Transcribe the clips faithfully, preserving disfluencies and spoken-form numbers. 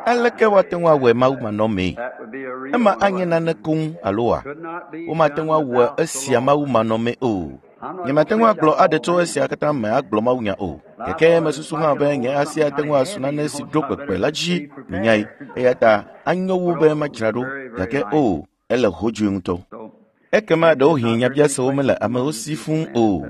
Aleke woate ŋu awɔe Mawu manɔmee? Ema anye nane koŋ aloa? Womate ŋu awɔ esia Mawu manɔmee o. Nyemate ŋu agblɔ aɖe tso esia katã me agblɔ mawunya o. Gake mesusu hã be nye asi ate ŋu asu nane si ɖo kpekpe la dzi minyae. Eya ta anyo wu be madzra ɖo. Gake o, ele hodzoe ŋutɔ. Ekema ɖewohĩ nyabiasewo mele amewo si fũu o.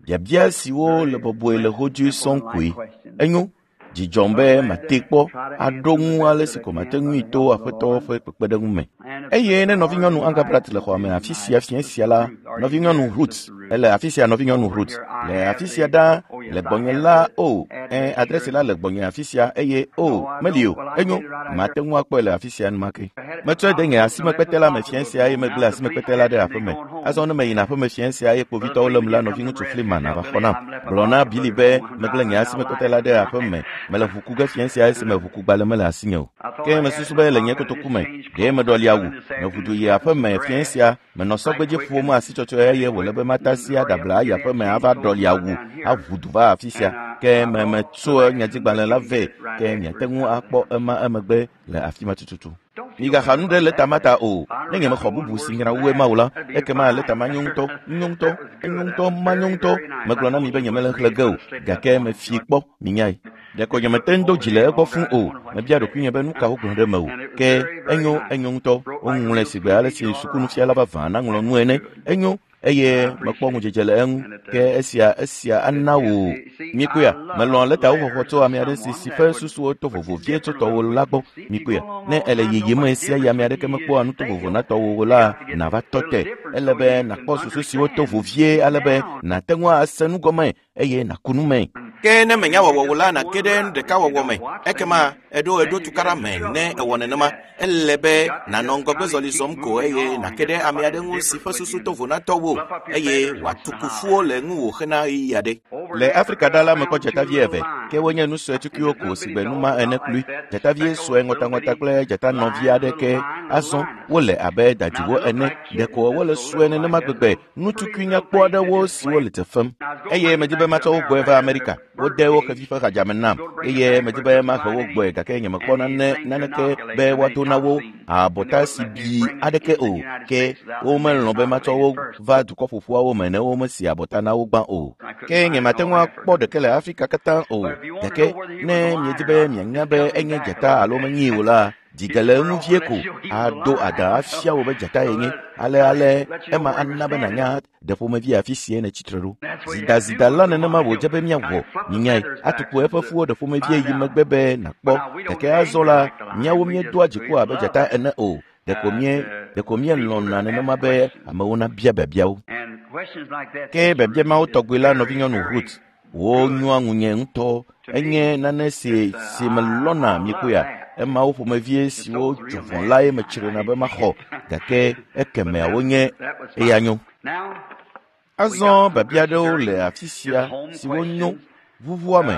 Biabia siwo le bɔbɔe le hodzoe sɔŋ koe. Enyo, dzi dzɔm be mate kpɔ aɖo ŋu ale si ko mate ŋui to Aƒetɔ ƒe kpekpeɖeŋu me. Eye ne nɔvinyɔnu Angabrat le xɔa me afi sia fiẽ sia la, nɔvinyɔnu Ruth ele afi sia nɔvinyɔnu Ruth le afi sia ɖaa le gbɔnye la o, ẽ adresi la le gbɔnye afi sia eye o meli o. Enyo, mate ŋu akpɔe le afi sia enumake. Metsɔe de nye asimekpete la me fiẽ sia eye megblẽ asimekpete la ɖe aƒeme. Azɔ ne meyina aƒeme fiẽ sia eye kpovitɔwo lém la, nɔviŋutsu Freeman ava xɔ nam. Gblɔ na Billy be megblẽ nye asimekpete la ɖe aƒeme. Mele ʋu ku ge fiẽ sia esime ʋukugbalẽ mele asinye o. Ke mesusu be le nye kotoku me, ɖe meɖɔli awu. Meʋu du yi aƒeme fiẽ sia, menɔ sɔgbedzi ƒom asitsɔtsɔe eye wòle be matasi aɖabla ayi aƒeme ava ɖɔli awu aʋu du va afi sia. Ke me metso nyadzigbalẽ la vɛ, ke miate ŋu akpɔ ema emegbe le afi ma tututu. Migaxa nu ɖe lɛta ma ta o. Ne nyemexɔ bubu si nyra wu ema o la, ekema lɛta ma nyo ŋutɔ, nyo ŋutɔ, enyo ŋutɔ, manyo ŋutɔ. Megblɔ na mi be nyemele xlẽ ge o, gake mefie kpɔ, minyae. Ɖeko nyemete ŋu do dzi le egbɔ fũu o. Mebia ɖokuinye be nu ka wogblɔ ɖe eme o. Ke enyo, enyo ŋutɔ. Woŋlɔe sigbe ale si sukunufiala vavã naŋlɔ nu ene. Enyo, eye mekpɔ ŋudzedze le eŋu. Ke esia, esia ana wò. Mikpɔea, melɔ̃a lɛtawo xɔxɔ tso ame aɖe si si ƒe susuwo to vovo vie tso tɔwò la gbɔ. Mikpɔea, ne ele yiyim ɣe sia ɣi ame aɖeke mekpɔa nu to vovo na tɔwò o la, nàva tɔ te. Ele be nàkpɔ susu siwo to vovie ale be nàte ŋu ase nu gɔme eye nàku nu me. Ke ne menya wɔwɔ o la, nàge ɖe nu ɖeka wɔwɔ me. Ekema eɖo eɖo tukaɖa me ne ewɔ nenema. Ele be nànɔ ŋgɔgbezɔli zɔm ko eye nàke ɖe ame aɖe ŋu si ƒe susu to vo na tɔwò eye wòatu kufuwo le ŋuwò hena ɣeyiɣi aɖe. Le Afrika ɖa la mekpɔ dzatavi eve, ke wonye nu sue tukuiwo ko sigbe nu ma ene klui. Dzatavi sue ŋɔtaŋɔta kple dzatanɔvi aɖeke azɔ wole abe dadiwo ene. Ɖeko wole sue nenema gbegbe, nu tukui nyakpɔ aɖewo siwo le te fem. Eye medi be matsɔ wo gbɔe va Amerika. Wode wo xevi ƒe xadzame nam eye medi be mahe wo gbɔe gake nyemekpɔ nane naneke be woado na wo abɔta si bi aɖeke o. Ke womelɔ̃ be matsɔ wo va dukɔ ƒoƒuawo me ne womesi abɔta na wo gbã o. Ke nyemate ŋu akpɔ ɖeke le Afrika katã o. Gake ne miedi be mianya be enye dzata alo menyee o la, dzige le eŋu vie ko ado adã afia wò be dzata yenye. Ale ale ema ana be nànya ɖe ƒomevi afi sie nètsi tre ɖo. Zidazida la nenema wòdze be míawɔ. Minyae, atuku eƒe fuwo ɖe ƒomevie yi megbe be nàkpɔ. Gake azɔ la, míawo míedoa dziku abe dzata ene o. Ɖeko mie ɖeko míelɔ̃na nenema be amewo nabia biabiawo. Ke biabia mawo tɔgbi la nɔvinyɔnu Ruth, wò nyoa ŋunye ŋutɔ. Enye nane si si melɔ̃na mikpɔea. Emawo ƒomevie siwo dzo vɔ̃ lae metsrina be maxɔ gake ekemeawo nye eya nyo. Azɔ biabia aɖewo le afi sia siwo nyo ʋuʋua me.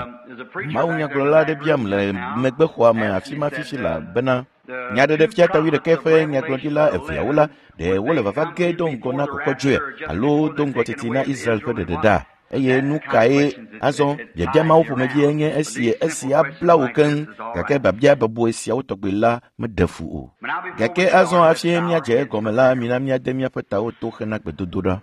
Mawunyagblɔla aɖe biam le megbexɔa me afi ma fifi la bena Nyaɖeɖefia ta wuiɖekɛ ƒe nyagblɔɖila eveawo la, ɖe wole vava ge do ŋgɔ na kɔkɔdzoe alo do ŋgɔ teti na Israel ƒe ɖeɖeɖa. Eye nu kae azɔ biabia mawo ƒomevie nye esi esi abla wò keŋ gake biabia bɔbɔe siawo tɔgbi la meɖe fu o. Gake azɔ hafi míadze egɔme la, mina míade míaƒe tawo to hena gbedodoɖa.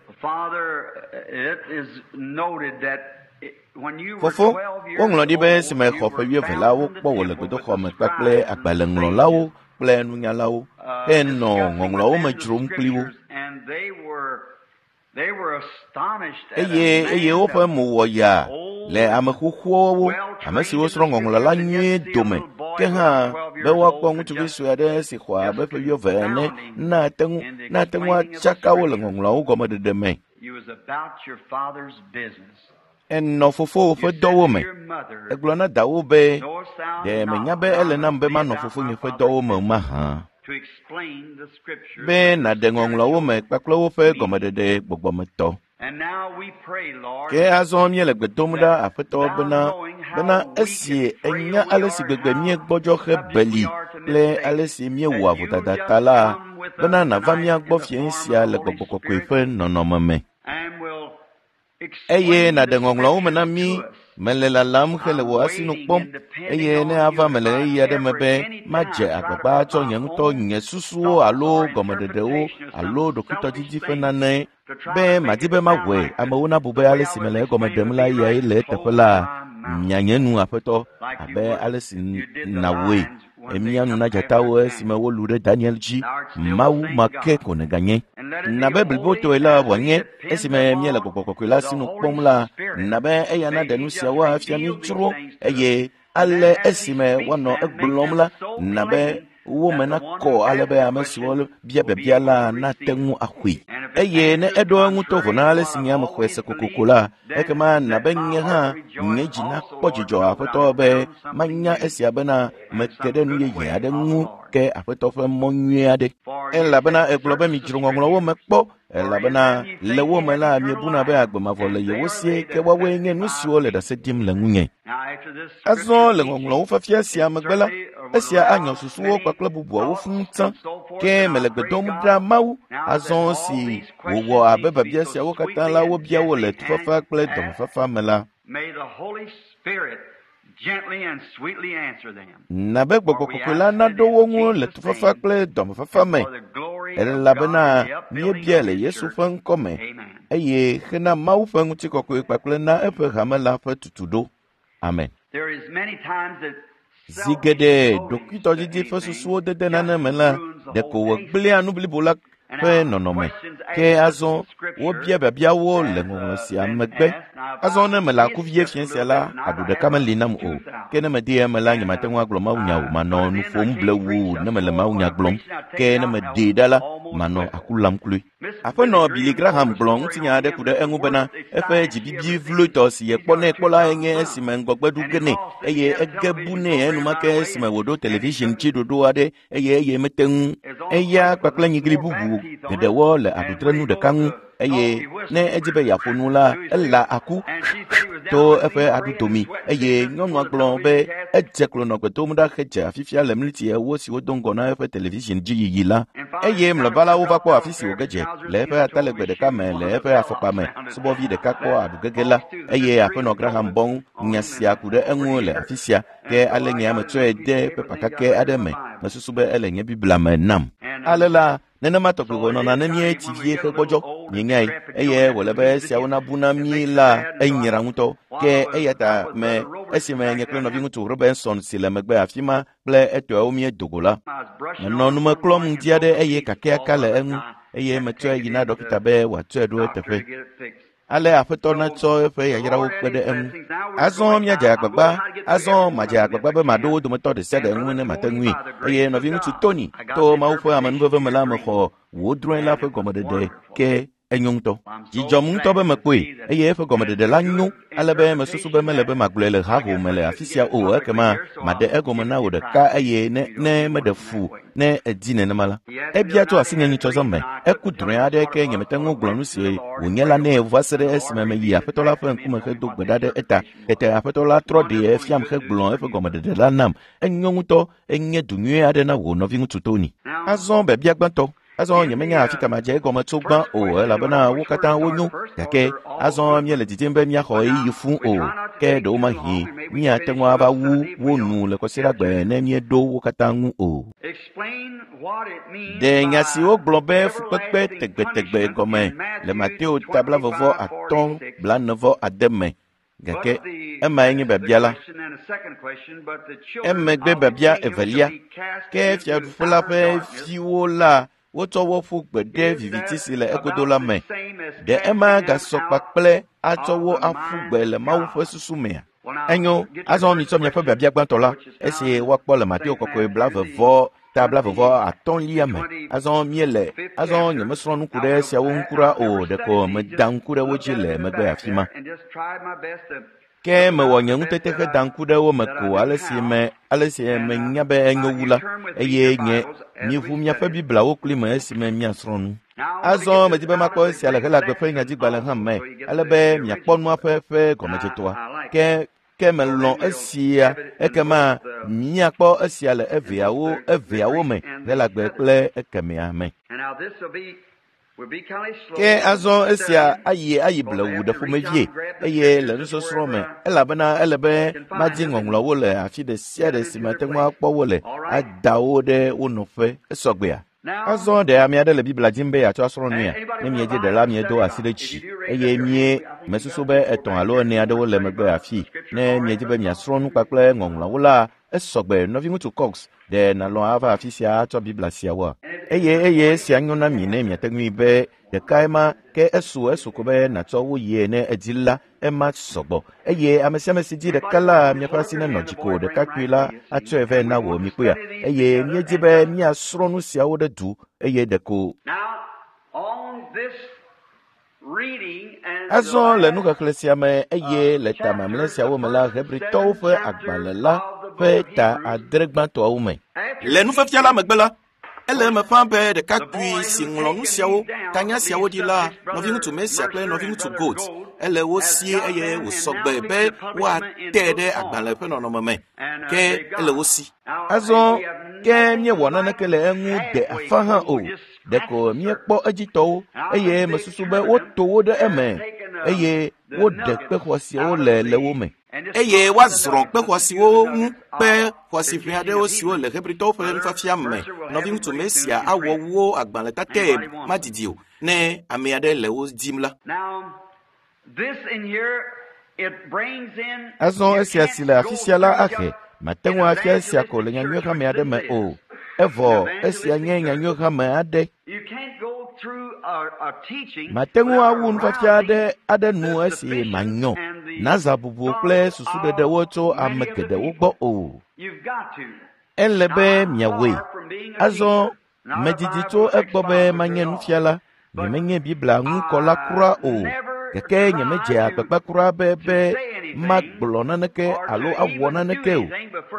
Fofo, woŋlɔ ɖi be esime xɔ ƒe wuieve la, wokpɔ wò le gbedoxɔ me kpakple agbalẽŋlɔlawo kple nunyalawo henɔ ŋɔŋlɔawo me dzrom kpli wo. Eye eye woƒe mo wɔ yaa le ame xoxoawo, ame siwo srɔ̃ ŋɔŋlɔ la nyuie dome. Ke hã be woakpɔ ŋutsuvi sue aɖe si xɔ abe ƒe wuieve ene nate ŋu nate ŋu atsaka wo le ŋɔŋlɔawo gɔmeɖeɖe me. Enɔ fofowò ƒe dɔwo me. Egblɔ na dawò be, ɖe menya be ele nam be manɔ fofonye ƒe dɔwo me mahã. Be nàɖe ŋɔŋlɔawo me kpakple woƒe gɔmeɖeɖe gbɔgbɔmetɔ. Ke azɔ míele gbe dom ɖa Aƒetɔ bena bena esi enya ale si gbegbe míegbɔdzɔ hebeli kple ale si míewɔa vodada ta la, bena nàva mía gbɔ fiẽ sia le Gbɔgbɔ Kɔkɔe ƒe nɔnɔme me. Eye nàɖe ŋɔŋlɔawo me na mí Mele lalam hele wò asinu kpɔm eye ne ava me le ɣeyiɣi aɖe me be madze agbagba atsɔ nye ŋutɔ nye susuwo alo gɔmeɖeɖewo alo ɖokuitɔdidi ƒe nane be madi be mawɔe amewo nabu be ale si mele egɔme ɖem la yae le eteƒe la mianye nu aƒetɔ abe ale si nàwɔe emia nu na dzatawo esime wolu ɖe Daniel dzi Mawu ma ke ko nèganye. Nabe blibotɔe la wòanye esime míele gbɔgbɔ kɔkɔe la sinu kpɔm la nabe eya naɖe nu siawo afia mí dzro eye ale esime woanɔ egblɔm la nabe wo me nakɔ ale be ame siwo bia biabia la nate ŋu axɔe. Eye ne eɖo eŋu to vo na ale si nye ame xɔe se kokoko la ekema nabe nye hã nye dzi nakpɔ dzidzɔ aƒetɔ be manya esia bena meke ɖe nu yeye aɖe ŋu ke aƒetɔ ƒe mɔ nyui aɖe. Elabena egblɔ be midzro ŋɔŋlɔwo me kpɔ elabena le wo me la miebuna be agbe mavɔ le yewo sie ke woawoe nye nu siwo le ɖase ɖim le ŋunye. Azɔ le ŋɔŋlɔwo fafia sia megbe la esia anyɔ susuwo kpakple bubuawo fũu tsã ke mele gbe dom ɖa Mawu azɔ si wòwɔ abe biabia siawo katã la wobia wo le tufafa kple dɔmefafa me la. Nabe gbɔgbɔ kɔkɔe la naɖo wo ŋu le tufafa kple dɔmefafa me elabena míebia le Yesu ƒe ŋkɔ me eye hena Mawu ƒe ŋutikɔkɔe kpakple na eƒe hame la ƒe tutuɖo. Amen. Zi geɖe ɖokuitɔdidi ƒe susuwo dede nane me la ɖeko wògblẽa nu blibo la ƒe nɔnɔme. Ke azɔ wobia biabiawo le ŋɔŋlɔ sia megbe. Azɔ ne mele aku vie fia sia la, aɖu ɖeka meli nam o. Ke ne mede eme la, nyemate ŋu agblɔ mawunya o. Manɔ nu ƒom blewu ne mele mawunya gblɔm. Ke ne meɖee ɖa la, manɔ aku lam kloe. Aƒenɔ Billy Graham gblɔ ŋutinya aɖe ku ɖe eŋu bena eƒe dzibibi vloetɔ si yekpɔ nɛ kpɔ la nye esime ŋgɔgbe ɖu ge nɛ eye ege bu nɛ enumake esime wòɖo television dzi ɖoɖo aɖe eye eye mete ŋu. Eya kpakple nyigli bubu geɖewo le aɖutrenu ɖeka ŋu eye ne edzi be yeaƒo nu la ela aku to eƒe aɖudomi eye nyɔnua gblɔ be edze klo nɔ gbe dom ɖa hedze afifia le mliti ewo siwo do ŋgɔ na eƒe television dzi yiyi la eye mlɔeba la wova kpɔ afi si wòge dze le eƒe atalegbe ɖeka me le eƒe afɔkpa me subɔvi ɖeka kpɔ aɖugege la eye aƒenɔ Graham bɔ nya sia ku ɖe eŋu le afi sia ke ale nye ame tsɔe de pepa kakɛ aɖe me mesusu be ele nye Biblia me nam. Ale la nenema tɔgbi wònɔna ne míetsi vie hegbɔdzɔ mienyae eye wòle be esiawo nabu na mí la enyra ŋutɔ ke eya ta me esime nye kple nɔviŋutsu Robinson si le megbe afi ma kple etɔawo míedo go la menɔ nume klɔm ŋdi aɖe eye kakɛaka le eŋu eye metsɔe yi na ɖɔkita be wòatsɔe ɖo eteƒe. Ale aƒetɔ natsɔ eƒe yayrawo kpe ɖe eŋu. Azɔ míadze agbagba azɔ madze agbagba be maɖo wo dometɔ ɖe sia ɖe ŋu ne mate ŋui eye nɔviŋutsu Tony to Mawu ƒe amenuveve me la mexɔ wò drɔ̃e la ƒe gɔmeɖeɖe ke enyo ŋutɔ. Dzidzɔm ŋutɔ be mekpɔe eye eƒe gɔmeɖeɖe la nyo ale be mesusu be mele be magblɔe le haho me le afi sia o ekema maɖe egɔme na wò ɖeka eye ne ne meɖe fu ne edi nenema la. Ebia tso asinye nyitsɔzɔ me eku drɔ̃e aɖe ke nyemete ŋu gblɔ nu si wònye la nɛ va se ɖe esime meyi aƒetɔ la ƒe ŋkume hedo gbe ɖa ɖe eta. Tete aƒetɔ la trɔ ɖee fiam hegblɔ eƒe gɔmeɖeɖe la nam. Enyo ŋutɔ enye du nyui aɖe na wò nɔviŋutsu Tony. Azɔ biabia gbãtɔ. Azɔ nyemenya afi ka madze egɔme tso gbã o elabena wo katã wonyo gake azɔ míele didim be míaxɔ ɣeyiɣi fũu o ke ɖewomahi míate ŋu ava wu wo nu le kɔsiɖagbe ne míeɖo wo katã ŋu o. Ɖe nya si wogblɔ be fukpekpe tegbetegbe gɔme le Mateo ta blaeve vɔ atɔ̃ blaene vɔ ade me gake emae nye biabia la. Emegbe biabia evelia ke fiaɖuƒe la ƒe viwo la wotsɔ wo ƒu gbe ɖe viviti si le egodo la me. Ɖe ema gasɔ kpakple atsɔ wo aƒu gbe le Mawu ƒe susu mea? Enyo, azɔ mitsɔ miaƒe biabia gbãtɔ la esi woakpɔ le Mateo kɔkɔe blaeve vɔ ta blaeve vɔ atɔ̃lia me. Azɔ míele azɔ nyemesrɔ̃ nu ku ɖe esiawo ŋu kura o ɖeko meda ŋku ɖe wo dzi le megbe afi ma. Ke mewɔ nye ŋutete heda ŋku ɖe wo me ko ale si me ale si menya be enyo wu la eye nye miʋu miaƒe Bibliawo kpli me esime miasrɔ̃ nu. Azɔ medi be makpɔ esia le Helagbe ƒe nyadzigbalẽ hã me ale be miakpɔ nua ƒe ƒe gɔmedzetoa. Ke ke melɔ̃ esia ekema miakpɔ esia le eveawo eveawo me Helagbe kple ekemea me. Ke azɔ esia ayi ayi blewu ɖe ƒomevie eye le nusɔsrɔ̃ me elabena ele be madi ŋɔŋlɔwo le afi ɖe sia ɖe si mate ŋu akpɔ wo le ada wo ɖe wo nɔƒe esɔgbea. Azɔ ɖe ame aɖe le Biblia dim be yeatsɔ asrɔ̃ nuya. Ne miedze ɖe la miedo asi ɖe dzi eye mie mesusu be etɔ̃ alo ene aɖewo le megbe afi. Ne miedzi be miasrɔ̃ nu kpakple ŋɔŋlɔwo la esɔgbe. Nɔviŋutsu Cox ɖe nàlɔ̃ ava afi sia atsɔ Biblia siawoa? Eye eye esia nyo na mi ne miate ŋui be ɖekae ma ke esu esu ko be nàtsɔ wo yie ne edzi la ema sɔgbɔ. Eye ame sia ame si dzi ɖeka la miaƒe asi nenɔ dzi ko ɖekakpui la atsɔe vɛ na wò mikpɔea. Eye míedzi be míasrɔ̃ nu siawo ɖe du eye ɖeko. Azɔ le nuxexlẽ sia me eye le ta mamlɛ siawo me la Hebritɔwo ƒe agbalẽ la ƒe ta adre gbãtɔawo me. Le nufiafia la megbe la, ele eme ƒã be ɖekakpui si ŋlɔ nu siawo tanya siawo ɖi la nɔviŋutsu Mesia kple nɔviŋutsu Gold ele wo sie eye wòsɔgbe be woate ɖe agbalẽ ƒe nɔnɔme me ke ele wo si. Azɔ ke míewɔ naneke le eŋu de afa hã o. Ɖeko míekpɔ edzitɔwo eye mesusu be woto wo ɖe eme eye woɖe kpe xɔasiwo le le wo me. Eye woazrɔ̃ kpe xɔasiwo ŋu kpe xɔasi ʋɛ aɖewo siwo le Hebritɔwo ƒe nufiafia me. Nɔviŋutsu Mesia awɔ wo agbalẽ tatɛ madidi o ne ame aɖe le wo dim la. Azɔ esia si le afi sia la ahe mate ŋu afia esia ko le nyanyuihame aɖe me o. Evɔ esia nye nyanyuihame aɖe. Mate ŋu awu nufiafia aɖe aɖe nu esi manyɔ naza bubu kple susuɖeɖewo tso ame geɖewo gbɔ o. Ele be miawɔe. Azɔ medidi tso egbɔ be manye nufiala. Nyemenye Biblia ŋukɔla kura o. Gake nyemedze agbagba kura be be magblɔ naneke alo awɔ naneke o.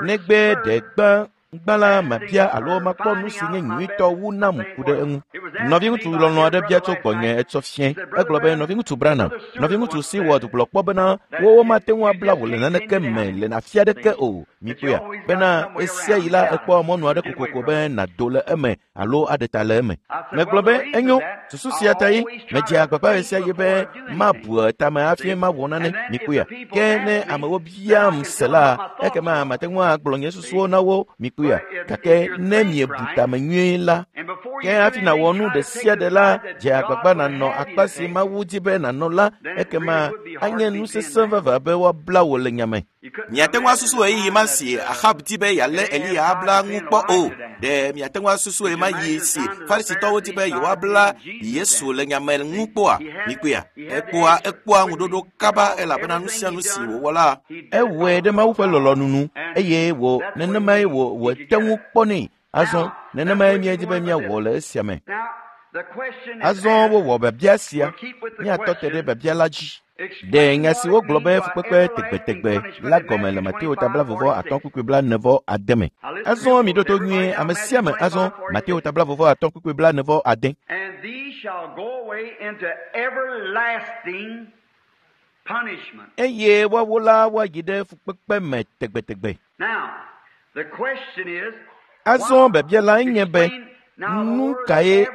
Negbe ɖe gbã gbã la mabia alo makpɔ nu si nye nyuitɔ wu nam ku ɖe eŋu. Nɔviŋutsu lɔlɔ̃ aɖe bia tso gbɔnye etsɔ fiẽ. Egblɔ be nɔviŋutsu Branham, nɔviŋutsu Seward gblɔ kpɔ bena wowo mate ŋu abla wò le naneke me le afi aɖeke o. Mikpɔea bena esia yi la ekpɔ mɔnu aɖe kokoko be nàdo le eme alo aɖe ta le eme. Megblɔ be enyo susu sia ta ye medze agbagba ɣe sia ɣi be mabu tame hafi mawɔ nane. Mikpɔea ke ne amewo biam se la ekema mate ŋu agblɔ nye susuwo na wo. Mikpɔea gake ne miebu tame nyuie la ke hafi nàwɔ nu ɖe sia ɖe la dze agbagba nànɔ akpa si Mawu di be nànɔ la ekema anye nu sesẽ vavã be woabla wò le nyame. Miate ŋu asusu ɣeyiɣi ma si Ahab di be yealé Eliya abla ŋu kpɔ o. Ɖe miate ŋu asusu ɣe ma ɣi si Farisitɔwo di be yewoabla Yesu le nyame ŋu kpɔa? Mikpɔea ekpɔa ekpɔa ŋuɖoɖo kaba elabena nu sia nu si wòwɔ la ewɔe ɖe Mawu ƒe lɔlɔ̃nu nu eye wò nenemae wò wòte ŋu kpɔnɛ. Azɔ nenemae míedi be míawɔ le esia me. Azɔ wowɔ biabia sia. Míatɔ te ɖe biabia la dzi. Ɖe nya si wogblɔ be fukpekpe tegbetegbe la gɔme le Mateo ta blaeve atɔ̃ kpukpui blaene vɔ ade me. Azɔ miɖo to nyuie ame sia ame. Azɔ Mateo ta blaeve atɔ̃ kpukpui blaene vɔ ade. Eye woawo la woayi ɖe fukpekpe me tegbetegbe. Azɔ biabia lae nye be nu kae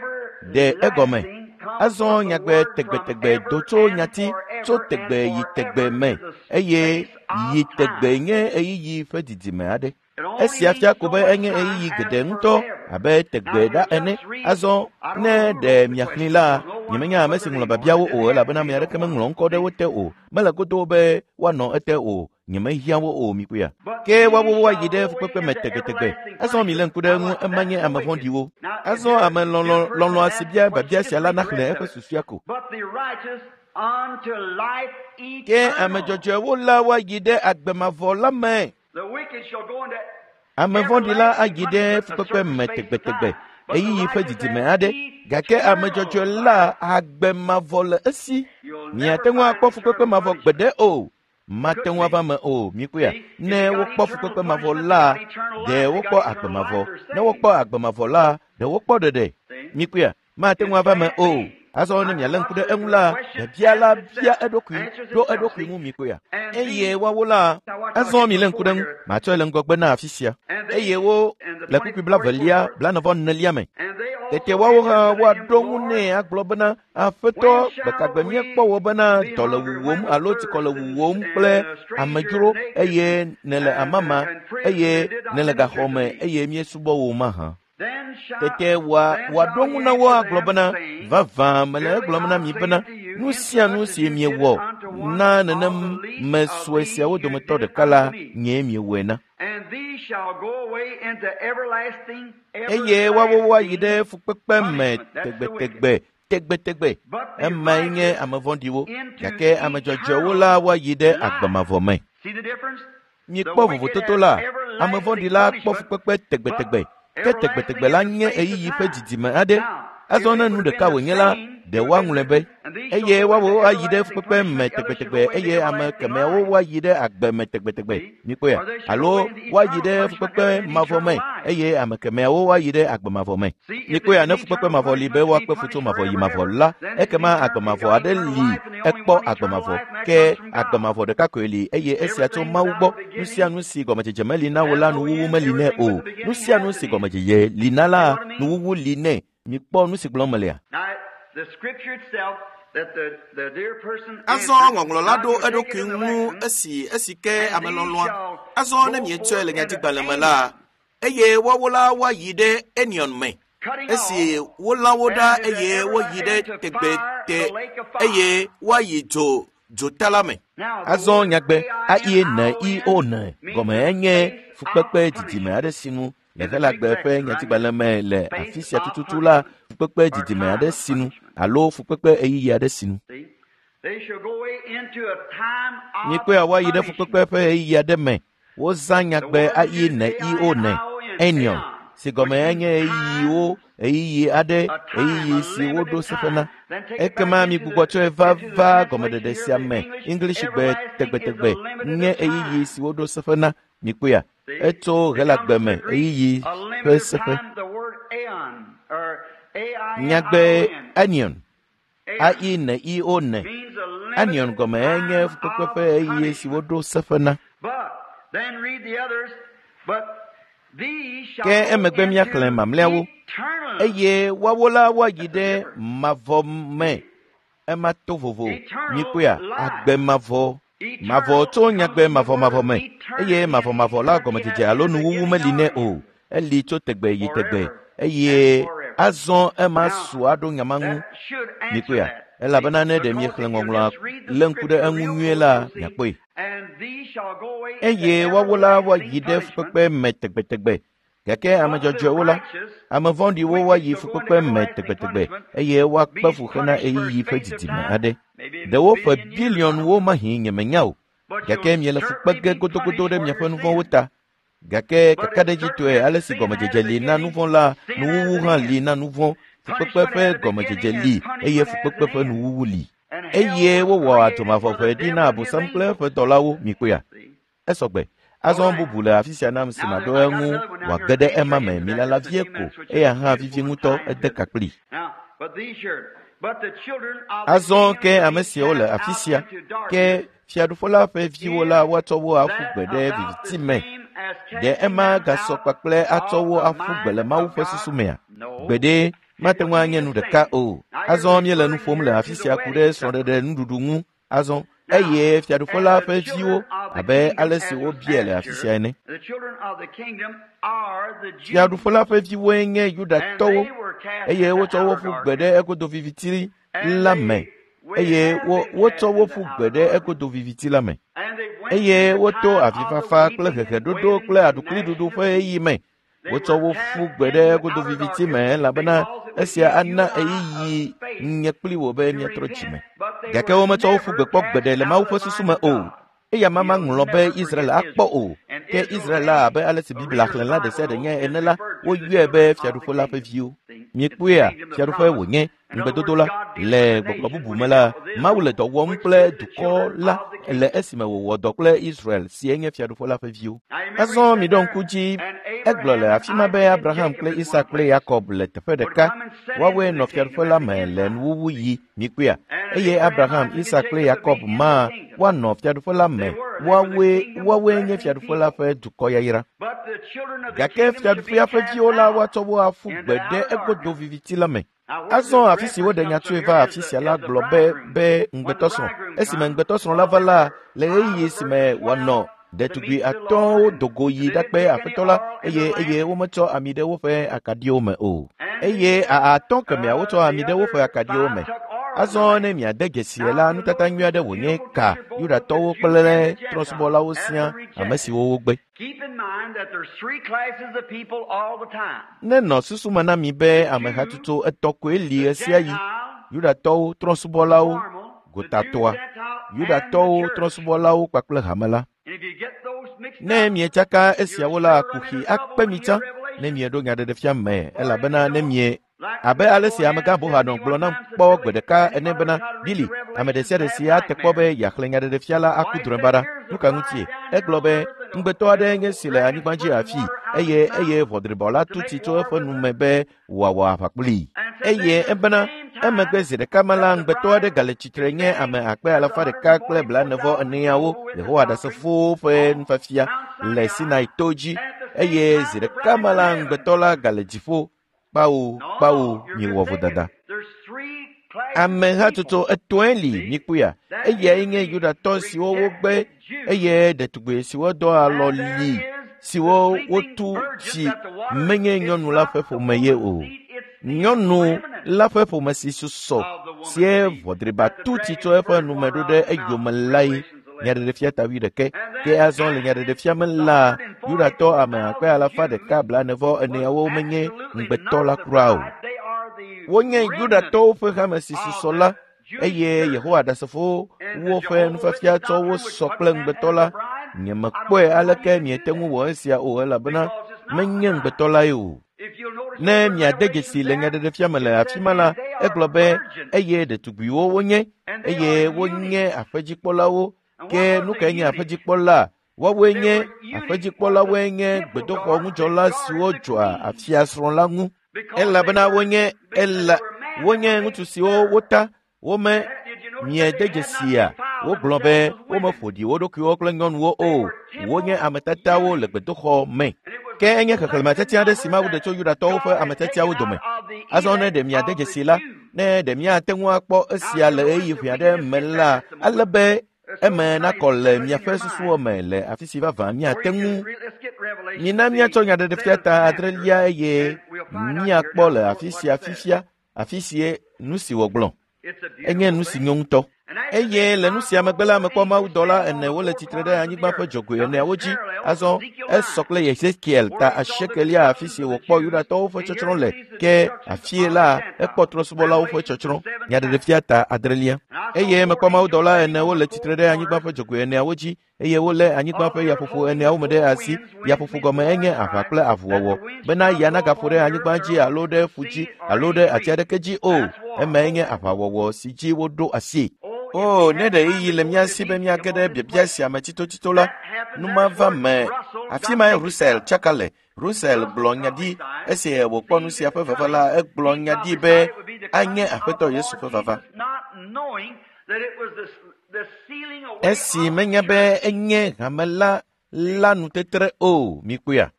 ɖe egɔme? Azɔ nyagbe tegbetegbe do tso nyati tso tegbe yi tegbe me eye yi tegbe nye ɣeyiɣi ƒe didime aɖe. Esia fia ko be enye ɣeyiɣi geɖe ŋutɔ abe tegbe ɖa ene. Azɔ ne ɖe miaxlẽ la, nyemenya ame si ŋlɔ biabiawo o elabena ame aɖeke meŋlɔ ŋkɔ ɖe wo te o. Mele godo be woanɔ ete o. Nyemehiã wo o mikpɔea. Ke woawo woayi ɖe fukpekpe me tegbetegbe. Azɔ milé ŋku ɖe eŋu ema nye ame vɔ̃ɖiwo. Azɔ ame lɔlɔ̃ lɔlɔ̃a si bia biabia sia la naxlẽ eƒe susua ko. Ke ame dzɔdzɔewo la woayi ɖe agbe mavɔ la me. Ame vɔ̃ɖi la ayi ɖe fukpekpe me tegbetegbe ɣeyiɣi ƒe didime aɖe gake ame dzɔdzɔe la agbe mavɔ le esi. Miate ŋu akpɔ fukpekpe mavɔ gbeɖe o. Mate ŋu ava me o. Mikpɔea ne wokpɔ fukpekpe mavɔ la ɖe wokpɔ agbe mavɔ. Ne wokpɔ agbe mavɔ la ɖe wokpɔ ɖeɖe. Mikpɔea mate ŋu ava me o. Azɔ ne mialé ŋku ɖe eŋu la biabia la bia eɖokui ɖo eɖokui ŋu. Mikpɔea eye woawo la azɔ milé ŋku ɖe eŋu matsɔe le ŋgɔgbe na afi sia. Eye wo le kpukpui blavelia blaene vɔ enelia me. Tete woawo hã woaɖo ŋu nɛ agblɔ bena, Aƒetɔ, gbekagbe míekpɔ wò bena dɔ le wuwòm alo tsikɔ le wuwòm kple amedzro eye nèle amama eye nèle gaxɔ me eye míesubɔ wò mahã. Tete wòa wòaɖo ŋu na wo agblɔ bena, vavã mele egblɔm na mi bena, nu sia nu si miewɔ na nenem me sue siawo dometɔ ɖeka la, nyee miewɔe na. Eye woawo woayi ɖe fukpekpe me tegbetegbe tegbetegbe. Emae nye ame vɔ̃ɖiwo, gake ame dzɔdzɔewo la woayi ɖe agbemavɔ me. Miekpɔ vovototo la, ame vɔ̃ɖi la kpɔ fukpekpe tegbetegbe, ke tegbetegbe la nye ɣeyiɣi ƒe didime aɖe. Azɔ ne nu ɖeka wònye la, ɖe woaŋlɔe be, eye woawo ayi ɖe fukpekpe me tegbetegbe eye ame kemɛawo woayi ɖe agbe me tegbetegbe. Mikpɔea? Alo woayi ɖe fukpekpe mavɔ me eye ame kemɛawo woayi ɖe agbe mavɔ me. Mikpɔea? Ne fukpekpe mavɔ li be woakpe fu tso mavɔ yi mavɔ la, ekema agbe mavɔ aɖe li ekpɔ agbe mavɔ. Ke agbe mavɔ ɖeka koe li eye esia tso Mawu gbɔ. Nu sia nu si gɔmedzedze meli na wo la, nuwuwu meli nɛ o. Nu sia nu si gɔmedzedze li na la, nuwuwu li nɛ. Mikpɔ nu si gblɔm melea. Azɔ ŋɔŋlɔ la ɖo eɖokui ŋu esi esi ke ame lɔlɔ̃a. Azɔ ne mietsɔe le nyadzigbalẽ me la, eye woawo la woayi ɖe Enion me. Esi wolã wo ɖa eye woyi ɖe tegbete eye woayi dzo dzota la me. Azɔ nyagbe A I N I O N gɔme enye fukpekpe didime aɖe sinu le Helagbe ƒe nyadzigbalẽ me le afi sia tututu la, fukpekpe didime aɖe sinu alo fukpekpe ɣeyiɣi aɖe sinu. Mikpɔea, woayi ɖe fukpekpe ƒe ɣeyiɣi aɖe me. Wozã nyagbe A I N I O N, Enion, si gɔme enye ɣeyiɣiwo, ɣeyiɣi aɖe, ɣeyiɣi si woɖo seƒe na. Ekema migbugbɔ tsɔe va va gɔmeɖeɖe sia me. Englishgbe tegbetegbe nye ɣeyiɣi si woɖo seƒe na. Mikpɔea? Etso Helagbe me ɣeyiɣi ƒe seƒe. Nyagbe Enion, A I N I O N, Enion gɔme enye fukpekpe ƒe ɣeyiɣi si woɖo seƒe na. Ke emegbe míaxlẽ mamlɛawo, eye woawo la woayi ɖe mavɔ me. Ema to vovo. Mikpɔea? Agbe mavɔ. Mavɔ tso nyagbe mavɔmavɔ me, eye mavɔmavɔ la gɔmedzedze alo nuwuwu meli nɛ o. Eli tso tegbe yi tegbe, eye azɔ ema su aɖo nyama ŋu. Mikpɔea? Elabena ne ɖe miexlẽ ŋɔŋlɔa lé ŋku ɖe eŋu nyuie la, miakpɔe. Eye woawo la woayi ɖe fukpekpe me tegbetegbe. Gake ame dzɔdzɔewo la, ame vɔ̃ɖiwo woayi fukpekpe me tegbetegbe eye woakpe fu hena ɣeyiɣi ƒe didime aɖe. Ɖewo ƒe biliɔnwo mahi nyemenya o, gake miele fu kpe ge godogodo ɖe miaƒe nuvɔ̃wo ta. Gake kakaɖedzitɔe ale si gɔmedzedze li na nuvɔ̃ la, nuwuwu hã li na nuvɔ̃. Fukpekpe ƒe gɔmedzedze li eye fukpekpe ƒe nuwuwu li. Eye wowɔ adzomavɔʋe ɖi na Abosam kple eƒe dɔlawo. Mikpɔea? Esɔgbe. Azɔ bubu le afi sia nam si maɖo eŋu wòage ɖe ema me. Milala vie ko, eya hã vivi ŋutɔ ede ka kpli. Azɔ ke ame siawo le afi sia, ke fiaɖuƒe la ƒe viwo la woatsɔ wo aƒu gbe ɖe viviti me. Ɖe ema gasɔ kpakple atsɔ wo aƒu gbe le Mawu ƒe susu mea? Gbeɖe, mate ŋu anye nu ɖeka o. Azɔ míele nu ƒom le afi sia ku ɖe srɔ̃ɖeɖe nuɖuɖu ŋu. Azɔ eye fiaɖuƒe la ƒe viwo abe ale si wobiae le afi sia ene. Fiaɖuƒe la ƒe viwoe nye Yudatɔwo, eye wotsɔ wo ƒu gbe ɖe egodo viviti la me. Eye wo wotsɔ wo ƒu gbe ɖe egodo viviti la me. Eye woto avifafa kple heheɖoɖo kple aɖukliɖuɖu ƒe ɣeyiɣi me. Wotsɔ wo ƒu gbe ɖe egodo viviti me elabena esia ana ɣeyiɣi nye kpli wò be miatrɔ dzime. Gake wometsɔ wo ƒu gbe kpɔ gbeɖe le Mawu ƒe susu me o. Eya ma maŋlɔ be Israel akpɔ o. Ke Israel la abe ale si Biblia xlẽla ɖe sia ɖe nye ene la, woyɔe be fiaɖuƒe la ƒe viwo. Miekpɔea? Fiaɖuƒe wònye ŋugbedodo la. Le gbɔgblɔ bubu me la, Mawu le dɔ wɔm kple dukɔ la le esime wòwɔ dɔ kple Israel si enye fiaɖuƒe la ƒe viwo. Azɔ miɖo ŋku dzi, egblɔ le afi ma be Abraham kple Isak kple Yakob le teƒe ɖeka. Woawoe nɔ fiaɖuƒe la me le nuwuwu yi. Mikpɔea? Eye Abraham, Isak kple Yakob ma woanɔ fiaɖuƒe la me. Woawoe woawoe nye fiaɖuƒe la ƒe dukɔ yayra. Gake fiaɖuƒea ƒe viwo la woatsɔ wo aƒu gbe ɖe egodo viviti la me. Azɔ afi si woɖe nya tsoe va afi sia la gblɔ be be ŋugbetɔsrɔ̃. Esime ŋugbetɔsrɔ̃ la va la, le ɣeyiɣi si me wòanɔ ɖetugbi atɔ̃wo dogo yi ɖakpe aƒetɔ la eye eye wometsɔ ami ɖe woƒe akaɖiwo me o. Eye atɔ̃ kemɛawo tsɔ ami ɖe woƒe akaɖiwo me. Azɔ ne miade dzesi la, nutata nyui aɖe wònye ka Yudatɔwo kple trɔ̃subɔlawo sia ame siwo wogbe. Nenɔ susu me na mi be amehatsotso etɔ̃ koe li ɣe sia ɣi: Yudatɔwo, trɔ̃subɔlawo, gotatɔa, Yudatɔwo, trɔ̃subɔlawo kpakple hame la. Ne mietsaka esiawo la, kuxi akpe mi tsã ne mieɖo nyaɖeɖefia me, elabena ne mie abe ale si amegã Bohanɔ gblɔ nam kpɔ gbe ɖeka ene bena, Billy, ame ɖe sia ɖe si ate kpɔ be yeaxlẽ nyaɖeɖefia la aku drɔ̃e baɖa. Nu ka ŋutie? Egblɔ be ŋugbetɔ aɖe nye si le anyigba dzi afii eye eye ʋɔdribɔ la tu tsi tso eƒe nu me be wòawɔ aʋa kplii. Eye ebena emegbe zi ɖeka me la, ŋugbetɔ aɖe gale tsitre nye ame akpe alafa ɖeka kple blaenevɔ eneawo Yehowa Ɖasefowo ƒe nufiafia le Sinai to dzi eye zi ɖeka me la, ŋugbetɔ la gale dziƒo. Kpawo, kpawo, miewɔ vodada. Amehatsotso etɔ̃e li mikpɔea? Eyae nye Yudatɔ siwo wogbe eye ɖetugbi siwo dɔ alɔ li siwo wotu si menye nyɔnu la ƒe ƒome ye o. Nyɔnu la ƒe ƒome si susɔ sie ʋɔdriba tu tsi tso eƒe nume ɖo ɖe eyome lae. Nyaɖeɖefia ta wuiɖekɛ. Ke azɔ le nyaɖeɖefia me la, Yudatɔ ame akpe alafa ɖeka blaenevɔ eneawo menye ŋugbetɔ la kura o. Wonye Yudatɔwo ƒe hame si susɔ la eye Yehowa Ɖasefowo ƒe nufiafia tsɔ wo sɔ kple ŋugbetɔ la. Nyemekpɔe aleke miete ŋu wɔ esia o elabena menye ŋugbetɔ lae o. Ne miade dzesi le nyaɖeɖefia me le afi ma la, egblɔ be eye ɖetugbiwo wonye eye wonye aƒedzikpɔlawo. Ke nu kae nye aƒedzikpɔla? Woawoe nye aƒedzikpɔlawoe nye gbedoxɔ ŋudzɔla siwo dzɔa afiasrɔ̃ la ŋu. Elabena wonye ela wonye ŋutsu siwo wota wome miede dzesia. Wogblɔ be womeƒo ɖi wo ɖokuiwo kple nyɔnuwo o. Wonye ametatawo le gbedoxɔ me. Ke enye xexlẽme tiatia aɖe si Mawu ɖe tso Yudatɔwo ƒe ametiatiawo dome. Azɔ ne ɖe miade dzesi la, ne ɖe miate ŋu akpɔ esia le ɣeyiɣi ʋɛ aɖe me la, ale be eme nakɔ le miaƒe susuwo me le afi si vavã miate ŋu. Mina míatsɔ nyaɖeɖefia ta adrelia eye míakpɔ le afi sia fifia, afi sie nu si wògblɔ. Enye nu si nyo ŋutɔ. Eye le nu sia megbe la, mekpɔ mawudɔla ene wole tsitre ɖe anyigba ƒe dzogoe eneawo dzi. Azɔ esɔ kple Yezekiel ta asiekelia afi si wòkpɔ Yudatɔwo ƒe tsɔtsrɔ̃ le. Ke afie la, ekpɔ trɔ̃subɔlawo ƒe tsɔtsrɔ̃. Nyaɖeɖefia ta adrelia. Eye mekpɔ mawudɔla ene wole tsitre ɖe anyigba ƒe dzogoe eneawo dzi eye wolé anyigba ƒe yaƒoƒo eneawo me ɖe asi. Yaƒoƒo gɔme enye aʋa kple avuwɔwɔ bena ya nagaƒo ɖe anyigba dzi alo ɖe ƒu dzi alo ɖe ati aɖeke dzi o. Emae nye aʋawɔwɔ si dzi woɖo asi. O, ne ɖe ɣeyiɣi le mía si be míage ɖe biabia sia me tsitotsito la, nu ma va me. Afi mae Russell tsaka le. Russell gblɔ nya ɖi esi wòkpɔ nu sia ƒe vava la, egblɔ nya ɖi be anye Aƒetɔ Yesu ƒe vava. Esi menya be enye hame la la nutetre o, mikpɔea?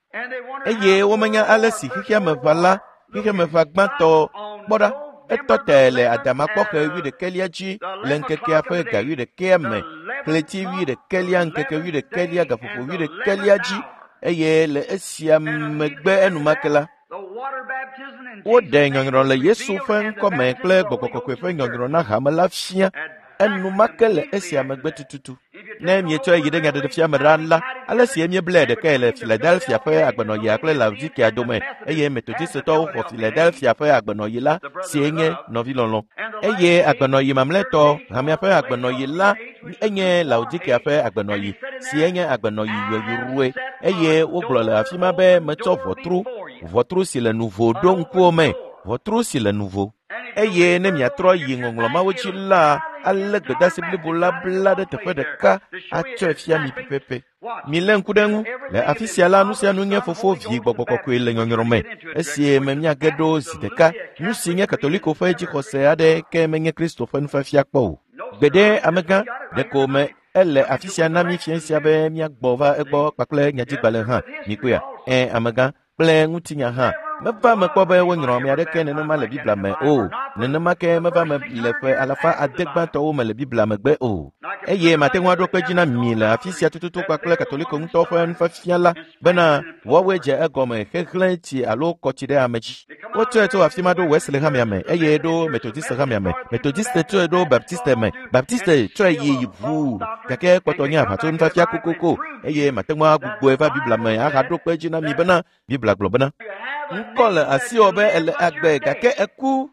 Eye womenya ale si xexeameʋa la, xexeameʋa gbãtɔ kpɔ ɖa. Etɔ te le adamakpɔxe wuiɖekɛlia dzi le ŋkekea ƒe ga wuiɖekɛa me, ɣleti wuiɖekɛlia ŋkeke wuiɖekɛlia gaƒoƒo wuiɖekɛlia dzi eye le esia megbe enumake la, woɖe nyɔnyrɔ le Yesu ƒe ŋkɔme kple Gbɔgbɔ Kɔkɔe ƒe nyɔnyrɔ na hame la fia enumake le esia megbe tututu. Ne mietsɔe yi ɖe nyaɖeɖefia me ɖa la, ale si míeblae ɖekae le Philadelphia ƒe agbenɔɣia kple Laodikea dome eye Metodistɔwo xɔ Philadelphia ƒe agbenɔɣi la sie nye nɔvilɔlɔ̃. Eye agbenɔɣi mamlɛtɔ, hamea ƒe agbenɔɣi la enye Laodikea ƒe agbenɔɣi sie nye agbenɔɣi yɔyrɔe eye wogblɔ le afi ma be metsɔ ʋɔtru, ʋɔtru si le nuvo ɖo ŋkuwo me, ʋɔtru si le nuvo. Eye ne miatrɔ yi ŋɔŋlɔ mawo dzi la, ale gbedeasi blibo la bla ɖe teƒe ɖeka atsɔe fia mi pɛpɛpɛ. Milé ŋku ɖe eŋu. Le afi sia la, nu sia nu nye Fofo, Vi, Gbɔgbɔ Kɔkɔe le nyɔnyrɔ me. Esi me míage ɖo zi ɖeka, nu si nye Katoliko ƒe dzixɔse aɖe ke menye Kristo ƒe nufiafia kpɔ o. Gbeɖe amegã, ɖeko me ele afi sia na mí fia sia be míagbɔ va egbɔ kpakple nyadzigbalẽ hã. Mikpɔea? Ẽ amegã kple ŋutinya hã. Meva me kpɔ be wonyrɔ ame aɖeke nenema le Biblia me o. Nenema ke meva me le ƒe alafa ade gbãtɔwo me le Biblia megbe o. Eye mate ŋu aɖo kpe dzi na mi le afi sia tututu kpakple Katoliko ŋutɔ ƒe nufiafia la bena woawoe dze egɔme xexlẽ tsi alo kɔ tsi ɖe ame dzi. Wotsɔe tso afi ma ɖo Wesley hamea me eye ɖo Methodist hamea me. Methodist tsɔe ɖo Baptiste me. Baptiste tsɔe yi ʋuu gake kpɔtɔ nye aʋatso nufiafia kokoko eye mate ŋu agbugbɔe va Biblia me ahaɖo kpe dzi na mi bena Biblia gblɔ bena ŋkɔ le asiwò be ele agbe gake eku.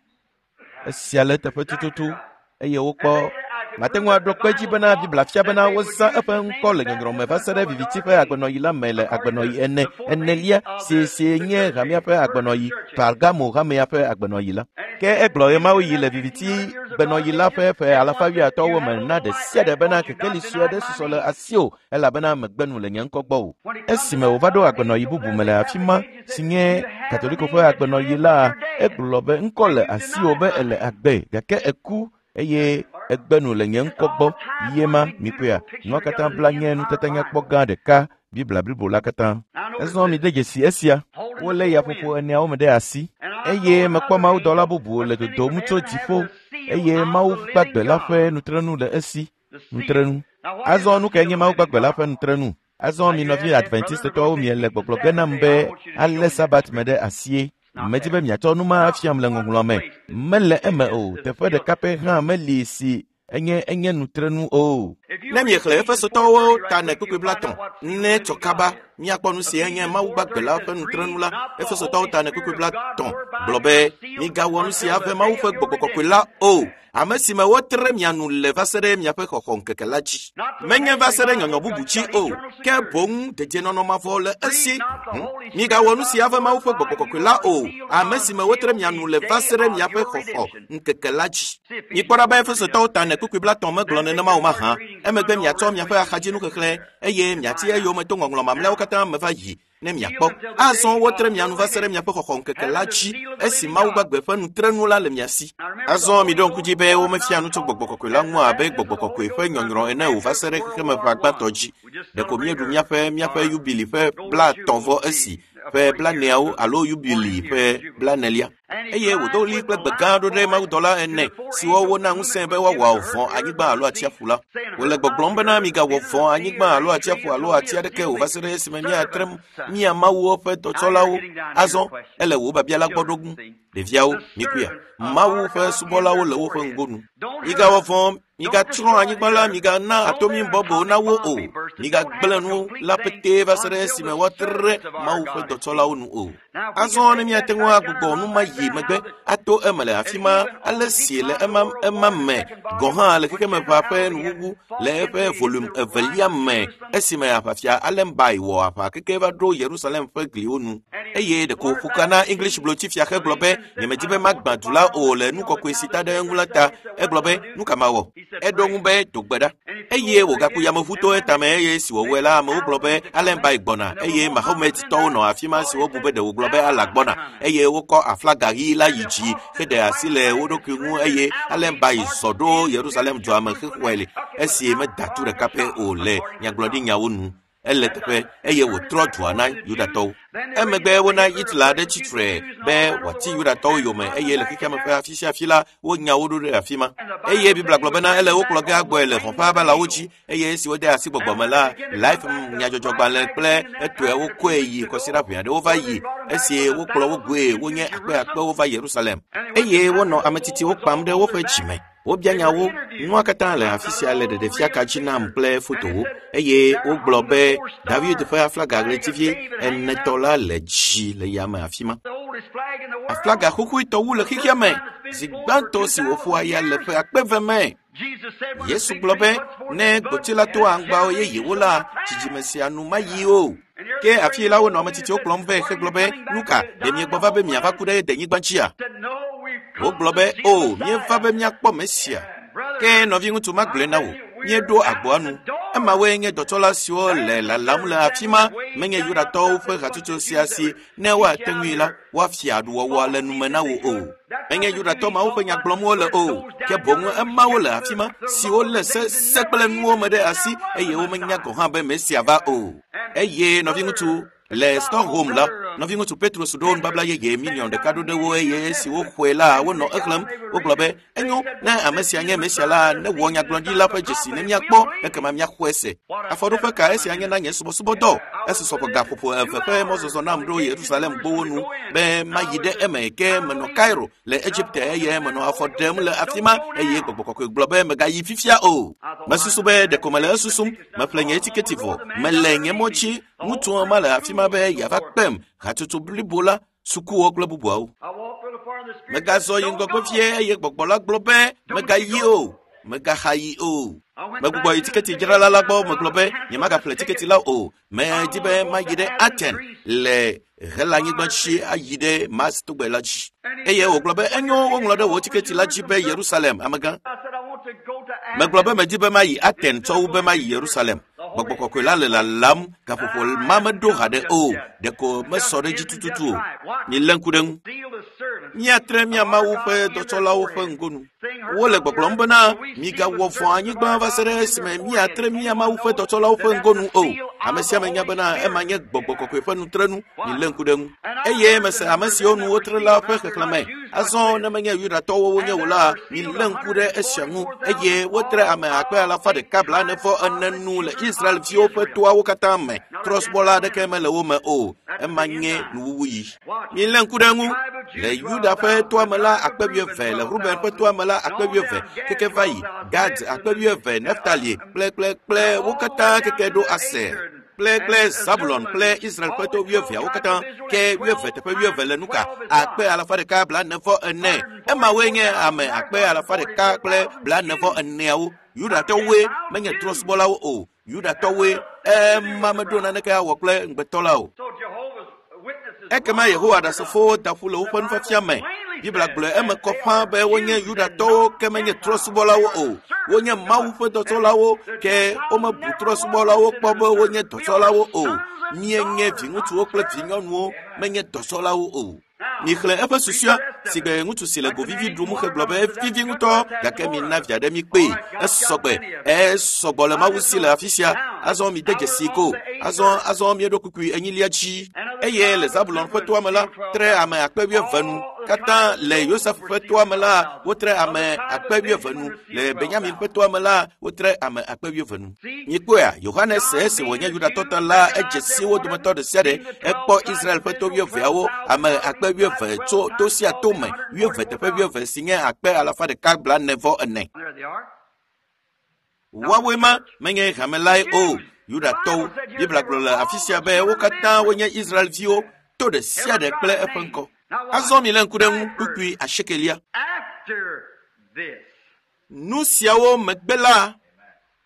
Esia le teƒe tututu eye wokpɔ mate ŋu aɖo kpe dzi bena Biblia fia bena wozã eƒe ŋkɔ le nyɔnyrɔ me va se ɖe viviti ƒe agbenɔɣi la me le agbenɔɣi ene enelia si si nye hamea ƒe agbenɔɣi Pergamo hamea ƒe agbenɔɣi la. Ke egblɔ ɣemaɣi le viviti gbenɔɣi la ƒe ƒe alafa wuiatɔ̃wo me na ɖe sia ɖe bena kekeli sue aɖe susɔ le asiwò elabena megbe nu le nye ŋkɔ gbɔ o. Esime wòva ɖo agbenɔɣi bubu me le afi ma si nye Katoliko ƒe agbenɔɣi la, egblɔ be ŋkɔ le asiwò be ele agbe gake eku eye egbe nu le nye ŋkɔ gbɔ. Ye ma mikpɔea, nua katã bla nye nutata nyakpɔ gã ɖeka Biblia blibo la katã. Ezɔ mi de dzesi esia. Wolé yaƒoƒo eneawo me ɖe asi eye mekpɔ mawudɔla bubu le dodom tso dziƒo eye Mawu gbagbe la ƒe nutrenu le esi. Nutrenu. Azɔ nu kae nye Mawu gbagbe la ƒe nutrenu? Azɔ mi nɔvi Adventistetɔwo miele gbɔgblɔ ge nam be alé Sabat me ɖe asie. Medi be miatsɔ nu ma afiam le ŋɔŋlɔ me. Mele eme o. Teƒe ɖeka pɛ hã meli si enye enye nutrenu o. Ne miexlẽ Efesotɔwo ta ne kpukpui blaetɔ̃ ne tsɔ kaba miakpɔ nu si enye Mawu gbagbe la ƒe nutrenu la. Efesotɔwo ta ne kpukpui blaetɔ̃ gblɔ be migawɔ nu sia ƒe Mawu ƒe gbɔgbɔ kɔkɔe la o. Ame si me wotre mia nu le va se ɖe miaƒe xɔxɔ ŋkeke la dzi. Menye va se ɖe nyɔnyɔ bubu dzi o, ke boŋ dedienɔnɔ mavɔ le esi. Migawɔ nu sia ƒe Mawu ƒe gbɔgbɔ kɔkɔe la o. Ame si me wotre mia nu le va se ɖe miaƒe xɔxɔ ŋkeke la dzi. Mikpɔ ɖa be Efesotɔwo ta ne kpukpui blaetɔ̃ megblɔ nenema o mahã. Emegbe miatsɔ miaƒe axadzinuxexlẽ eye miati eyome to ŋɔŋlɔ mamlɛawo katã me va yi ne miakpɔ. Azɔ wotre mia nu va se ɖe miaƒe xɔxɔ ŋkeke la dzi esi Mawu gbagbe ƒe nutrenu la le mia si. Azɔ miɖo ŋku dzi be womefia nu tso gbɔgbɔ kɔkɔe la ŋu abe gbɔgbɔ kɔkɔe ƒe nyɔnyrɔ ene o va se ɖe xexemeʋa gbãtɔ dzi. Ɖeko míeɖu míaƒe míaƒe yubili ƒe blaetɔ̃ vɔ esi ƒe blaneawo alo yubili ƒe blanelia. Eye wòdo ɣli kple gbe gã ɖo ɖe mawudɔla ene siwo wona ŋusẽ be woawɔ vɔ̃ anyigba alo atsiaƒu la. Wòle gbɔgblɔm bena migawɔ vɔ̃ anyigba alo atsiaƒu alo ati aɖeke o va se ɖe esime míatre mía mawuwo ƒe dɔtsɔlawo. Azɔ ele wò biabia la gbɔ ɖo ŋu. Ɖeviawo, mikuya, Mawu ƒe subɔlawo le woƒe ŋgonu. Migawɔ vɔ̃, migatsrɔ̃ anyigba la, migana atomi bɔbɔwo na wo o. Migagblẽ nu la petee va se ɖe esime woatre Mawu ƒe dɔtsɔlawo nu o. Azɔ ne míate ŋu agbugbɔ nu ma yi megbe ato eme le afi ma ale si le ema ema me gɔ̃ hã le xexemeʋa ƒe nuwuwu le eƒe volume evelia me esime aʋafia Allenby wɔ aʋa keke va ɖo Yerusalem ƒe gliwo nu. Eye ɖeko wòƒo ka na English blotsifia hegblɔ be nyemedi be magbã du la o le nu kɔkɔe si ta ɖe eŋu la ta. Egblɔ be nu ka mawɔ? Eɖo ŋu be do gbe ɖa. Eye wògaku yameʋu to etame eye si wòwɔe la amewo gblɔ be Allenby gbɔna eye Mahometɔwo nɔ afi ma si wobu be ɖe wògblɔ be Allah gbɔna eye wokɔ aflaga ɣi la yi dzi heɖe asi le wo ɖokui ŋu eye Allenby zɔ ɖo Yerusalem dua me hexɔe le esi meda tu ɖeka pɛ o le nyagblɔɖinyawo nu. Ele teƒe eye wòtrɔ dua na Yudatɔwo. Emegbe wona Hitler aɖe tsitre be wòati Yudatɔwo yome eye le xexeame ƒe afi sia afi la wonya wo ɖo ɖe afi ma. Eye Biblia gblɔ bena ele wo kplɔ ge agbɔe le hɔ̃ ƒe abalawo dzi eye esi wode asi gbɔgbɔ me la, Life nyadzɔdzɔgbalẽ kple etɔewo kɔe yi kɔsiɖa ʋɛ aɖewo va yi esi wokplɔ wo goe wonye akpe akpewo va Yerusalem. Eye wonɔ ame tsitsiwo kpam ɖe woƒe dzime. Wobia nyawo, nua katã le afi sia le ɖeɖefia ka dzi nam kple fotowo eye wogblɔ be David ƒe aflaga ɣletivi enetɔ la le dzi le yame afi ma. Aflaga xoxoetɔ wu le xexea me zi gbãtɔ si wòƒo aya le ƒe akpe eve me. Yesu gblɔ be ne gboti la to aŋgbawo yeyewo la, dzidzime sia nu mayi o. Ke afi la wonɔ ame tsitsiwo kplɔm vɛ hegblɔ be nu ka ɖe miegbɔ va be miava ku ɖe denyigba dzia? Wogblɔ be o míeva be míakpɔ Mesia. Ke nɔviŋutsu magblɔe na wò, míeɖo agboa nu. Emawoe nye dɔtsɔla siwo le lalam le afi ma menye Yudatɔwo ƒe hatsotso sia si ne woate ŋui la woafia aɖuwɔwɔ le nume na wò o. Menye Yudatɔ mawo ƒe nya gblɔm wole o, ke boŋ emawo le afi ma siwo lé se se kple nuwo me ɖe asi eye womenya gɔ̃ hã be Mesia va o. Eye nɔviŋutsu Le Stockholm la, nɔviŋutsu Petrus ɖo nubabla yeye miliɔn ɖeka ɖo ɖe wo eye esi woxɔe la, wonɔ exlẽm. Wogblɔ be, enyo, ne ame sia nye Mesia la, ne wɔ nyagblɔɖila ƒe dzesi ne míakpɔ, ekema míaxɔe se. Afɔɖoƒe ka esia nye na nye subɔsubɔdɔ? Esusɔ ƒe gaƒoƒo eve ƒe mɔzɔzɔ nam ɖo Yerusalem gbowo nu be mayi ɖe eme ke menɔ Cairo le Egipte eye menɔ afɔ ɖem le afi ma eye gbɔgbɔ kɔkɔe gblɔ be megayi fifia o. Mesusu be ɖeko mele esusum, meƒle nye tiketi vɔ, mele nye mɔ dzi, ŋutsua ma le afi ma be yeava kpem hatsotso blibo la, sukuwo kple bubuawo. Megazɔ yi ŋgɔgbe fie eye gbɔgbɔ la gblɔ be megayi o, megaxa yi o. Megbugbɔ yi tiketi dzrala la gbɔ megblɔ be nyemagaƒle tiketi la o. Medi be mayi ɖe Aten le Helanyigba dzi ayi ɖe Mars togbe la dzi. Eye wògblɔ be enyo woŋlɔ ɖe wò tiketi la dzi be Yerusalem, amegã. Megblɔ be medi be mayi Aten tsɔ wu be mayi Yerusalem. Gbɔgbɔ kɔkɔe la le lalam gaƒoƒo ma meɖo haɖe o, ɖeko mesɔ ɖe dzi tututu o. Milé ŋku ɖe ŋu. Míatre mía Mawu ƒe dɔtsɔlawo ƒe ŋgonu. Wole gbɔgblɔm bena migawɔ vɔ̃ anyigba va se ɖe esime míatre mía Mawu ƒe dɔtsɔlawo ƒe ŋgonu o. Ame sia ame nya bena ema nye gbɔgbɔ kɔkɔe ƒe nutrenu. Milé ŋku ɖe ŋu. Eye mese ame siwo nu wotre la ƒe xexlẽme. Azɔ ne menye Yudatɔwo wonye o la, milé ŋku ɖe esia ŋu. Eye wotre ame akpe alafa ɖeka blaene vɔ ene nu le Israelviwo ƒe toawo katã me. Trɔ̃subɔla aɖeke mele wo me o. Ema nye nuwuwuyi. Milé ŋku ɖe ŋu. Le Yuda ƒe toa me la akpe wuieve, le Ruben ƒe toa me la akpe wuieve, keke va yi Gad akpe wuieve, Neftali kple kple kple wo katã keke ɖo Aser kple kple Zabulon kple Israel ƒe to wuieveawo katã ke wuieve teƒe wuieve le nuka akpe alafa ɖeka blaene vɔ ene. Emawoe nye ame akpe alafa ɖeka kple blaene vɔ eneawo. Yudatɔwoe menye trɔ̃subɔlawo o. Yudatɔwoe ema meɖo naneke awɔ kple ŋugbetɔ la o. Ekema Yehowa Ɖasefowo da ƒu le woƒe nufiafia me. Biblia gblɔe eme kɔ ƒãa be wonye Yudatɔwo ke menye trɔ̃subɔlawo o. Wonye Mawu ƒe dɔtsɔlawo ke womebu trɔ̃subɔlawo kpɔ be wonye dɔtsɔlawo o. Míenye viŋutsuwo kple vinyɔnuwo, menye dɔtsɔlawo o. Mixlẽ eƒe susua si gbe ŋutsu si le govivi ɖum hegblɔ be vivi ŋutɔ gake mina via ɖe mi kpee. Esɔgbe, esɔgbɔ le Mawu si le afi sia. Azɔ mide dzesi ko. Azɔ azɔ míeɖo kukui enyilia dzi. Eye le Zabulon ƒe toa me la, tre ame akpe wuieve nu. Katã le Yosef ƒe toa me la, wotre ame akpe wuieve nu. Le Benyamin ƒe toa me la, wotre ame akpe wuieve nu. Mikpɔea, Yohanes esi wònye Yudatɔ ta la, edze si wo dometɔ ɖe sia ɖe. Ekpɔ Israel ƒe to wuieveawo, ame akpe wuieve tso to sia to me, wuieve teƒe wuieve si nye akpe alafa ɖeka blaene vɔ ene. Woawoe ma menye hame lae o. Yudatɔwo. Biblia gblɔ le afi sia be wo katã wonye Israelviwo, to ɖe sia ɖe kple eƒe ŋkɔ. Azɔ milé ŋku ɖe ŋu kpukpui asiekelia. Nu siawo megbe la,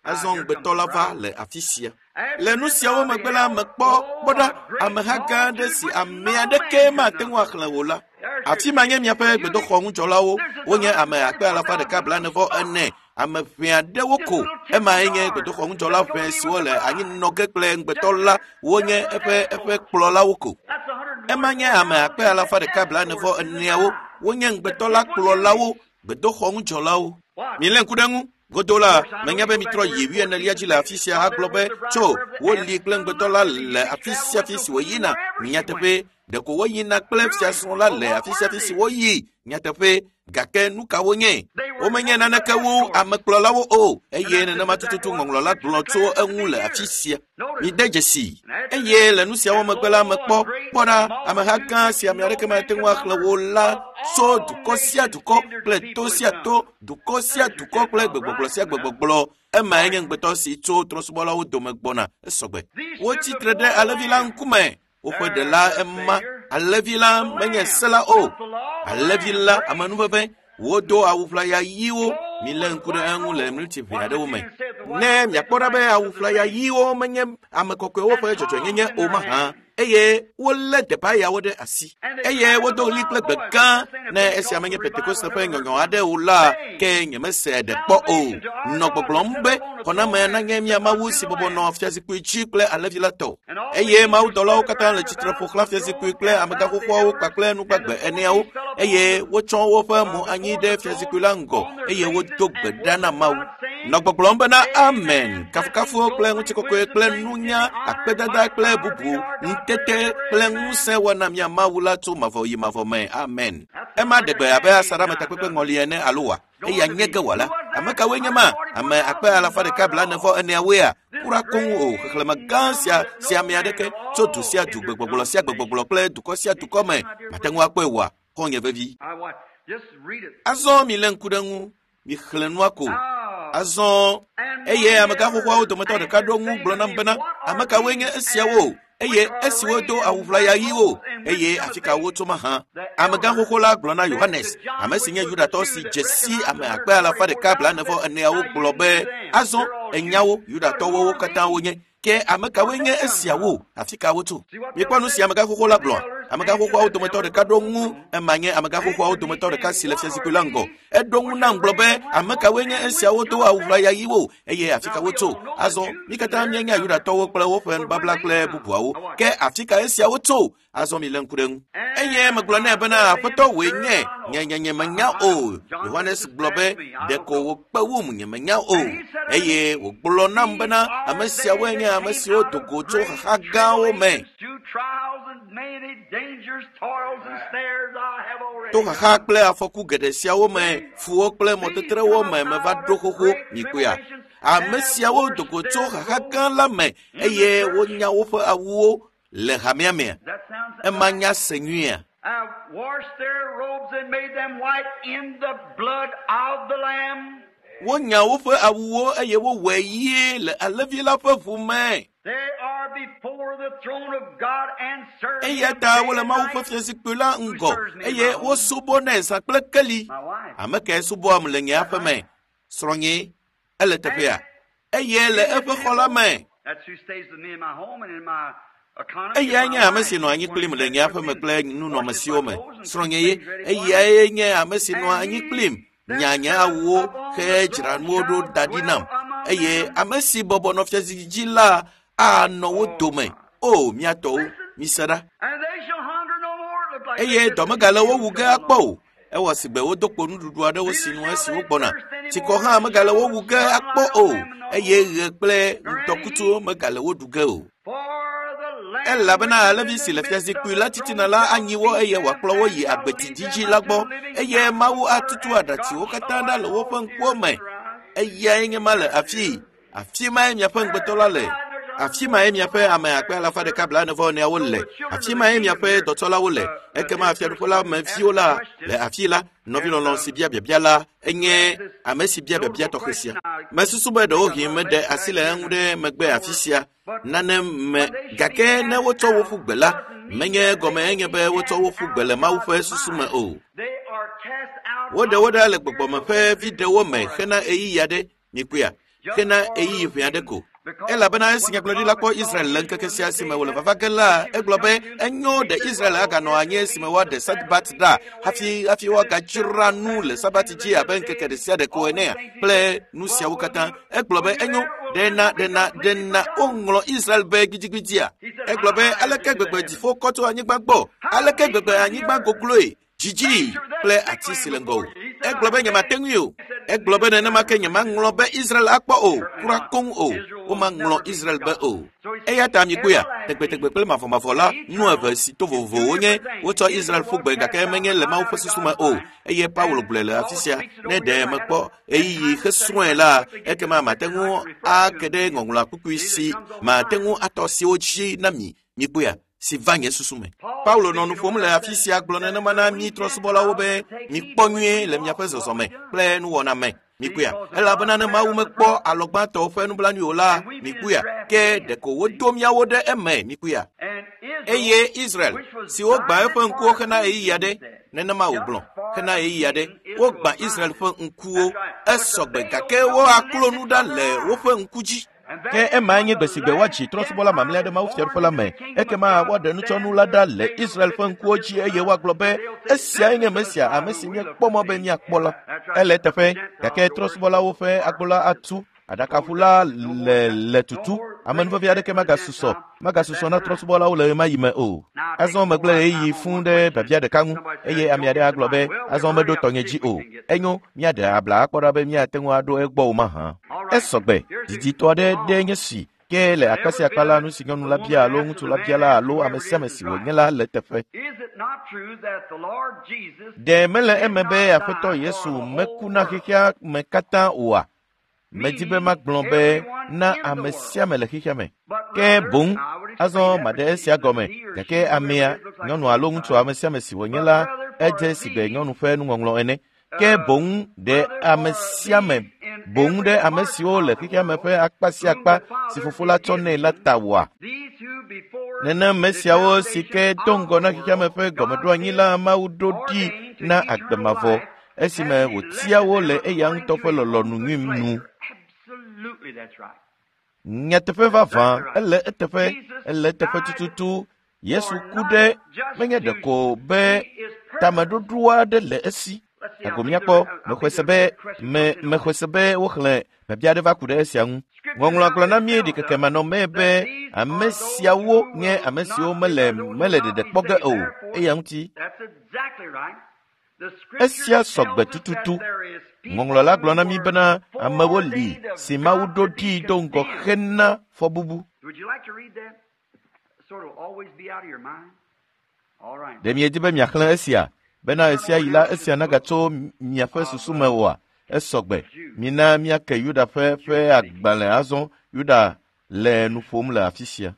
azɔ ŋugbetɔ la va le afi sia. Le nu siawo megbe la, mekpɔ kpɔ ɖa ameha gã aɖe si ame aɖeke mate ŋu axlẽ o la. Afi ma nye miaƒe gbedoxɔ ŋudzɔlawo. Wonye ame akpe alafa ɖeka blaene vɔ ene. Ame ʋɛ aɖewo ko. Emae nye gbedoxɔ ŋudzɔla ʋɛ siwo le anyinɔ ge kple ŋugbetɔ la. Wonye eƒe eƒe kplɔlawo ko. Ema nye ame akpe alafa ɖeka blaene vɔ eneawo. Wonye ŋugbetɔ la kplɔlawo, gbedoxɔ ŋudzɔlawo. Milé ŋku ɖe ŋu. Godo la, menya be mitrɔ yi wuienelia dzi le afi sia agblɔ be tso woli kple ŋugbetɔ la le afi sia afi si woyina. Nyateƒe, ɖeko woyina kple fiasrɔ̃ la le afi sia afi si woyi. Nyateƒe, gake nu ka wonye? Womenye naneke wu amekplɔlawo o, eye nenema tututu ŋɔŋlɔ la gblɔ tso eŋu le afi sia. Mide dzesi. Eye le nu siawo megbe la, mekpɔ kpɔ ɖa ameha gã si ame aɖeke mate ŋu axlẽ wo la tso dukɔ sia dukɔ kple to sia to, dukɔ sia dukɔ kple gbegbɔgblɔ sia gbegbɔgblɔ. Emae nye ŋugbetɔ si tso trɔ̃subɔlawo dome gbɔna. Esɔgbe. Wotsi tre ɖe alẽvi la ŋkume. Woƒe ɖela ema. Alẽvi la menye se la o. Alẽvi la amenuveve. Wodo awu ʋlaya ɣiwo. Milé ŋku ɖe eŋu le miniti ʋɛ aɖewo me. Ne miakpɔ ɖa be awu ʋlaya ɣiwo menye ame kɔkɔewo ƒe dzɔdzɔenyenye o mahã. Eye wolé debayawo ɖe asi. Eye wodo ɣli kple gbe gã. Ne esia menye Pentekoste ƒe nyɔnyɔ aɖe o la, ke nyemese ɖe kpɔ o. Nɔ gbɔgblɔm be xɔname nanye mía Mawu si bɔbɔ nɔ fiazikpui dzi kple alẽvi la tɔ. Eye mawudɔlawo katã le tsitre ƒo xlã fiazikpui kple amegãxoxoawo kpakple nugbagbe eneawo. Eye wotsɔ woƒe mo anyi ɖe fiazikpui la ŋgɔ eye wodo gbe ɖa na Mawu. Nɔ gbɔgblɔm bena amen, kafukafuwo kple ŋutikɔkɔe kple nunya, akpedada kple bubu, ŋutete kple ŋusẽ wɔna mía Mawu la tso mavɔ yi mavɔ me. Amen. Ema ɖe gbe abe asaɖametakpekpe ŋɔli ene alo wa? Eya nye ge wɔla. Ame kawoe nye ma? Ame akpe alafa ɖeka blaene vɔ eneawoea? Kura koŋ o. Xexlẽme gã sia si ame aɖeke tso du sia du, gbegbɔgblɔ sia gbegbɔgblɔ kple dukɔ sia dukɔ me mate ŋu akpɔe oa? Xɔ̃nye vevi. Azɔ mi lé ŋku ɖe ŋu, mixlẽ nua ko. Azɔ eye amegã xoxoawo dometɔ ɖeka ɖo ŋu gblɔ nam bena, ame kawoe nye esiawo? Eye esiwo do awu ʋlaya ɣiwo, eye afi ka wotso mahã? Amegã xoxo la gblɔ na Yohanes, ame si nye Yudatɔ si dze si ame akpe alafa ɖeka blaene vɔ eneawo gblɔ be, azɔ enyawo Yudatɔwo wo katã wonye. Ke ame kawoe nye esiawo? Afi ka wotso? Mikpɔ nu si amegã xoxo la gblɔ. Amegã xoxoawo dometɔ ɖeka ɖo ŋu, ema nye amegã xoxoawo dometɔ ɖeka si le fiazikpui la ŋgɔ. Eɖo ŋu nam gblɔ be, ame kawoe nye esiawo do awu ʋlaya ɣiwo, eye afi ka wotso? Azɔ mi katã míenya Yudatɔwo kple woƒe nubabla kple bubuawo. Ke afi ka esiawo tso? Azɔ mi lé ŋku ɖe ŋu. Eye megblɔ nɛ bena, Aƒetɔ wòe nye, nye nye nye menya o. Yohanes gblɔ be, ɖeko wòkpe wum, nye menya o. Eye wògblɔ nam bena, ame siawoe nye ame siwo do go tso xaxa gãwo me. To xaxa kple afɔku geɖe siawo me, fuwo kple mɔtetrewo me meva ɖo xoxo, mikpɔea. Ame siawo do go tso xaxa gã la me eye wonya woƒe awuwo le hamea mea. Ema nya se nyuia. Wonya woƒe awuwo eye wowɔe ɣie le alẽvi la ƒe ʋu me. Eya ta wole Mawu ƒe fiazikpui la ŋgɔ eye wosubɔnɛ zã kple keli. Ame kae subɔam le nye aƒe me? Srɔ̃nye, ele teƒea. Eye le eƒe xɔ la me. Eyae nye ame si nɔ anyi kplim le nye aƒe me kple nunɔamesiwo me. Srɔ̃nye ye, eyae nye ame si nɔa anyi kplim, nya nye awuwo hedzra nuwo ɖo da ɖi nam. Eye ame si bɔbɔ nɔ fiazikpui dzi la anɔ wo dome. O, mía tɔwo, mise ɖa. Eye dɔ megale wo wu ge akpɔ o. Ewɔ sigbe wodo kpo nuɖuɖu aɖewo si nu esi wogbɔna. Tsikɔ hã megale wo wu ge akpɔ o. Eye ɣe kple ŋdɔkutsuwo megale wo ɖu ge o. Elabena alẽvi si le fiazikpui la titina la anyi wo eye wòakplɔ wo yi agbetsi dzidzi la gbɔ. Eye Mawu atutu aɖatsiwo katã ɖa le woƒe ŋkuwo me. Eyae nye ma le afii. Afi mae miaƒe ŋugbetɔ la le. Afi mae miaƒe ame akpe alafa ɖeka blaene vɔ eneawo le. Afi mae miaƒe dɔtsɔlawo le. Ekema fiaɖuƒe la me viwo la le afi la. Nɔvilɔlɔ̃ si bia biabia la enye ame si bia biabia tɔxɛ sia. Mesusu be ɖewohĩ meɖe asi le eŋu ɖe megbe afi sia nane me, gake ne wotsɔ wo ƒu gbe la, menye gɔme enye be wotsɔ wo ƒu gbe le Mawu ƒe susu me o. Woɖe wo ɖa le gbɔgbɔme ƒe viɖewo me hena ɣeyiɣi aɖe, mikpɔea, hena ɣeyiɣi ʋɛ aɖe ko. Elabena esi nyagblɔɖila kpɔ Israel le ŋkeke sia si me wòle vava ge la, egblɔ be enyo ɖe Israel aganɔ anyi esime woaɖe Sabat ɖa hafi hafi woagadzra nu le Sabat dzi abe ŋkeke ɖe sia ɖe ko enea kple nu siawo katã. Egblɔ be enyo ɖe na ɖe na ɖe na woŋlɔ Israel be gbidigbidia. Egblɔ be aleke gbegbe dziƒo kɔ tso anyigba gbɔ, aleke gbegbe anyigba gogloe, dzidzi kple ati si le ŋgɔ o. Egblɔ be nyemate ŋui o. Egblɔ be nenema ke nyemaŋlɔ be Israel akpɔ o, kura koŋ o. Womaŋlɔ Israel be o. Eya ta mikpɔea, tegbetegbe kple mavɔmavɔ la, nu eve si to vovovowo nye wotsɔ Israel ƒu gbe gake menye le Mawu ƒe susu me o. Eye Paulo gblɔe le afi sia, ne ɖe mekpɔ ɣeyiɣi hesrɔ̃e la, ekema mate ŋu ake ɖe ŋɔŋlɔa kpukpui si mate ŋu atɔ siwo dzi na mi. Mikpɔea, si va nye susu me. Paulo nɔ nu ƒom le afi sia gblɔ nenema na mí trɔ̃subɔlawo be mikpɔ nyuie le miaƒe zɔzɔme kple nuwɔna me. Mikpɔea, elabena ne Mawu mekpɔ alɔgbãtɔwo ƒe nublanui o la, mikpɔea, ke ɖeko wodo míawo ɖe eme. Mikpɔea. Eye Israel, si wogbã eƒe ŋkuwo hena ɣeyiɣi aɖe, nenema wògblɔ, hena ɣeyiɣi aɖe, wogbã Israel ƒe ŋkuwo, esɔgbe gake woaklo nu ɖa le woƒe ŋku dzi. Ke emae nye gbe si gbe woadzi trɔ̃subɔla mamlɛa ɖe Mawu fiaɖuƒe la me. Ekema woaɖe nutsɔnu la ɖa le Israel ƒe ŋkuwo dzi eye woagblɔ be esiae nye Mesia, ame si míekpɔ mɔ be míakpɔ la. Ele eteƒe, gake trɔ̃subɔlawo ƒe agbo la atu, aɖakaʋu la le le tutu. Amenuvevi aɖeke magasusɔ, magasusɔ na trɔ̃subɔlawo le ɣemaɣi me o. Azɔ megblẽ ɣeyiɣi fũu ɖe biabia ɖeka ŋu eye ame aɖe agblɔ be azɔ meɖo tɔnye dzi o. Enyo, míaɖe abla akpɔ ɖa be míate ŋu aɖo egbɔ o mahã. Esɔgbe diditɔ aɖe ɖe nye si ke le akpa sia akpa la nu si nyɔnu la bia alo ŋutsu la bia la alo ame sia ame si wònye la le teƒe. Ɖe mele eme be Aƒetɔ Yesu meku na xexea me katã oa? Medi be magblɔ be na ame sia ame le xexea me. Ke boŋ azɔ maɖe esia gɔme gake amea nyɔnu alo ŋutsu ame sia ame si wònye la edze si gbe nyɔnu ƒe nuŋɔŋlɔ ene. Ke boŋ ɖe ame sia ame boŋ ɖe ame siwo le xexea me ƒe akpa sia akpa si fofo la tsɔ nɛ la ta wɔa. Nenema siawo si ke do ŋgɔ na xexea me ƒe gɔmeɖoanyi la Mawu ɖo ɖi na agbe mavɔ esime wòtia wo le eya ŋutɔ ƒe lɔlɔ̃nu nyui nu. Nyateƒe vavã ele eteƒe ele eteƒe tututu Yesu ku ɖe menye ɖeko be tameɖoɖo aɖe le esi. Ago míakpɔ mexɔe se be me mexɔe se be woxlẽ biabia aɖe va ku ɖe esia ŋu. Ŋɔŋlɔa gblɔ na mí ɖikekemanɔmee be ame siawo nye ame siwo mele mele ɖeɖe kpɔ ge o eya ŋuti. Esia sɔgbe tututu. Ŋɔŋlɔ la gblɔ na mí bena amewo li si Mawu ɖo ɖi do ŋgɔ hena fɔbubu. Ɖe miedi be miaxlẽ esia bena esia yi la esia nagatso miaƒe susu me oa? Esɔgbe. Mina míake Yuda ƒe ƒe agbalẽ azɔ. Yuda le nu ƒom le afi sia.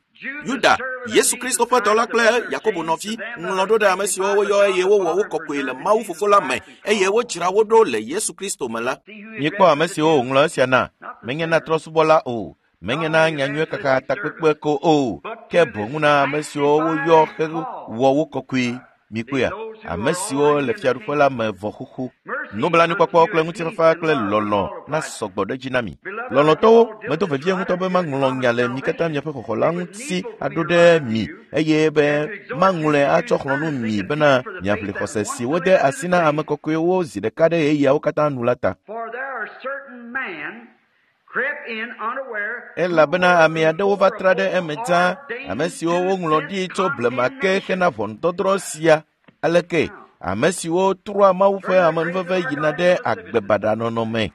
Yuda, Yesu Kristo ƒe dɔla kple Yakobo nɔvi, ŋlɔ ɖo ɖe ame siwo woyɔ eye wowɔ wo kɔkɔe le Mawu Fofo la me eye wodzra wo ɖo le Yesu Kristo me la. Míekpɔ ame siwo wòŋlɔ esia na, menye na trɔ̃subɔla o, menye na nyanyuie kaka takpekpe ko o, ke boŋ na ame siwo woyɔ hewɔ wo kɔkɔe. Mikpɔea, ame siwo le fiaɖuƒe la me vɔ xoxo. Nublanuikpɔkpɔ kple ŋutifafa kple lɔlɔ̃ na sɔgbɔ ɖe edzi na mi. Lɔlɔ̃tɔwo, medo vevie ŋutɔ be maŋlɔ nya le mi katã miaƒe xɔxɔ la ŋuti aɖo ɖe mi eye be maŋlɔe atsɔ xlɔ̃ nu mi bena miaʋli xɔse si wode asi na ame kɔkɔewo zi ɖeka ɖe ɣeyiɣiawo katã nu la ta. Elabena ame aɖewo va tra ɖe eme dzaa, ame siwo woŋlɔ ɖi tso blema ke hena ʋɔnudɔdrɔ̃ sia. Aleke ame siwo trɔa Mawu ƒe amenuveve yina ɖe agbe baɖa nɔnɔ me.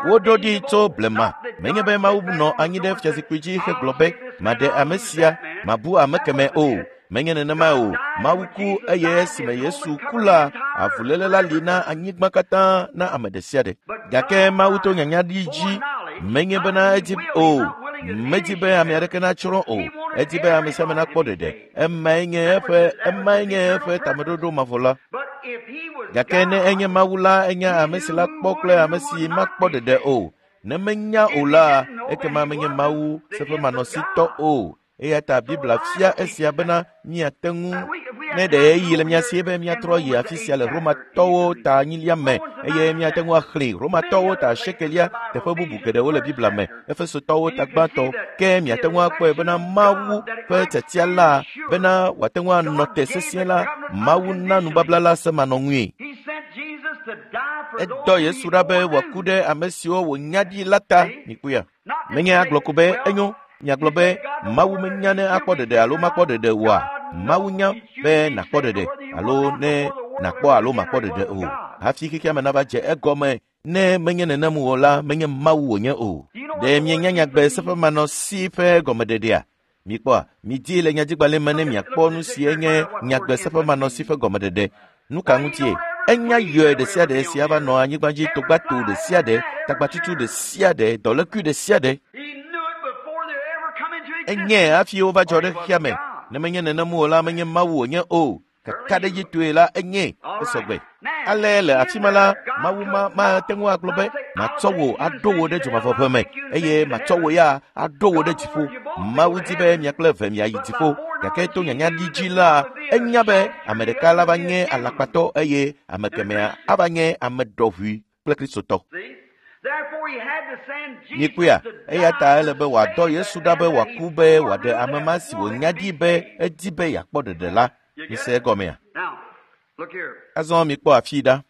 Woɖo ɖi tso blema. Menye be Mawu nɔ anyi ɖe fiazikpui dzi hegblɔ be maɖe ame sia, mabu ame kemɛ o. Menye nenema o. Mawu ku eye esime Yesu ku la, avuléle la li na anyigba katã na ame ɖe sia ɖe. Gake Mawu to nyanya ɖi dzi menye bena edi o. Medi be ame aɖeke natsrɔ̃ o. Edi be ame sia ame nakpɔ ɖeɖe. Emae nye eƒe emae nye eƒe tameɖoɖo mavɔ la. Gake ne enye Mawu la, enya ame si la kpɔ kple ame si makpɔ ɖeɖe o. Ne menya o la, ekema menye Mawu seƒemanɔsitɔ o. Eya ta Biblia fia esia bena míate ŋu ne ɖe ɣeyiɣi le mía si be míatrɔ yi afi sia le Romatɔwo ta enyilia me eye míate ŋu axlẽ Romatɔwo ta asiekelia teƒe bubu geɖewo le Biblia me, Efesotɔwo ta gbãtɔ. Ke míate ŋu akpɔe bena Mawu ƒe tiatia la bena wòate ŋu anɔ te sesĩe la, Mawu na nubabla la semanɔŋui. Edɔ Yesu ɖa be wòaku ɖe ame siwo wònya ɖi la ta. Mikpɔea? Menye agblɔ ko be enyo. Miagblɔ be Mawu menya ne akpɔ ɖeɖe alo makpɔ ɖeɖe oa? Mawu nya be nàkpɔ ɖeɖe alo ne nàkpɔ alo makpɔ ɖeɖe o. Hafi xexea me nava dze egɔme ne menye nenem o la, menye Mawu wònye o. Ɖe mienya nyagbe seƒemanɔsi ƒe gɔmeɖeɖea? Mikpɔa, midi le nyadzigbalẽ me ne miakpɔ nu si enye nyagbe seƒemanɔsi ƒe gɔmeɖeɖe. Nu ka ŋutie? Enya yɔe ɖe sia ɖe si ava nɔ anyigba dzi togbato ɖe sia ɖe, tagbatutu ɖe sia ɖe, dɔlékui ɖe sia ɖe. Enye hafi wova dzɔ ɖe xexea me. Ne menye nenem o la, menye Mawu wònye o. Kakaɖedzitɔe la, enye esɔgbe. Ale le afi ma la, Mawu ma mate ŋu agblɔ be matsɔ wò aɖo wò ɖe dzomavɔʋe me eye matsɔ wò ya aɖo wò ɖe dziƒo. Mawu di be mia kple eve miayi dziƒo. Gake to nyanya ɖi dzi la, enya be ame ɖeka la va nye alakpatɔ eye ame kemɛa ava nye ame ɖɔʋui kple Kristotɔ. Mikpɔea, eya ta ele be wòadɔ Yesu ɖa be wòaku be wòaɖe ame ma si wònya ɖi be edi be yeakpɔ ɖeɖe la. Mise egɔmea? Azɔ mikpɔ afii ɖa.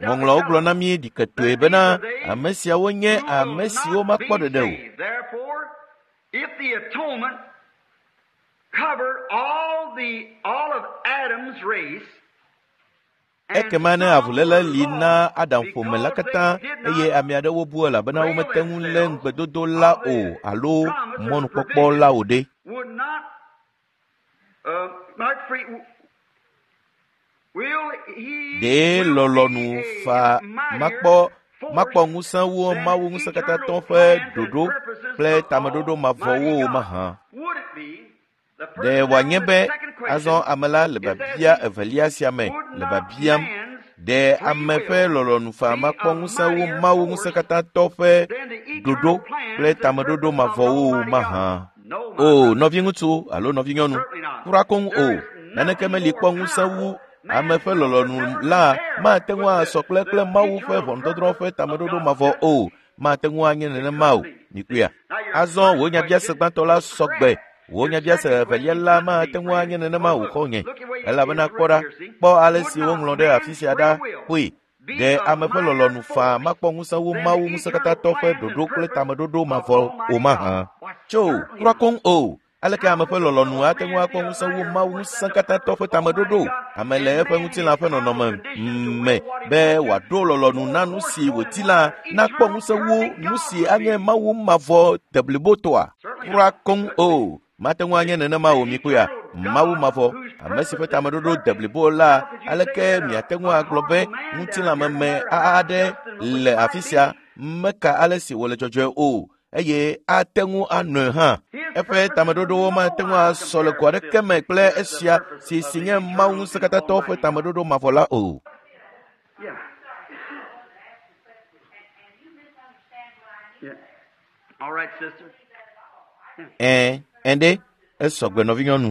Ŋɔŋlɔawo gblɔ na mí ɖiketoe bena ame siawo nye ame siwo makpɔ ɖeɖe o. Ekema ne avuléle li na Adam ƒome la katã eye ame aɖewo bu elabena womete ŋu lé ŋugbedodo la o alo mɔnukpɔkpɔ la o ɖe. Ɖe lɔlɔ̃nu faa makpɔ makpɔ ŋusẽ wu Mawu ŋusẽkatãtɔ ƒe ɖoɖo kple tameɖoɖo mavɔwo o mahã? Ɖe wòanye be azɔ ame la le biabia evelia sia me le biabiam ɖe ame ƒe lɔlɔ̃nu faa makpɔ ŋusẽ wu Mawu ŋusẽkatãtɔ ƒe ɖoɖo kple tameɖoɖo mavɔwo o mahã? O nɔviŋutsu alo nɔvinyɔnu, kura koŋ o, naneke meli kpɔ ŋusẽ wu ame ƒe lɔlɔ̃nu la mate ŋu asɔ kple kple Mawu ƒe ʋɔnudɔdrɔ̃ ƒe tameɖoɖo mavɔ o, mate ŋu anye nenema o. Mikpɔea? Azɔ wò nyabiase gbãtɔ la sɔ gbe. Wò nyabiase evelia la mate ŋu anye nenema o xɔ̃nye, elabena kpɔ ɖa, kpɔ ale si woŋlɔ ɖe afi sia ɖa kpɔe. Ɖe ame ƒe lɔlɔ̃nu faa makpɔ ŋusẽ wu Mawu ŋusẽkatãtɔ ƒe ɖoɖo kple tameɖoɖo mavɔ o mahã? Tso, kura koŋ o. Aleke ame ƒe lɔlɔ̃nu ate ŋu akpɔ ŋusẽ wu Mawu ŋusẽkatãtɔ ƒe tameɖoɖo? Ame le eƒe ŋutilã ƒe nɔnɔme me be wòaɖo lɔlɔ̃nu na nu si wòdi la nakpɔ ŋusẽ wu nu si anye Mawu mavɔ deblibotɔa? Kura koŋ o. Mate ŋu anye nenema o mikpɔea? Mawu mavɔ, ame si ƒe tameɖoɖo deblibo la, aleke miate ŋu agblɔ be ŋutilãmeme aɖe le afi sia meka ale si wòle dzɔdzɔe o eye ate ŋu anɔe hã. Eƒe tameɖoɖowo mate ŋu asɔ le go aɖeke me kple esia si si nye Mawu ŋusẽkatãtɔ ƒe tameɖoɖo mavɔ la o. Ɛ̃, ɛ̃ ɖe, esɔgbe nɔvinyɔnu.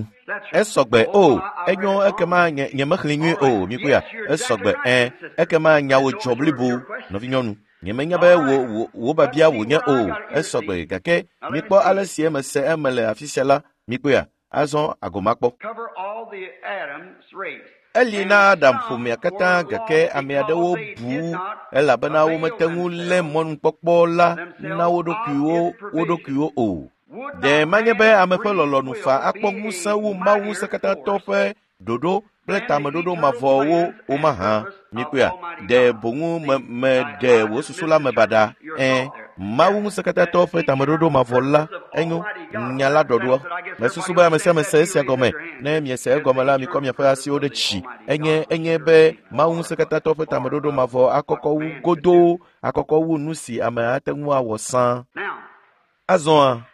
Esɔgbe o, enyo ekema nye nyemexlẽ nyuie o, mikpɔea? Esɔgbe ɛ, ekema nyawo dzɔ blibo nɔvinyɔnu. Nyemenya be wò wò wò biabia wònye o, esɔgbe gake mikpɔ ale si eme se eme le afi sia la, mikpɔea? Azɔ agomakpɔ. Eli na Adam ƒomea katã gake ame aɖewo bu elabena womete ŋu lé mɔnukpɔkpɔ la na wo ɖokuiwo wo ɖokuiwo o. Ɖe manye be ame ƒe lɔlɔ̃nu faa akpɔ ŋusẽ wu Mawu ŋusẽkatãtɔ ƒe ɖoɖo kple tameɖoɖo mavɔwo o mahã? Mikpɔea? Ɖe boŋu me meɖe wò susu la me baɖa? Ɛ̃, Mawu ŋusẽkatãtɔ ƒe tameɖoɖo mavɔ la enyo nya la ɖɔɖoa. Mesusu be ame sia ame se esia gɔme. Ne miese egɔme la, mikɔ miaƒe asiwo ɖe dzi. Enye enye be Mawu ŋusẽkatãtɔ ƒe tameɖoɖo mavɔ akɔkɔ wu godoo, akɔkɔ wu nu si ame ate ŋu awɔ sã. Azɔa,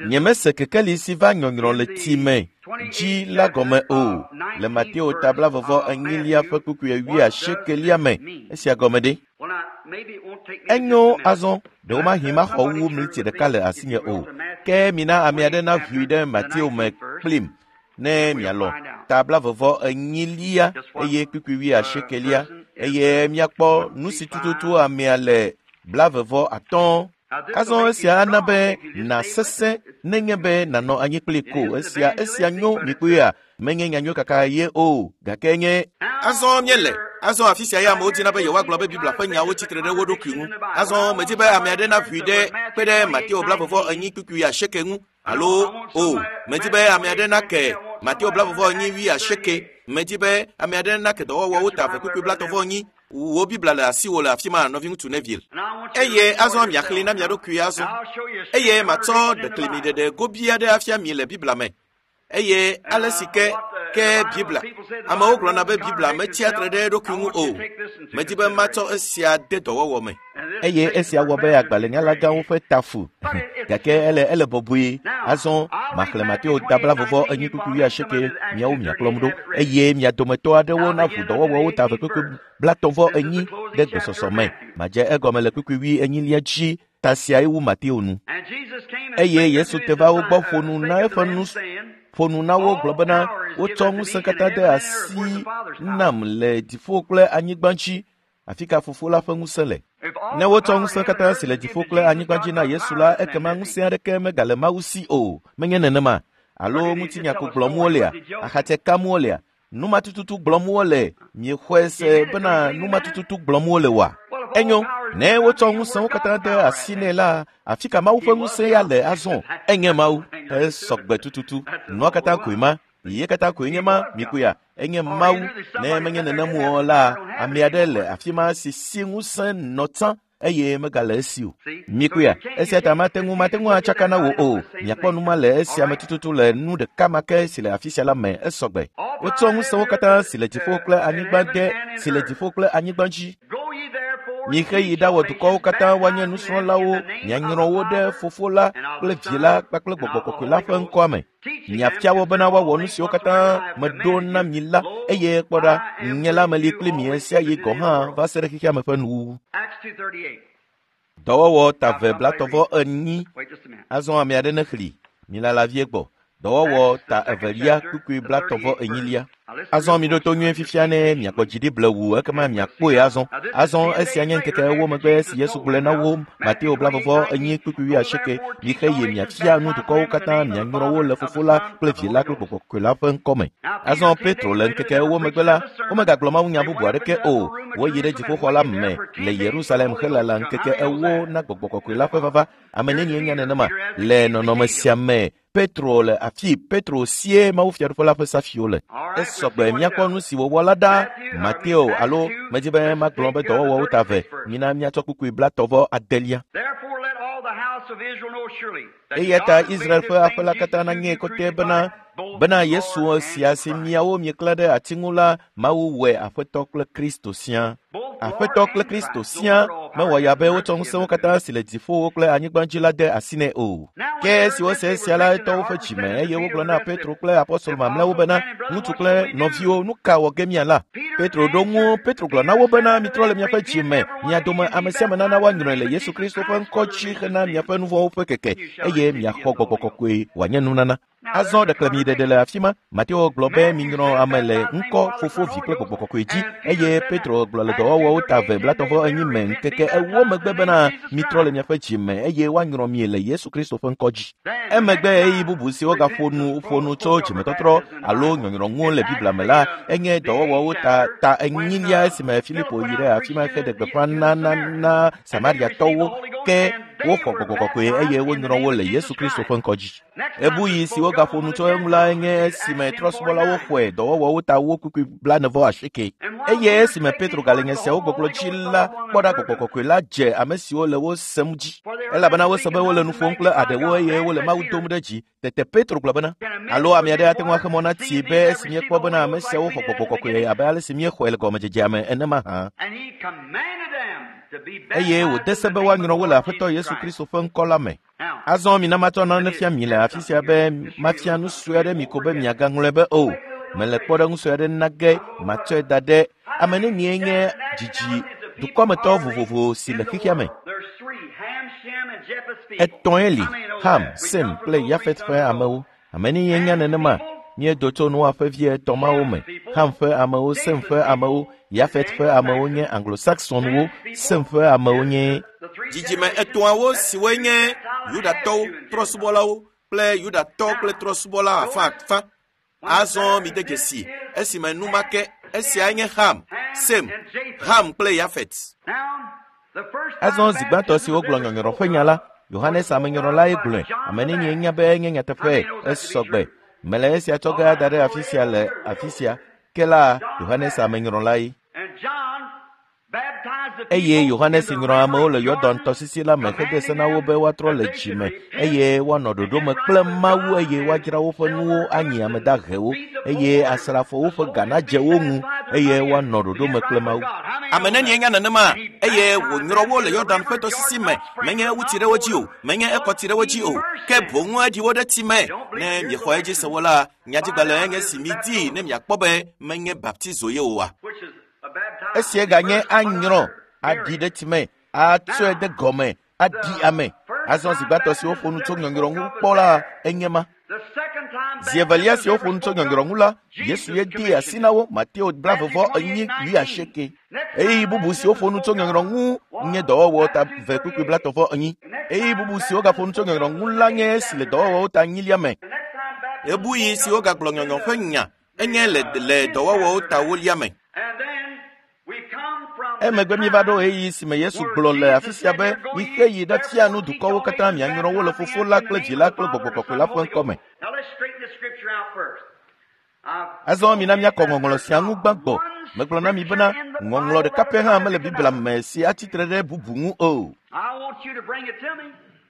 nyemese kekeli si va nyɔnyrɔ le tsi me dzi la gɔme o le Mateo ta blaeve enyilia ƒe kpukpui wuiasiekelia me. Esia gɔme ɖe? Enyo azɔ, ɖewomahi maxɔ wu mliti ɖeka le asinye o. Ke mina ame aɖe naʋui ɖe Mateo me kplim ne mialɔ̃ ta blaeve enyilia eye kpukpui wuiasiekelia eye miakpɔ nu si tututu amea le blaeve atɔ̃. Azɔ esia ana be nàsesẽ nenye be nànɔ anyi kpli ko. Esia esia nyo mikpɔea? Menye nyanyui kaka ye o, gake nye. Azɔ míele. Azɔ afi sia ya amewo dina be yewoagblɔ be Biblia ƒe nyawo tsitre ɖe wo ɖokui ŋu. Azɔ medi be ame aɖe naʋui ɖe kpe ɖe Mateo blaeve enyi kpukpui asieke ŋu alo o. Medi be ame aɖe nake Mateo blaeve enyi wuiasieke. Medi be ame aɖe nake dɔwɔwɔwo ta eve kpukpui blaetɔ̃ vɔ enyi. Wò Biblia le asiwò le afi ma nɔviŋutsu Neville. Eye azɔ miaxlẽ na mia ɖokui azɔ. Eye matsɔ ɖeklemiɖeɖe gobi aɖe afia mi le Biblia me. Eye ale si ke ke Biblia. Amewo gblɔna be Biblia metsia tre ɖe eɖokui ŋu o. Medi be matsɔ esia de dɔwɔwɔ me. Eye esia wɔ be agbalẽnyalagãwo ƒe tafu gake ele ele bɔbɔe. Azɔ maxlẽ Mateo ta blaeve enyi kpukpui wuiasieke miawo miakplɔm ɖo eye mia dometɔ aɖewo naʋu dɔwɔwɔwo ta eve kpukpui blaetɔ̃ vɔ enyi ɖe gbesɔsɔ me. Madze egɔme le kpukpui wuienyilia dzi. Ta siae wu Mateo nu. Eye Yesu te va wo gbɔ ƒo nu na eƒe nu ƒo nu na wo gblɔ bena wotsɔ ŋusẽ katã de asi nam le dziƒo kple anyigba dzi. Afi ka Fofo la ƒe ŋusẽ le? Ne wotsɔ ŋusẽ katã si le dziƒo kple anyigba dzi na Yesu la, ekema ŋusẽ aɖeke megale Mawu si o. Menye nenema? Alo ŋutinya ko gblɔm wolea? Axatse kam wolea? Nu ma tututu gblɔm wole? Miexɔe se bena nu ma tututu gblɔm wole oa? Enyo, ne wotsɔ ŋusẽwo katã de asi nɛ la, afi ka Mawu ƒe ŋusẽ ya le azɔ? Enye Mawu. Esɔgbe tututu. Nua katã koe ma. Ye katã koe nye ma mikuya enye Mawu. Ne menye nenem o la, ame aɖe le afi ma si si ŋusẽ nɔ tsã eye megale esi o. Mikuya, esia ta mate ŋu mate ŋu atsaka na wò o. Miakpɔ nu ma le esia me tututu le nu ɖeka ma ke si le afi sia la me esɔgbe. Wotsɔ ŋusẽwo katã si le dziƒo kple anyigba de si le dziƒo kple anyigba dzi. Mixe yi ɖawɔ dukɔwo katã woanye nusrɔ̃lawo, mianyrɔ wo ɖe Fofo la kple Vi la kpakple Gbɔgbɔ Kɔkɔe la ƒe ŋkɔa me. Miafia wo bena woawɔ nu siwo katã meɖo na mi la, eye kpɔ ɖa, nye la meli kpli mi ɣe sia ɣi gɔ̃ hã va se ɖe xexea me ƒe nuwuwu. Dɔwɔwɔ ta ve blatɔvɔ enyi. Azɔ ame aɖe nexli. Milala vie gbɔ. Dɔwɔwɔ ta evelia kpukpui blatɔvɔ enyilia. Azɔ miɖo to nyuie fifia ne miakpɔ dzi ɖi blewu ekema miakpɔe azɔ. Azɔ esia nye ŋkeke ewo megbe si Yesu gblɔe na wo Mateo blavɔvɔ enyi kpukpui wuiasieke. Mixe yi miafia nu dukɔwo katã mianyrɔ wo le Fofo la kple Vi la kple Gbɔgbɔ Kɔkɔe la ƒe ŋkɔme. Azɔ Petro le ŋkeke ewo megbe la, womegagblɔ mawunya bubu aɖeke o. Woyi ɖe dziƒoxɔ la me le Yerusalem helala ŋkeke ewo na Gbɔgbɔ Kɔkɔe la ƒe vava. Ame nenie nya nenema le nɔnɔme sia me. Petro le afi Petro sie Mawu fiaɖuƒe la ƒe safiwo le. Esɔgbe míakpɔ nu si wòwɔ la ɖa. Mateo alo medzi be magblɔ be dɔwɔwɔwo ta ve. Mina míatsɔ kpukpui blatɔvɔ adelia. Eya ta Israel ƒe aƒe la katã nanye kɔtɛ bena bena Yesu sia si miawo mieklã ɖe ati ŋu la, Mawu wɔe Aƒetɔ kple Kristo sia. Aƒetɔ kple Kristo sia mewɔ ya be wotsɔ ŋusẽwo katã si le dziƒowo kple anyigba dzi la de asi nɛ o. Ke esi wose esia la, etɔ woƒe dzime eye wogblɔ na Petro kple apɔstolo mamlɛawo bena, ŋutsu kple nɔviwo, nu ka wɔ ge miala? Petro ɖo ŋu. Petro gblɔ na wo bena, mitrɔ le miaƒe dzime, mia dome ame sia ame nana woanyrɔe le Yesu Kristo ƒe ŋkɔ dzi hena miaƒe nu vɔ̃wo ƒe keke eye miaxɔ Gbɔgbɔ Kɔkɔe wòanye nunana. Azɔ ɖeklemiɖeɖe le afi ma. Mateo gblɔ be minyrɔ ame le ŋkɔ Fofo, Vi kple Gbɔgbɔ Kɔkɔe dzi eye Petro gblɔ le dɔwɔwɔwo ta ve blatɔvɔ enyi me ŋkeke ewo megbe bena mitrɔ le miaƒe dzime eye woanyrɔ mi le Yesu Kristo ƒe ŋkɔ dzi. Emegbe ɣeyiɣi bubu si wogaƒo nu ƒo nu tso dzimetɔtrɔ alo nyɔnyrɔ ŋu le Biblia me la enye dɔwɔwɔwo ta ta enyilia esime Filipo yi ɖe afi ma heɖe gbeƒã na na na Samariatɔwo ke woxɔ Gbɔgbɔ Kɔkɔe eye wonyrɔ wo le Yesu Kristo ƒe ŋkɔ dzi. Ebuyi si wogaƒo nu tso eŋu la nye esime trɔ̃subɔlawo xɔe dɔwɔwɔwo ta wo kpukpui blanevɔ asieke. Eye esime Petro gale nya siawo gbɔgblɔ dzi la, kpɔ ɖa Gbɔgbɔ Kɔkɔe la dze ame siwo le wo sem dzi. Elabena wose be wole nu ƒom kple aɖewo eye wole Mawu dom ɖe dzi. Tete Petro gblɔ bena, alo ame aɖe ate ŋu axe mɔ na tsi be esi míekpɔ bena ame siawo xɔ Gbɔgbɔ Kɔkɔe abe ale si míexɔe le gɔmedzedzea me ene mahã. Eye wòde se be woanyrɔ wo le Aƒetɔ Yesu Kristo ƒe ŋkɔ la me. Azɔ mina matsɔ nane fia mi le afi sia be mafia nu sue aɖe mi ko be miagaŋlɔe be o. Mele kpɔɖeŋu sue aɖe na ge matsɔe da ɖe ame nenie nye dzidzi dukɔmetɔ vovovo si le xexea me. Etɔ̃e li, Ham, Sem kple Yafet ƒe amewo. Ame nenie nya nenema? Míedo tso Noa ƒe vi etɔ̃ mawo me. Ham ƒe amewo, Sem ƒe amewo, Yafet ƒe amewo nye Anglo-Saxonwo, Sem ƒe amewo nye dzidzime etɔ̃awo siwoe nye Yudatɔwo, trɔ̃subɔlawo kple Yudatɔ kple trɔ̃subɔla afãafã. Azɔ mide dzesi esime nu ma ke esiae nye Ham, Sem, Ham kple Yafet. Azɔ zi gbãtɔ si wogblɔ nyɔnyrɔ ƒe nya la, Yohanes amenyrɔlae gblɔe. Ame nenie nya be enye nyateƒe esɔgbe. Mele esia tsɔ ge ada ɖe afi sia le afi sia. Ke la, Yohanes amenyrɔlae. Eye Yohanes nyrɔ amewo le Yɔdan tɔsisi la me hede se na wo be woatrɔ le dzime eye woanɔ ɖoɖo me kple Mawu eye woadzra woƒe nuwo anyi ame dahewo eye asrafowo ƒe ga nadze wo ŋu eye woanɔ ɖoɖo me kple Mawu. Ame nenie nya nenema eye wònyrɔ wo le Yɔdan ƒe tɔsisi me menye ewu tsi ɖe wo dzi o, menye ekɔ tsi ɖe wo dzi o, ke boŋ eɖi wo ɖe tsi me. Ne miexɔ edzi se wo la, nyadzigbalẽ enye si midi ne miakpɔ be menye baptizo ye oa. Esia ganye anyrɔ, aɖi ɖe tsi me, atsɔe de gɔme, aɖi ame. Azɔ zi gbãtɔ si woƒo nu tso nyɔnyrɔ ŋu kpɔ la enye ma. Zi evelia si woƒo nu tso nyɔnyrɔ ŋu la, Yesu ye dee asi na wo Mateo blavevɔ enyi wuiasieke. Ɣeyiɣi bubu si woƒo nu tso nyɔnyrɔ ŋu nye dɔwɔwɔ ta ve kpukpui blatɔvɔ enyi. Ɣeyiɣi bubu si wogaƒo nu tso nyɔnyrɔ ŋu la nye esi le dɔwɔwɔwo ta enyilia me. Ebuyi si wogagblɔ nyɔnyɔ ƒe nya enye le le dɔwɔwɔwo ta wolia me. Emegbe míeva ɖo ɣeyiɣi si me Yesu gblɔ le afi sia be mixe yi ɖe fia nu dukɔwo katã mianyrɔ wo le Fofo la kple Vi la kple Gbɔgbɔ Kɔkɔe la ƒe ŋkɔ me. Azɔ mina míakɔ ŋɔŋlɔ sia ŋu gbãgbɔ. Megblɔ na mi bena ŋɔŋlɔ ɖeka pɛ hã mele Biblia me si atsitre ɖe bubu ŋu o.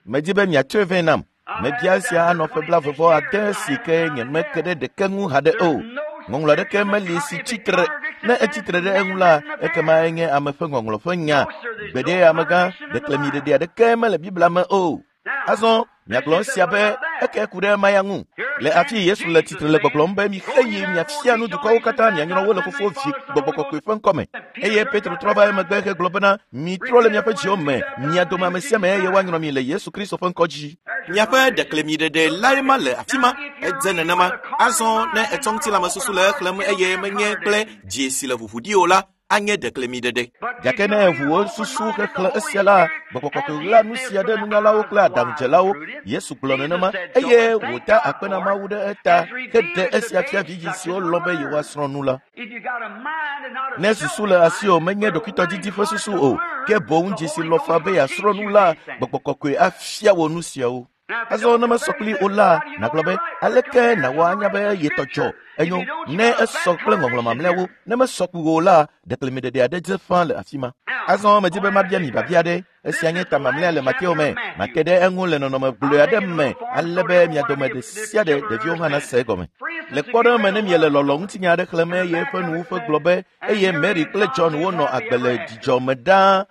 Medi be miatsɔe vɛ nam. Mebia esia anɔ ƒe blaeve vɔ ade si ke nyemeke ɖe ɖeke ŋu haɖe o. Ŋɔŋlɔ aɖeke meli si tsitre. Ne etsitre ɖe eŋu la, ekema enye ame ƒe ŋɔŋlɔ ƒe nya. Gbeɖe amegã, ɖeklemiɖeɖe aɖeke mele Biblia me o. Azɔ miagblɔ esia be eke ku ɖe maya ŋu. Le afi Yesu le tsitre le gbɔgblɔm be mixe yi miafia nu dukɔwo katã mianyrɔ wo le Fofo, Vi, Gbɔgbɔ Kɔkɔe ƒe ŋkɔme. Eye Petro trɔ va emegbe hegblɔ bena mitrɔ le miaƒe dziwo me, mia dome ame sia ame eye woanyrɔ mi le Yesu Kristo ƒe ŋkɔ dzi. Miaƒe ɖeklemiɖeɖe lae ma le afi ma. Edze nenema. Azɔ ne etsɔ ŋutilãmesusu le exlẽm eye menye kple dzi si le ʋuʋu ɖi o la, anye ɖeklemiɖeɖe. Gake ne eʋu wò susu xexlẽ esia la, Gbɔgbɔ Kɔkɔe ɣla nu sia ɖe nunyalawo kple aɖaŋudzelawo. Yesu gblɔ nenema eye wòda akpe na Mawu ɖe eta heɖe esia fia vidzĩ siwo lɔ̃ be yewoasrɔ̃ nu la. Ne susu le asiwò menye ɖokuitɔdidi ƒe susu o, ke boŋ dzi si lɔ̃ faa be yeasrɔ̃ nu la, Gbɔgbɔ Kɔkɔe afia wò nu siawo. Azɔ ne mesɔ kpli o la, nàgblɔ be aleke nàwɔ anya be yetɔ dzɔ? Enyo, ne esɔ kple ŋɔŋlɔ mamlɛawo, ne mesɔ kpli o la, ɖeklemiɖeɖe aɖe dze ƒã le afi ma. Azɔ medi be mabia mi biabia aɖe. Esia nye ta mamlɛa le Mateo me. Mate ɖe eŋu le nɔnɔme gblɔe aɖe me ale be mia dome ɖe sia ɖe ɖeviwo hã nase egɔme. Le kpɔɖeŋu me ne miele lɔlɔ ŋutinya aɖe xlẽm eye eƒe nuwuƒe gblɔ be eye Mary kple John wonɔ agbe le dzidzɔ me ɖaa.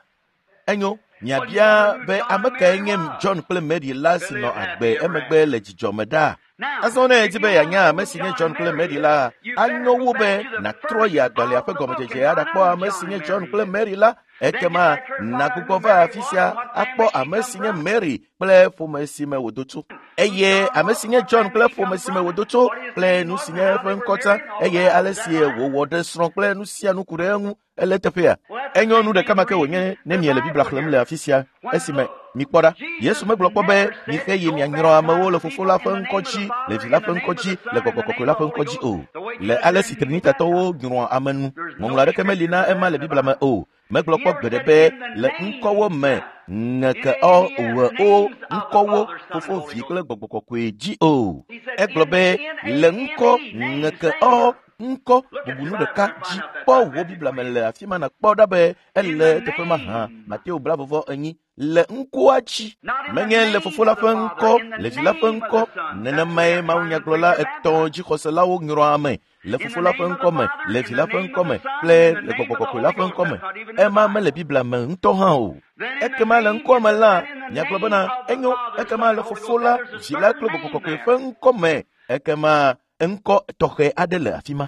Enyo, miabia be ame kae nye John kple Mary la si nɔ agbe emegbe le dzidzɔ me ɖaa? Azɔ ne edi be yeanya ame si nye John kple Mary la, anyo wu be nàtrɔ yi agbalẽa ƒe gɔmedzedze aɖakpɔ ame si nye John kple Mary la. Ekema nàgbugbɔ va afi sia akpɔ ame si nye Mary kple ƒome si me wòdo tso, eye ame si nye John kple ƒome si me wòdo tso kple nu si nye eƒe ŋkɔ tsã, eye ale si wòwɔ ɖe srɔ̃ kple nu sia nu ku ɖe eŋu. Ele teƒea. Enyo nu ɖeka ma ke wònye ne miele Biblia xlẽm le afi sia esime mikpɔ ɖa. Yesu megblɔ kpɔ be mixe yi mianyrɔ amewo le Fofo la ƒe ŋkɔ dzi, le Vi la ƒe ŋkɔ dzi, le Gbɔgbɔ Kɔkɔe la ƒe ŋkɔ dzi o. Le ale si Trinitatɔwo nyrɔa ame nu, ŋɔŋlɔ aɖeke meli na ema le Biblia me o. Megblɔ kpɔ gbeɖe be le ŋkɔwo me ŋeke ɔ wɔ o ŋkɔwo Fofo, Vi kple Gbɔgbɔ Kɔkɔe dzi o. Egblɔ be le ŋkɔ ŋeke ɔ ŋkɔ bubunu ɖeka dzi. Kpɔ wò Biblia me le afi ma nàkpɔ ɖa be ele teƒe ma hã. Mateo blaeve vɔ enyi le ŋkɔa dzi. Menye le Fofo la ƒe ŋkɔ, le Vi la ƒe ŋkɔ. Nenemae mawunyagblɔla etɔ̃ dzixɔselawo nyrɔa ame le Fofo la ƒe ŋkɔ me, le Vi la ƒe ŋkɔ me kple le Gbɔgbɔ Kɔkɔe la ƒe ŋkɔ me. Ema mele Biblia me ŋutɔ hã o. Ekema le ŋkɔa me la, miagblɔ bena enyo, ekema le Fofo la, Vi la kple Gbɔgbɔ Kɔkɔe ƒe ŋkɔ me, ekema ŋkɔ tɔxɛ aɖe le afi ma.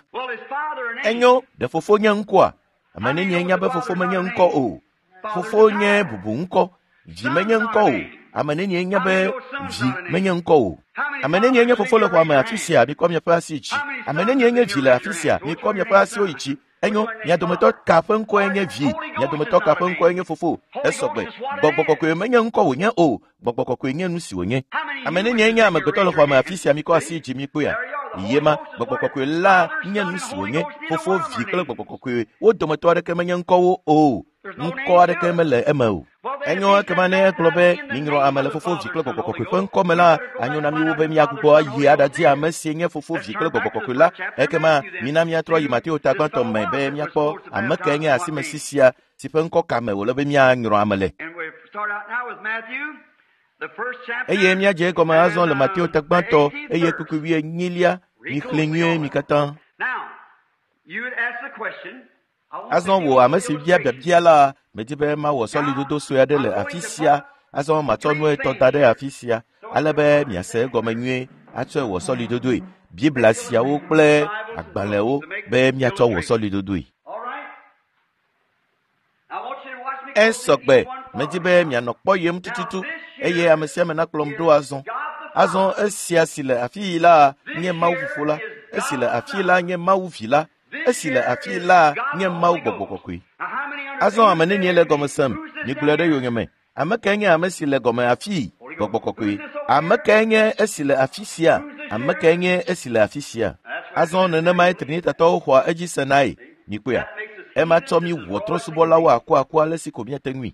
Enyo, ɖe Fofo nye ŋkɔa? Ame nenie nya be Fofo menye ŋkɔ o? Fofo nye bubu ŋkɔ, Vi menye ŋkɔ o. Ame nenie nya be Vi menye ŋkɔ o? Ame nenie nye Fofo le xɔa me afi sia? Mikɔ miaƒe asi dzi. Ame nenie nye Vi le afi sia? Mikɔ miaƒe asiwo yi dzi. Enyo, mia dometɔ ka ƒe ŋkɔe nye Vi? Mia dometɔ ka ƒe ŋkɔe nye Fofo? Esɔgbe. Gbɔgbɔ Kɔkɔe menye ŋkɔ wònye o. Gbɔgbɔ Kɔkɔe nye nu si wònye. Ame nenie nye amegbetɔ le xɔa me afi sia? Mikɔ asi dzi mikpɔea? Yema, Gbɔgbɔ Kɔkɔe la nye nu si wònye. Fofo, Vi kple Gbɔgbɔ Kɔkɔe wo dometɔ aɖeke menye ŋkɔwo o. Ŋkɔ aɖeke mele eme o. Enyo, ekema ne egblɔ be minyrɔ ame le Fofo, Vi kple Gbɔgbɔ Kɔkɔe ƒe ŋkɔ me la, anyo na mi wo be miagbugbɔ ayi aɖadi ame si nye Fofo, Vi kple Gbɔgbɔ Kɔkɔe la. Ekema mina míatrɔ yi Mateo ta gbãtɔ me be míakpɔ ame kae nye asimesi sia si ƒe ŋkɔ ka me wòle be míanyrɔ ame le. Eye míadze egɔme azɔ le Mateo ta gbãtɔ eye kpukpui wuienyilia. Mixlẽ nyuie mi katã. Azɔ wò ame si bia biabia la, medi be mawɔ sɔlidodo sue aɖe le afi sia. Azɔ matsɔ nu etɔ̃ da ɖe afi sia ale be miase egɔme nyuie atsɔe wɔ sɔlidodoe. Biblia siawo kple agbalẽwo be miatsɔ wɔ sɔlidodoe. Esɔgbe, medi be mianɔ kpɔyem tututu eye ame sia ame nakplɔm ɖo azɔ. Azɔ esia si le afi yi la nye Mawu Fofo la, esi le afi la nye Mawu Vi la, esi le afi la nye Mawu Gbɔgbɔ Kɔkɔe. Azɔ ame nenie le gɔme sem? Migblɔe ɖe yonyeme. Ame kae nye ame si le gɔme afii? Gbɔgbɔ Kɔkɔe. Ame kae nye esi le afi sia? Ame kae nye esi le afi sia? Azɔ nenemae Trinitatɔwo xɔa edzi senae. Mikpɔea? Ema tsɔ mi wɔ trɔ̃subɔlawo akuaku ale si ko miate ŋui.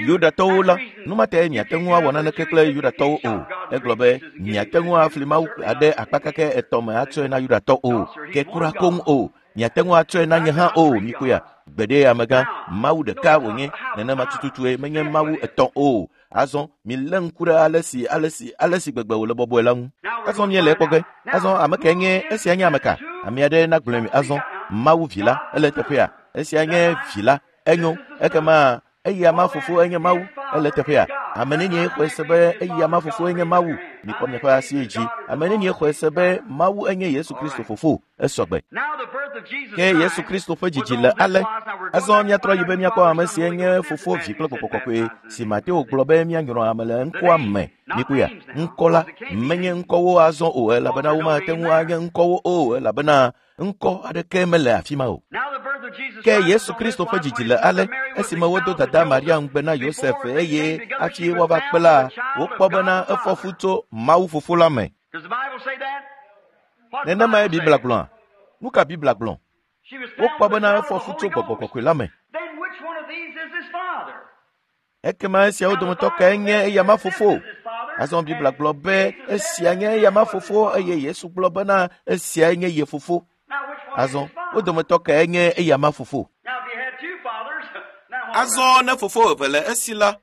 Yudatɔwo la, nu ma tae miate ŋu awɔ naneke kple Yudatɔwo o. Egblɔ be miate ŋu afli Mawu aɖe akpa kake etɔ̃ me atsɔe na Yudatɔ o, ke kura koŋ o. Miate ŋu atsɔe na nye hã o, mikoya. Gbeɖe amegã, Mawu ɖeka wònye, nenema tututue menye Mawu etɔ̃ o. Azɔ milé ŋku ɖe ale si ale si ale si gbegbe wòle bɔbɔe la ŋu. Azɔ míele ekpɔ ge. Azɔ ame kae nye esia nye ame ka? Ame aɖe nagblɔe mi azɔ. Mawu vi la, ele teƒea. Esia nye vi la, enyo. Ekema eya ma fofo enye Mawu, ele teƒea. Ame nenie xɔe se be eya ma fofo enye Mawu? Mikpɔ miaƒe asi dzi. Ame nenie xɔe se be Mawu enye Yesu Kristo fofo? Esɔgbe. Ke Yesu Kristo ƒe dzidzi le ale. Azɔ míatrɔ yi be míakpɔ ame si nye fofo, vi kple gbɔgbɔ kɔkɔe si Mateo gblɔ be míanyrɔ ame le ŋkɔa me. Mikuya, ŋkɔ la menye ŋkɔwo azɔ o, elabena womate ŋu anye ŋkɔwo o, elabena ŋkɔ aɖeke mele afi ma o. Ke Yesu Kristo ƒe dzidzi le ale, esime wodo dada Maria ŋugbe na Yosef eye hafi woava kpe la, wokpɔ bena efɔ fu tso Mawu fofo la me. Nenemae Biblia gblɔa? Nu ka Biblia gblɔ? Wokpɔ bena efɔ fu tso gbɔgbɔ kɔkɔe la me. Ekema esiawo dometɔ kae nye eyama fofo? Azɔ Biblia gblɔ be esia nye eyama fofo eye Yesu gblɔ bena esiae nye ye fofo. Azɔ wo dometɔ kae nye eyama fofo? Azɔ ne fofo eve le esi la,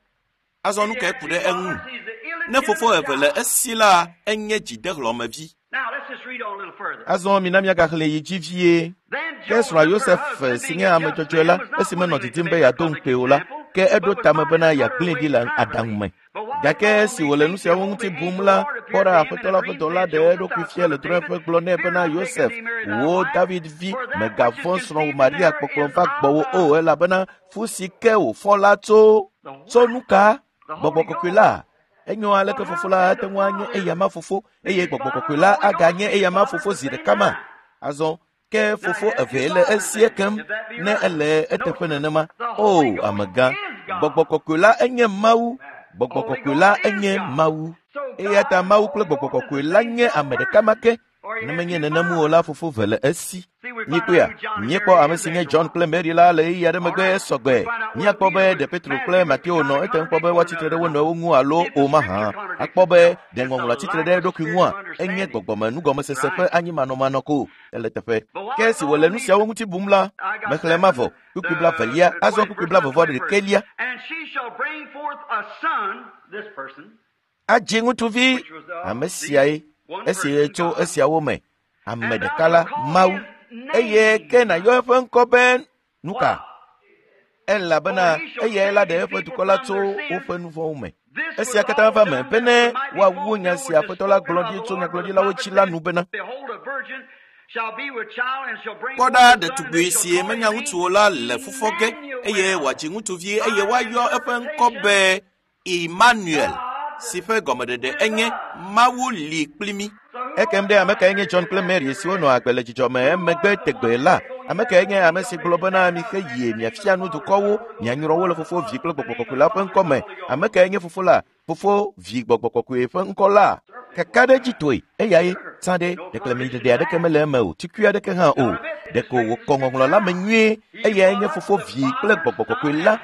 azɔ nu kae ku ɖe eŋu? Ne fofo eve le esi la, enye dzidehlɔ̃mevi. Azɔ mina míagaxlẽ yi dzi vie. Ke srɔ̃a Yosef si nye ame dzɔdzɔe la, esime nɔ didim be yeado ŋukpe o la, ke eɖo tame bena yeagblẽe ɖi le aɖaŋu me. Gake esi wòle nu siawo ŋuti bum la, kpɔ ɖa Aƒetɔ la ƒe dɔla ɖe eɖokui fia le drɔ̃eƒe gblɔ nɛ bena Yosef, wò David vi, mègavɔ̃ srɔ̃wò Maria kpɔkplɔ va gbɔwò o, elabena fu si ke wòfɔ la tso tso nu ka? Gbɔgbɔ kɔkɔe la. Enyo aleke fofo la ate ŋu anye eyama fofo eye gbɔgbɔ kɔkɔe la aganye eyama fofo zi ɖeka ma. Azɔ ke fofo eve le esi ekem ne ele eteƒe nenema. O amegã, gbɔgbɔ kɔkɔe la enye Mawu. Gbɔgbɔ kɔkɔe la enye Mawu. Eya ta Mawu kple gbɔgbɔ kɔkɔe la nye ame ɖeka ma ke. Ne menye nenem o la, fofo ve le esi. Míkpɔea, míekpɔ ame si nye John kple Mary la le ɣeyiɣi aɖe megbe esɔgbe. Míakpɔ be ɖe Petro kple Mateo nɔ etem kpɔ be woatsitre ɖe wo nɔewo ŋu alo o mahã. Akpɔ be ɖe ŋɔŋlɔa tsitre ɖe eɖokui ŋua, enye gbɔgbɔme nugɔmesese ƒe anyimanɔmanɔ ko ele teƒe. Ke esi wòle nu siawo ŋuti bum la, mexlẽ ma vɔ. Kpukpui blavelia, azɔ kpukpui blavevɔ ɖekɛlia. Adzi ŋutsuvi, ame siae. Esi tso esiawo me, ame ɖeka la, Mawu, eye ke nàyɔ eƒe ŋkɔ be nuka? Elabena eyae la ɖe eƒe dukɔ la tso woƒe nu vɔ̃wo me. Esia katã va me bene woawu nya si Aƒetɔ la gblɔ ɖi tso nyagblɔɖilawo dzi la nu bena. Kpɔ ɖa, ɖetugbui si menya ŋutsu o la le fufɔ ge eye wòadzi ŋutsuvi eye woayɔ eƒe ŋkɔ be Emmanuel, si ƒe gɔmeɖeɖe enye Mawu li kpli mí. Ekem ɖe ame kae nye John kple Mary siwo nɔ agbe le dzidzɔ me emegbe tegbee la? Ame kae nye ame si gblɔ bena mixe yie miafia nu dukɔwo, mianyrɔ wo le fofo, vi kple gbɔgbɔ kɔkɔe la ƒe ŋkɔ me? Ame kae nye fofo la? Fofo, vi, gbɔgbɔ kɔkɔe ƒe ŋkɔ la? Kakaɖedzitɔe, eyae tsã ɖe ɖeklemiɖeɖe aɖeke mele eme o, tukui aɖeke hã o. Ɖeko wòkɔ ŋɔŋlɔ la me nyuie. Eyae nye fofo, vi kple gbɔgbɔ kɔkɔe la.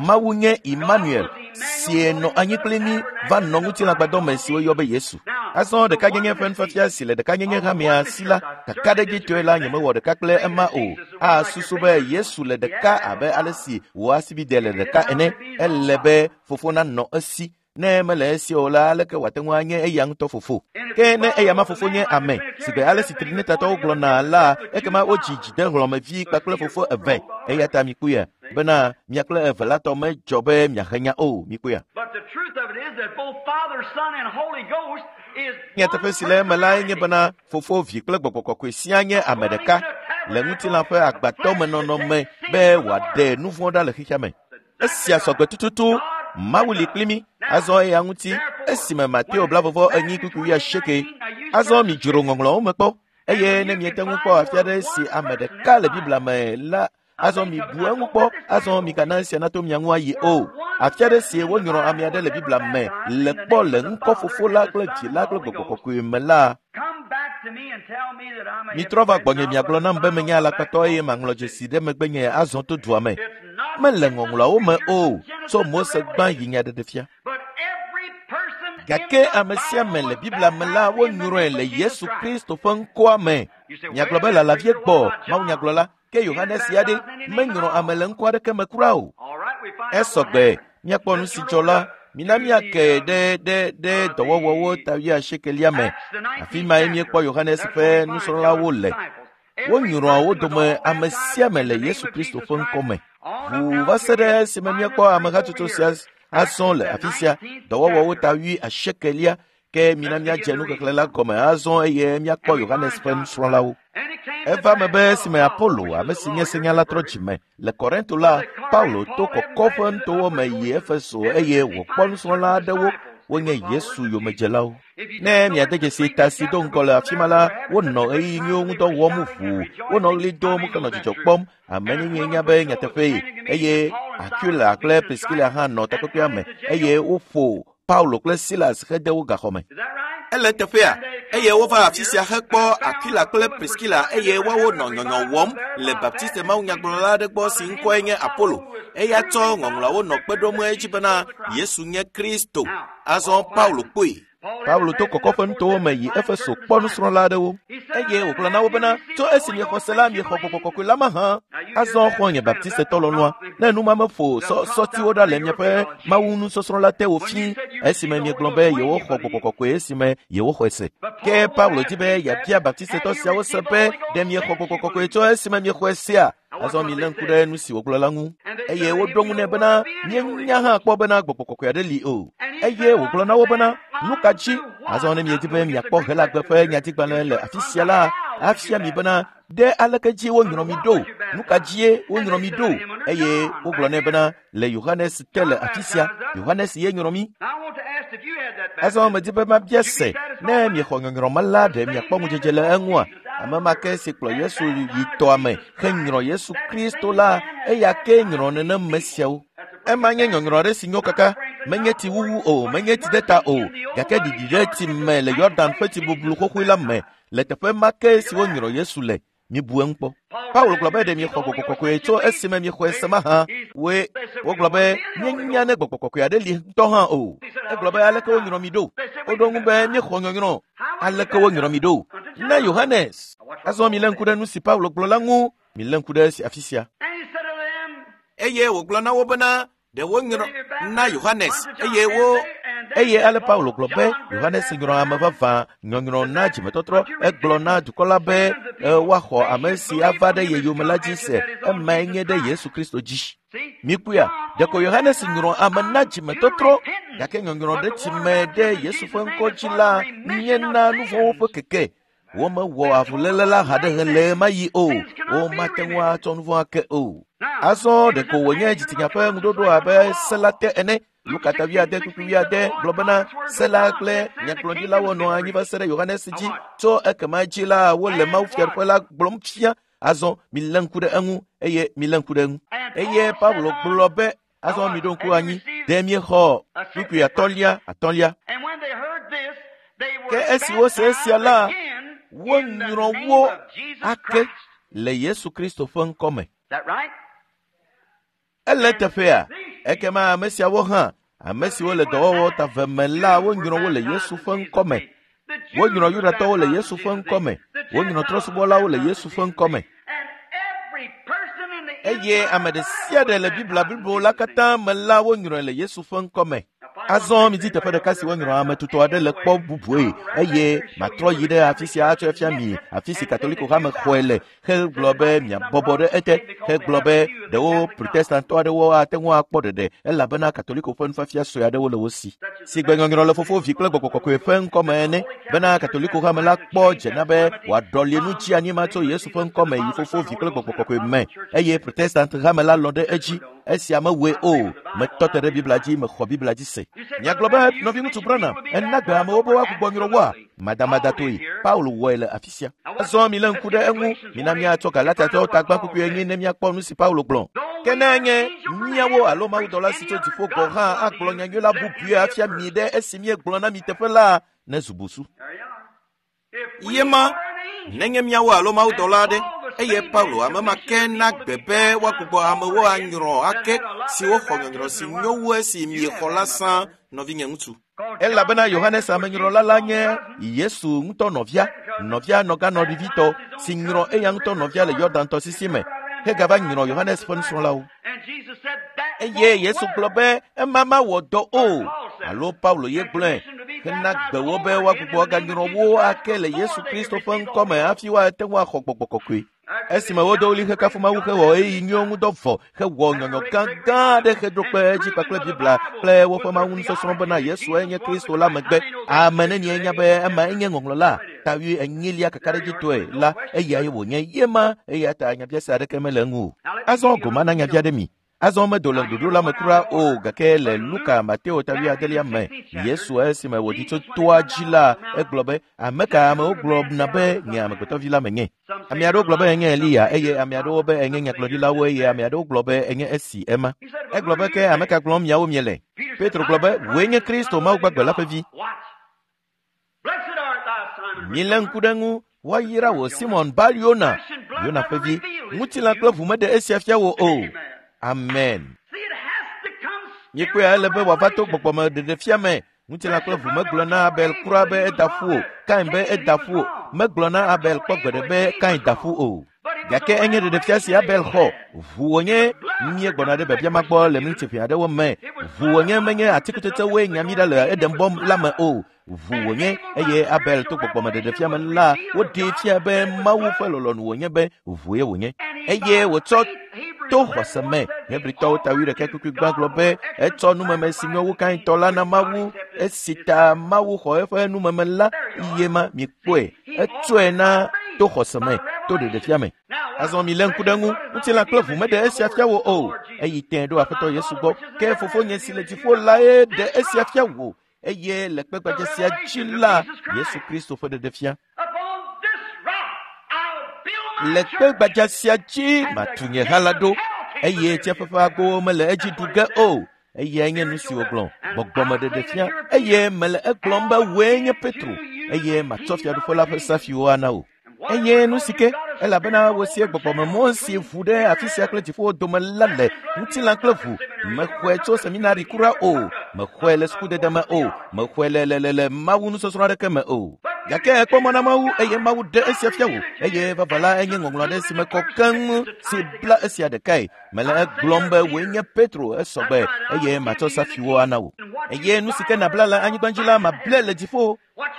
Mawu nye Emmanuel, si nɔ anyi kpli mí va nɔ ŋutilãgbadɔ me si woyɔ be Yesu. Azɔ ɖekanyenye ƒe nufiafia si le ɖekanyenye hamea si la, kakaɖedzitɔe la nyemewɔ ɖeka kple ema o. Asusu be Yesu le ɖeka abe ale si wò asibide le ɖeka ene. Ele be fofo nanɔ esi. Ne mele esi o la, aleke wòate ŋu anye eya ŋutɔ fofo? Ke ne eya ma fofo nye ame, si gbe ale si Trinitatɔwo gblɔna la, ekema wodzi dzidehlɔ̃mevi kpakple fofo eve. Eya ta mikpɔe bena mia kple eve la tɔ medzɔ be miahe nya o. Mikpɔea. Nyateƒe si le eme lae nye bena fofo, vi kple gbɔgbɔ kɔkɔe siaa nye ame ɖeka le ŋutilã ƒe agbatɔmenɔnɔ me be wòaɖe nu vɔ̃ ɖa le xexea me. Esia sɔgbe tututu. Mawu li kpli mí. Azɔ eya ŋuti esime Mateo blavɔvɔ enyi kpukpui wuiasieke. Azɔ midzro ŋɔŋlɔwo me kpɔ eye ne miete ŋu kpɔ afi aɖe si ame ɖeka le Biblia me la, azɔ mibu eŋu kpɔ. Azɔ migana esia nato mia ŋu ayi o. Afi aɖe si wonyrɔ ame aɖe le Biblia me le kpɔ le ŋkɔ fofo la kple vi la kple gbɔgbɔ kɔkɔe me la, Mitrɔ va gbɔnye miagblɔ nam be menye alakpatɔ eye maŋlɔ dzesi ɖe megbenye azɔ to dua me. Mele ŋɔŋlɔawo me o, tso Mose gbã yi nyaɖeɖefia. Gake ame sia ame le Biblia me la wonyrɔe le Yesu Kristo ƒe ŋkɔa me. Miagblɔ be lalavie gbɔ mawunyagblɔla ke Yohanes ya ɖe menyrɔ ame le ŋkɔ aɖeke me kura o. Esɔgbe míakpɔ nu si dzɔ la mina míake ɖe ɖe ɖe dɔwɔwɔwo ta wuiasiekelia me. Afi mae míekpɔ Yohanes ƒe nusrɔ̃lawo le. Wonyrɔa wo dome ame sia ame le Yesu Kristo ƒe ŋkɔ me. Ʋuu va se ɖe esime míekpɔ amehatsotso sia azɔ le afi sia dɔwɔwɔwo ta wuiasiekelia ke mina míadze nuxexlẽ la gɔme azɔ eye míakpɔ Yohanes ƒe nusrɔ̃lawo. Eva me be esime Apolo, ame si nye senyala trɔ dzime le Korinto la, Paulo to kɔkɔ ƒe nutowo me yi Efeso eye wòkpɔ nusrɔ̃la aɖewo wonye Yesu yomedzelawo. Ne miade dzesi ta si do ŋgɔ le afi ma la, wonɔ ɣeyiɣi nyuiwo ŋudɔ wɔm ʋuu, wonɔ ɣli dom henɔ dzidzɔ kpɔm. Amenyenye nya be nyateƒee eye Aquila kple Priscilla hã nɔ takpekpea me eye woƒo Paulo kple Silas hede wo gaxɔ me. Ele teƒea eye wova afi sia hekpɔ Aquila kple Priscilla eye woawo nɔ nyɔnyɔ wɔm le Baptiste mawunyagblɔla aɖe gbɔ si ŋkɔe nye Apollo. Eya tsɔ ŋɔŋlɔawo nɔ kpe ɖom edzi bena Yesu nye Kristo. Azɔ Paulo kpɔe. Paulo to kɔkɔ ƒe nutowo me yi Efeso kpɔ nusrɔ̃la aɖewo eye wògblɔ na wo bena tso esi miexɔ se la miexɔ gbɔgbɔ kɔkɔe la mahã. Azɔ xɔ̃nye Baptistetɔ lɔlɔ̃a, ne numa meƒo sɔtiwo ɖa le miaƒe mawu nusɔsrɔ̃ la te wò fĩ esime miegblɔ be yewoxɔ gbɔgbɔ kɔkɔe esime yewoxɔe se. Ke Paulo di be yeabia Baptistetɔ siawo se be ɖe miexɔ gbɔgbɔ kɔkɔe tso esime miexɔe sea? Azɔ milé ŋku ɖe nu si wògblɔ la ŋu. Eye woɖo ŋu nɛ bena míenya hã kpɔ bena gbɔgbɔ kɔkɔe aɖe li o. Eye wògblɔ na wo bena nu ka dzi? Azɔ ne miedi be miakpɔ Helagbe ƒe nyatigbalẽ le afi sia la, afia mi bena ɖe aleke dzi wonyrɔ mi ɖo, nu ka dzie wonyrɔ mi ɖo? Eye wogblɔ nɛ bena le Yohanes te le afi sia, Yohanes ye nyrɔ mi. Azɔ medi be mabia se ne miexɔ nyɔnyrɔ ma la ɖe miakpɔ ŋudzedze le eŋua? Ame ma ke si kplɔ Yesu yi tɔa me henyrɔ Yesu Kristo la, eya ke nyrɔ nenem me siawo. Ema nye nyɔnyrɔ aɖe si nyo kaka, menye tsi wuwu o, menye tsi ɖe ta o, gake ɖiɖi ɖe tsi me le Yɔdan ƒe tsi bublu xoxoe la me le teƒe ma ke si wonyrɔ Yesu le. Mibu eŋu kpɔ. Paulo gblɔ be ɖe miexɔ gbɔgbɔ kɔkɔe tso esime miexɔe se mahã. Woe wogblɔ be míenya ne gbɔgbɔ kɔkɔe aɖe li ŋutɔ hã o. Egblɔ be aleke wonyrɔ mi ɖo? Woɖo ŋu be míexɔ nyɔnyrɔ. Aleke wonyrɔ mi ɖo? Ne Yohanes. Azɔ milé ŋku ɖe nu si Paulo gblɔ la ŋu. Milé ŋku ɖe esi afi sia. Eye wògblɔ na wo bena ɖe wonyrɔ na Yohanes eye wo eye ale Paulo gblɔ be Yohanes nyrɔ ame vavã nyɔnyrɔ na dzimetɔtrɔ. Egblɔ na dukɔ la be woaxɔ ame si ava ɖe ye yome la dzi se, emae nye ɖe Yesu Kristo dzi. Mikpɔea, ɖeko Yohanes nyrɔ ame na dzimetɔtrɔ, gake nyɔnyrɔ ɖe tsime ɖe Yesu ƒe ŋkɔ dzi la nye na nu vɔ̃wo ƒe keke. Womewɔ avuléle la haɖe le ɣe ma ɣi o, womate ŋu atsɔ nu vɔ̃ ake o. Azɔ ɖeko wònye dzitsinya ƒe ŋuɖoɖo abe se la te ene. Luka ta wuiade kpukpui wuiade gblɔ bena se la kple nyagblɔɖilawo nɔ anyi va se ɖe Yohanes dzi. Tso ekema dzi la wole Mawu fiaɖuƒe la gblɔm fia. Azɔ milé ŋku ɖe eŋu eye milé ŋku ɖe eŋu. Eye Paulo gblɔ be azɔ miɖo ŋku anyi ɖe miexɔ kpukpui atɔ̃lia atɔ̃lia. Ke esi wose esia la, wonyrɔ wo ake le Yesu Kristo ƒe ŋkɔ me. Ele teƒea, ekema ame siawo hã, ame siwo le dɔwɔwɔ ta ve me la, wonyrɔ wo le Yesu ƒe ŋkɔ me. Wonyrɔ Yudatɔwo le Yesu ƒe ŋkɔ me. Wonyrɔ trɔ̃subɔlawo le Yesu ƒe ŋkɔ me. Eye ame ɖe sia ɖe le Biblia blibo la katã me la, wonyrɔe le Yesu ƒe ŋkɔ me. Azɔ midi teƒe ɖeka si wonyrɔ ame tutɔ aɖe le kpɔ bubue eye matrɔ yi ɖe afi sia atsɔe fia mi, afi si Katoliko hame xɔe le, hegblɔ be miabɔbɔ ɖe ete, hegblɔ be ɖewo Protestantɔ aɖewo ate ŋu akpɔ ɖeɖe elabena Katoliko ƒe nufiafia sue aɖewo le wo si. Si gbe nyɔnyrɔ le Fofo, Vi kple Gbɔgbɔ Kɔkɔe ƒe ŋkɔ me ene, bena Katoliko hame la kpɔ dzena be wòaɖɔli nu tsi anyi ma tso Yesu ƒe ŋkɔ me yi Fofo, Vi kple Gbɔgbɔ Kɔkɔe me, eye Protestant hame la lɔ̃ ɖe edzi. Esia mewɔe o, metɔ te ɖe Biblia dzi, mexɔ Biblia dzi se. Miagblɔ be nɔviŋutsu Branham ena gbe amewo be woagbugbɔ nyrɔ woa? Madamada toe Paulo wɔe le afi sia. Azɔ milé ŋku ɖe eŋu, mina míatsɔ Galatiatɔwo tagbã kpukpui enyi ne míakpɔ nu si Paulo gblɔ. Ke ne nye míawo alo mawudɔla si tso dziƒo gɔ̃ hã agblɔ nyanyui la bubui afia mi ɖe esi míegblɔ na mi teƒe la, ne zu busu. Yema Nenye míawo alo mawudɔla aɖe, eye Paulo ame ma ke na gbe be woagbugbɔ amewo anyrɔ ake siwo xɔ nyɔnyrɔ si nyo wu esi miexɔ la sã, nɔvinye ŋutsu. Elabena Yohanes amenyrɔla la nye Yesu ŋutɔ nɔvia, nɔvia nɔganɔɖivitɔ si nyrɔ eya ŋutɔ nɔvia le Yɔdan tɔsisi me hegava nyrɔ Yohanes ƒe nusrɔ̃lawo. Eye Yesu gblɔ be ema mawɔ dɔ o, alo Paulo ye gblɔe hena gbe wo be woagbugbɔ aganyrɔ wo ake le Yesu Kristo ƒe ŋkɔme hafi woate ŋu axɔ gbɔgbɔ kɔkɔe. Esime wodo ɣli hekafu Mawu hewɔ ɣeyiɣi nyuiwo ŋudɔ vɔ hewɔ nyɔnyɔ gãgã aɖe heɖo kpe edzi kpakple Biblia kple woƒe Mawu nusɔsrɔ̃ bena Yesue nye Kristo la megbe. Ame nenie nya be ema enye ŋɔŋlɔ la ta wuienyilia kakaɖedzitɔe la eyae wònye ye ma eya ta nyabiase aɖeke mele eŋu o. Azɔ goma na nyabia ɖe mi. Azɔ medo le ɖoɖo la me kura o gake le Luka Mateo ta wuiadelia me Yesu esime wòɖi tso toa dzi la egblɔ be ame ka amewo gblɔna be nye amegbetɔvi la menye. Ame aɖewo gblɔ be enye Eliya eye ame aɖewo be enye nyagblɔɖilawo eye ame aɖewo gblɔ be enye esi ema. Egblɔ be ke ame ka gblɔm miawo miele? Petro gblɔ be wòe nye Kristo Mawu gbagbe la ƒe vi. Milé ŋku ɖe ŋu woayra wò Simon Bar Yona, Yona ƒe vi. Ŋutilã kple ʋu meɖe esia fia wò o. Amen. Míekpɔe ele be wòava to gbɔgbɔme ɖeɖefia me. Ŋutilã kple ʋu megblɔ na Abel kura be eda ƒu o, Kain be eda ƒu o. Megblɔ na Abel kpɔ gbeɖe be Kain da ƒu o. Gake enye ɖeɖefia si Abel xɔ. Ʋu wònye míegbɔna ɖe biabia ma gbɔ le miniti ʋɛ aɖewo me. Ʋu wònye menye atikutsetsewoe nya mí ɖa le Edenbɔ la me o. Ʋu wònye eye Abel to gbɔgbɔme ɖeɖefia me la woɖee fia be Mawu ƒe lɔlɔ̃nu wònye be ʋue wònye. Eye wòtsɔ to xɔse me. Hebritɔwo ta wuiɖekɛ kpukpui gbã gblɔ be etsɔ numeme si nyo wu Kaintɔ la na Mawu esi ta Mawu xɔ eƒe numeme la ye ma mikpɔe. Etsɔe na to xɔse me, to ɖeɖefia me. Azɔ milé ŋku ɖe ŋu, ŋutilã kple ʋu meɖe esia fia wò o. Eyi tẽ ɖo Aƒetɔ Yesu gbɔ. Ke fofonye si le dziƒo lae ɖe esia fia wò. Eye le kpegbadze sia dzi la, Yesu Kristo ƒe ɖeɖefia. Le kpegbadza sia dzi matu nye ha la ɖo, eye tsiaƒe ƒe agbowo mele edzi ɖu ge o. Eyae nye nu si wògblɔ, gbɔgbɔme ɖeɖefia. Eye mele egblɔm be wòe nye Petro, eye matsɔ fiaɖuƒe la ƒe safiwo ana wò. Eye nu si ke, elabena wòsie gbɔgbɔmemɔ si ʋu ɖe afi sia kple dziƒowo dome la le ŋutilã kple ʋu. Mexɔe tso seminari kura o, mexɔe le sukudede me o, mexɔe le le le le Mawu nusɔsrɔ̃ aɖeke me o. Gake ekpɔ mɔ na Mawu eye Mawu ɖe esia fia wò. Eye vava la enye ŋɔŋlɔ aɖe si me kɔ keŋ si bla esia ɖekae. Mele egblɔm be wòe nye Petro esɔgbe eye matsɔ safiwo ana wò. Eye nu si ke nabla le anyigba dzi la mable le dziƒo.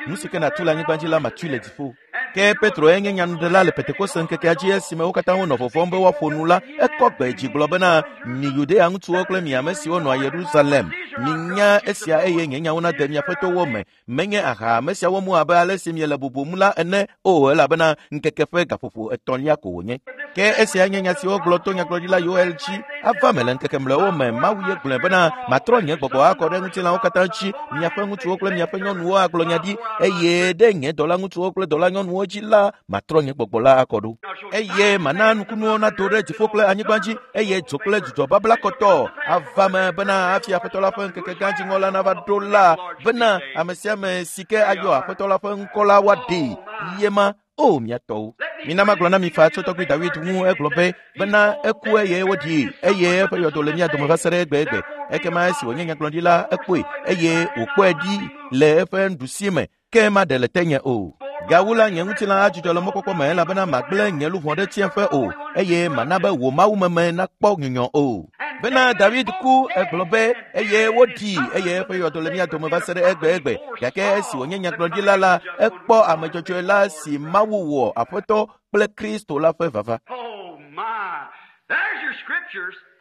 Nu si ke nàtu le anyigba dzi la matui le dziƒo. Ke Petro enye nyanuɖela le Pentekoste ŋkekea dzi esime wo katã wonɔ vɔvɔ̃m be woaƒo nu la, ekɔ gbe dzi gblɔ bena mi Yudea ŋutsuwo kple mi ame siwo nɔa Yerusalem, minya esia eye nye nyawo nade miaƒe towo me. Menye aha ame siawo mu abe ale si miele bubum la ene o, elabena ŋkeke ƒe gaƒoƒo etɔ̃lia ko wònye. Ke esia nye nya si wogblɔ to nyagblɔɖila Yoel dzi ava me le ŋkeke mlɔewo me. Mawu ye gblɔe bena matrɔ nye gbɔgbɔ akɔ ɖe ŋutilãwo katã dzi, miaƒe ŋutsuwo kple miaƒe nyɔnuwo agblɔ nya ɖi, eye ɖe nye dɔla ŋutsuwo kple dɔla nyɔnuwo dzi la matrɔ nye gbɔgbɔ la akɔ ɖo. Eye mana nukunuwo nado ɖe dziƒo kple anyigba dzi, eye dzo kple dzudzɔ babla kɔtɔ ava me bena hafi Aƒetɔ la ƒe ŋkeke gã dziŋɔ la nava ɖo la, bena ame sia ame si ke ayɔ Aƒetɔ la ƒe ŋkɔ la woaɖee. Ye ma o mia tɔwo. Mina magblɔ na mi faa tso tɔgbui Dawid ŋu egblɔ be bena eku eye woɖii eye eƒe yɔdo le mía dome va se ɖe egbegbe. Ekema esi wònye nyagblɔɖi la ekpɔe eye wòkpɔe ɖi le eƒe nuɖusi me ke maɖe le tenye o. Gawu la nye ŋutilã adzudzɔ le mɔkpɔkpɔ me elabena magblẽ nye luʋɔ ɖe tsiẽƒe o eye mana be wò mawumeme nakpɔ nyunyɔ o. Bena Dawid ku egblɔ be eye woɖii eye eƒe yɔdo le mía dome va se ɖe egbegbe. Gake esi wònye nyagblɔɖila la, ekpɔ ame dzɔdzɔe la si Mawu wɔ Aƒetɔ kple Kristo la ƒe vava.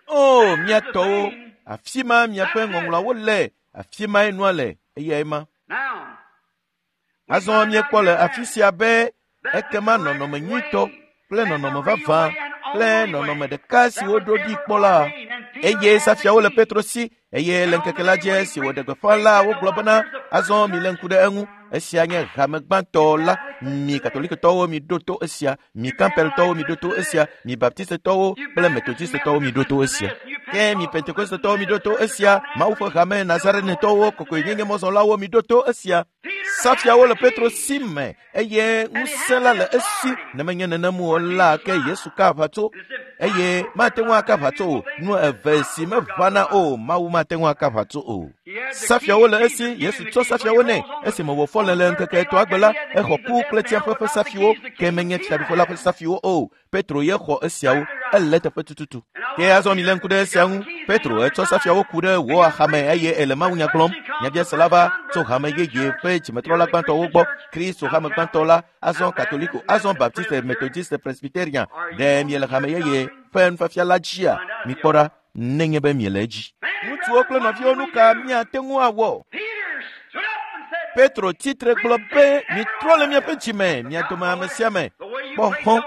O mia tɔwo, afi ma miaƒe ŋɔŋlɔawo le, afi mae nua le, eyae ma. Azɔ míekpɔ le afi sia be ekema nɔnɔme nyuitɔ kple nɔnɔme vavã kple nɔnɔme ɖeka si woɖo ɖi kpɔ la, eye safiawo le Petro si eye le ŋkeke la dzi esi wòɖe gbeƒã la wogblɔ bena azɔ milé ŋku ɖe eŋu. Esia nye hame gbãtɔ la. Mi Katolikotɔwo miɖo to esia, mi Campbelltɔwo miɖo to esia, mi Baptistetɔwo kple Methodistetɔwo miɖo to esia. Ke mi Pentekostetɔwo miɖo to esia, Mawu ƒe hame Nazarenetɔwo, kɔkɔenyenye mɔzɔlawo miɖo to esia. Safiawo le Petro si me eye ŋusẽ la le esi. Ne menye nenem o la, ke Yesu ka aʋatso eye mate ŋu aka aʋatso o. Nu eve si meʋãna o, Mawu mate ŋu aka aʋatso o. Safiawo le esi, Yesu tsɔ safiawo nɛ. Esime wòfɔ le le ŋkeke etɔ̃a gbe la, exɔ ku kple tsiaƒe ƒe safiwo, ke menye fiaɖuƒe la ƒe safiwo o. Petro ye xɔ esiawo, ele teƒe tututu. Ke azɔ mi lé ŋku ɖe esia ŋu. Petro etsɔ safiawo ku ɖe wò axame eye ele mawunya gblɔm. Nyabiasela va tso hame yeye ƒe dzimetrɔla gbãtɔwo gbɔ. Kristo hame gbãtɔ la, azɔ Katoliko, azɔ Baptiste, Methodiste, Presbyterian. Ɖe miele hame yeye ƒe nufiafia la dzia? Mikpɔ ɖa nenye be miele edzi. Ŋutsuwo kple nɔviwo, nu ka miate ŋu awɔ? Petro tsitre gblɔ be, mitrɔ le miaƒe dzime, mia dome ame sia ame. Kpɔ xɔ,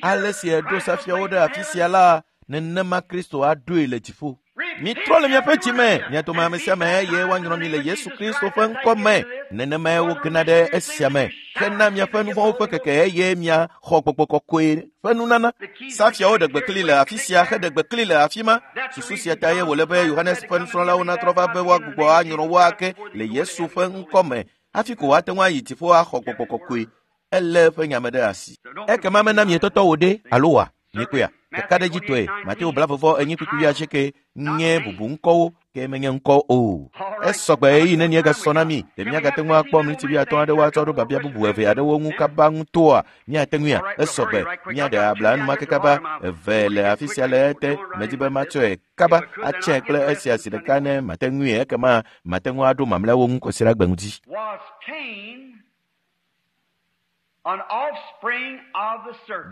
ale si eɖo safiawo ɖe afi sia la, nenema Kristo aɖoe le dziƒo. Mitrɔ le miaƒe dzime, mia dome ame sia ame eye woanyrɔ mi le Yesu Kristo ƒe ŋkɔ me. Nenemae wogena ɖe esia me hena miaƒe nuvɔ̃wo ƒe keke eye miaxɔ gbɔgbɔ kɔkɔe ƒe nunana. Safiawo ɖe gbekli le afi sia heɖe gbekli le afi ma. Susu sia ta ye wòle be Yohanes ƒe nusrɔ̃lawo natrɔ va be woagbugbɔ anyrɔ wo ake le Yesu ƒe ŋkɔ me hafi ko woate ŋu ayi dziƒo axɔ gbɔgbɔ kɔkɔe. Elé eƒe nyame ɖe asi. Ekema mena mietɔtɔ wò ɖe alo wa? Mikpɔea? Kakaɖedzitɔe, Mateo blavevɔ enyi kpukpui asieke nye bubu ŋkɔwo ke menye ŋkɔ o. Esɔgbe ɣeyiɣi nenie gasɔ na mi. Ɖe miagate ŋu akpɔ miniti wuiatɔ̃ aɖewo atsɔ ɖo biabia bubu eve aɖewo ŋu kaba ŋutɔa? Miate ŋuia? Esɔgbe. Miaɖe abla enumake kaba eve le afi sia le ete. Medi be matsɔe kaba atsɛ kple esia zi ɖeka ne mate ŋui ekema mate ŋu aɖo mamlɛawo ŋu kɔsiɖagbe ŋuti.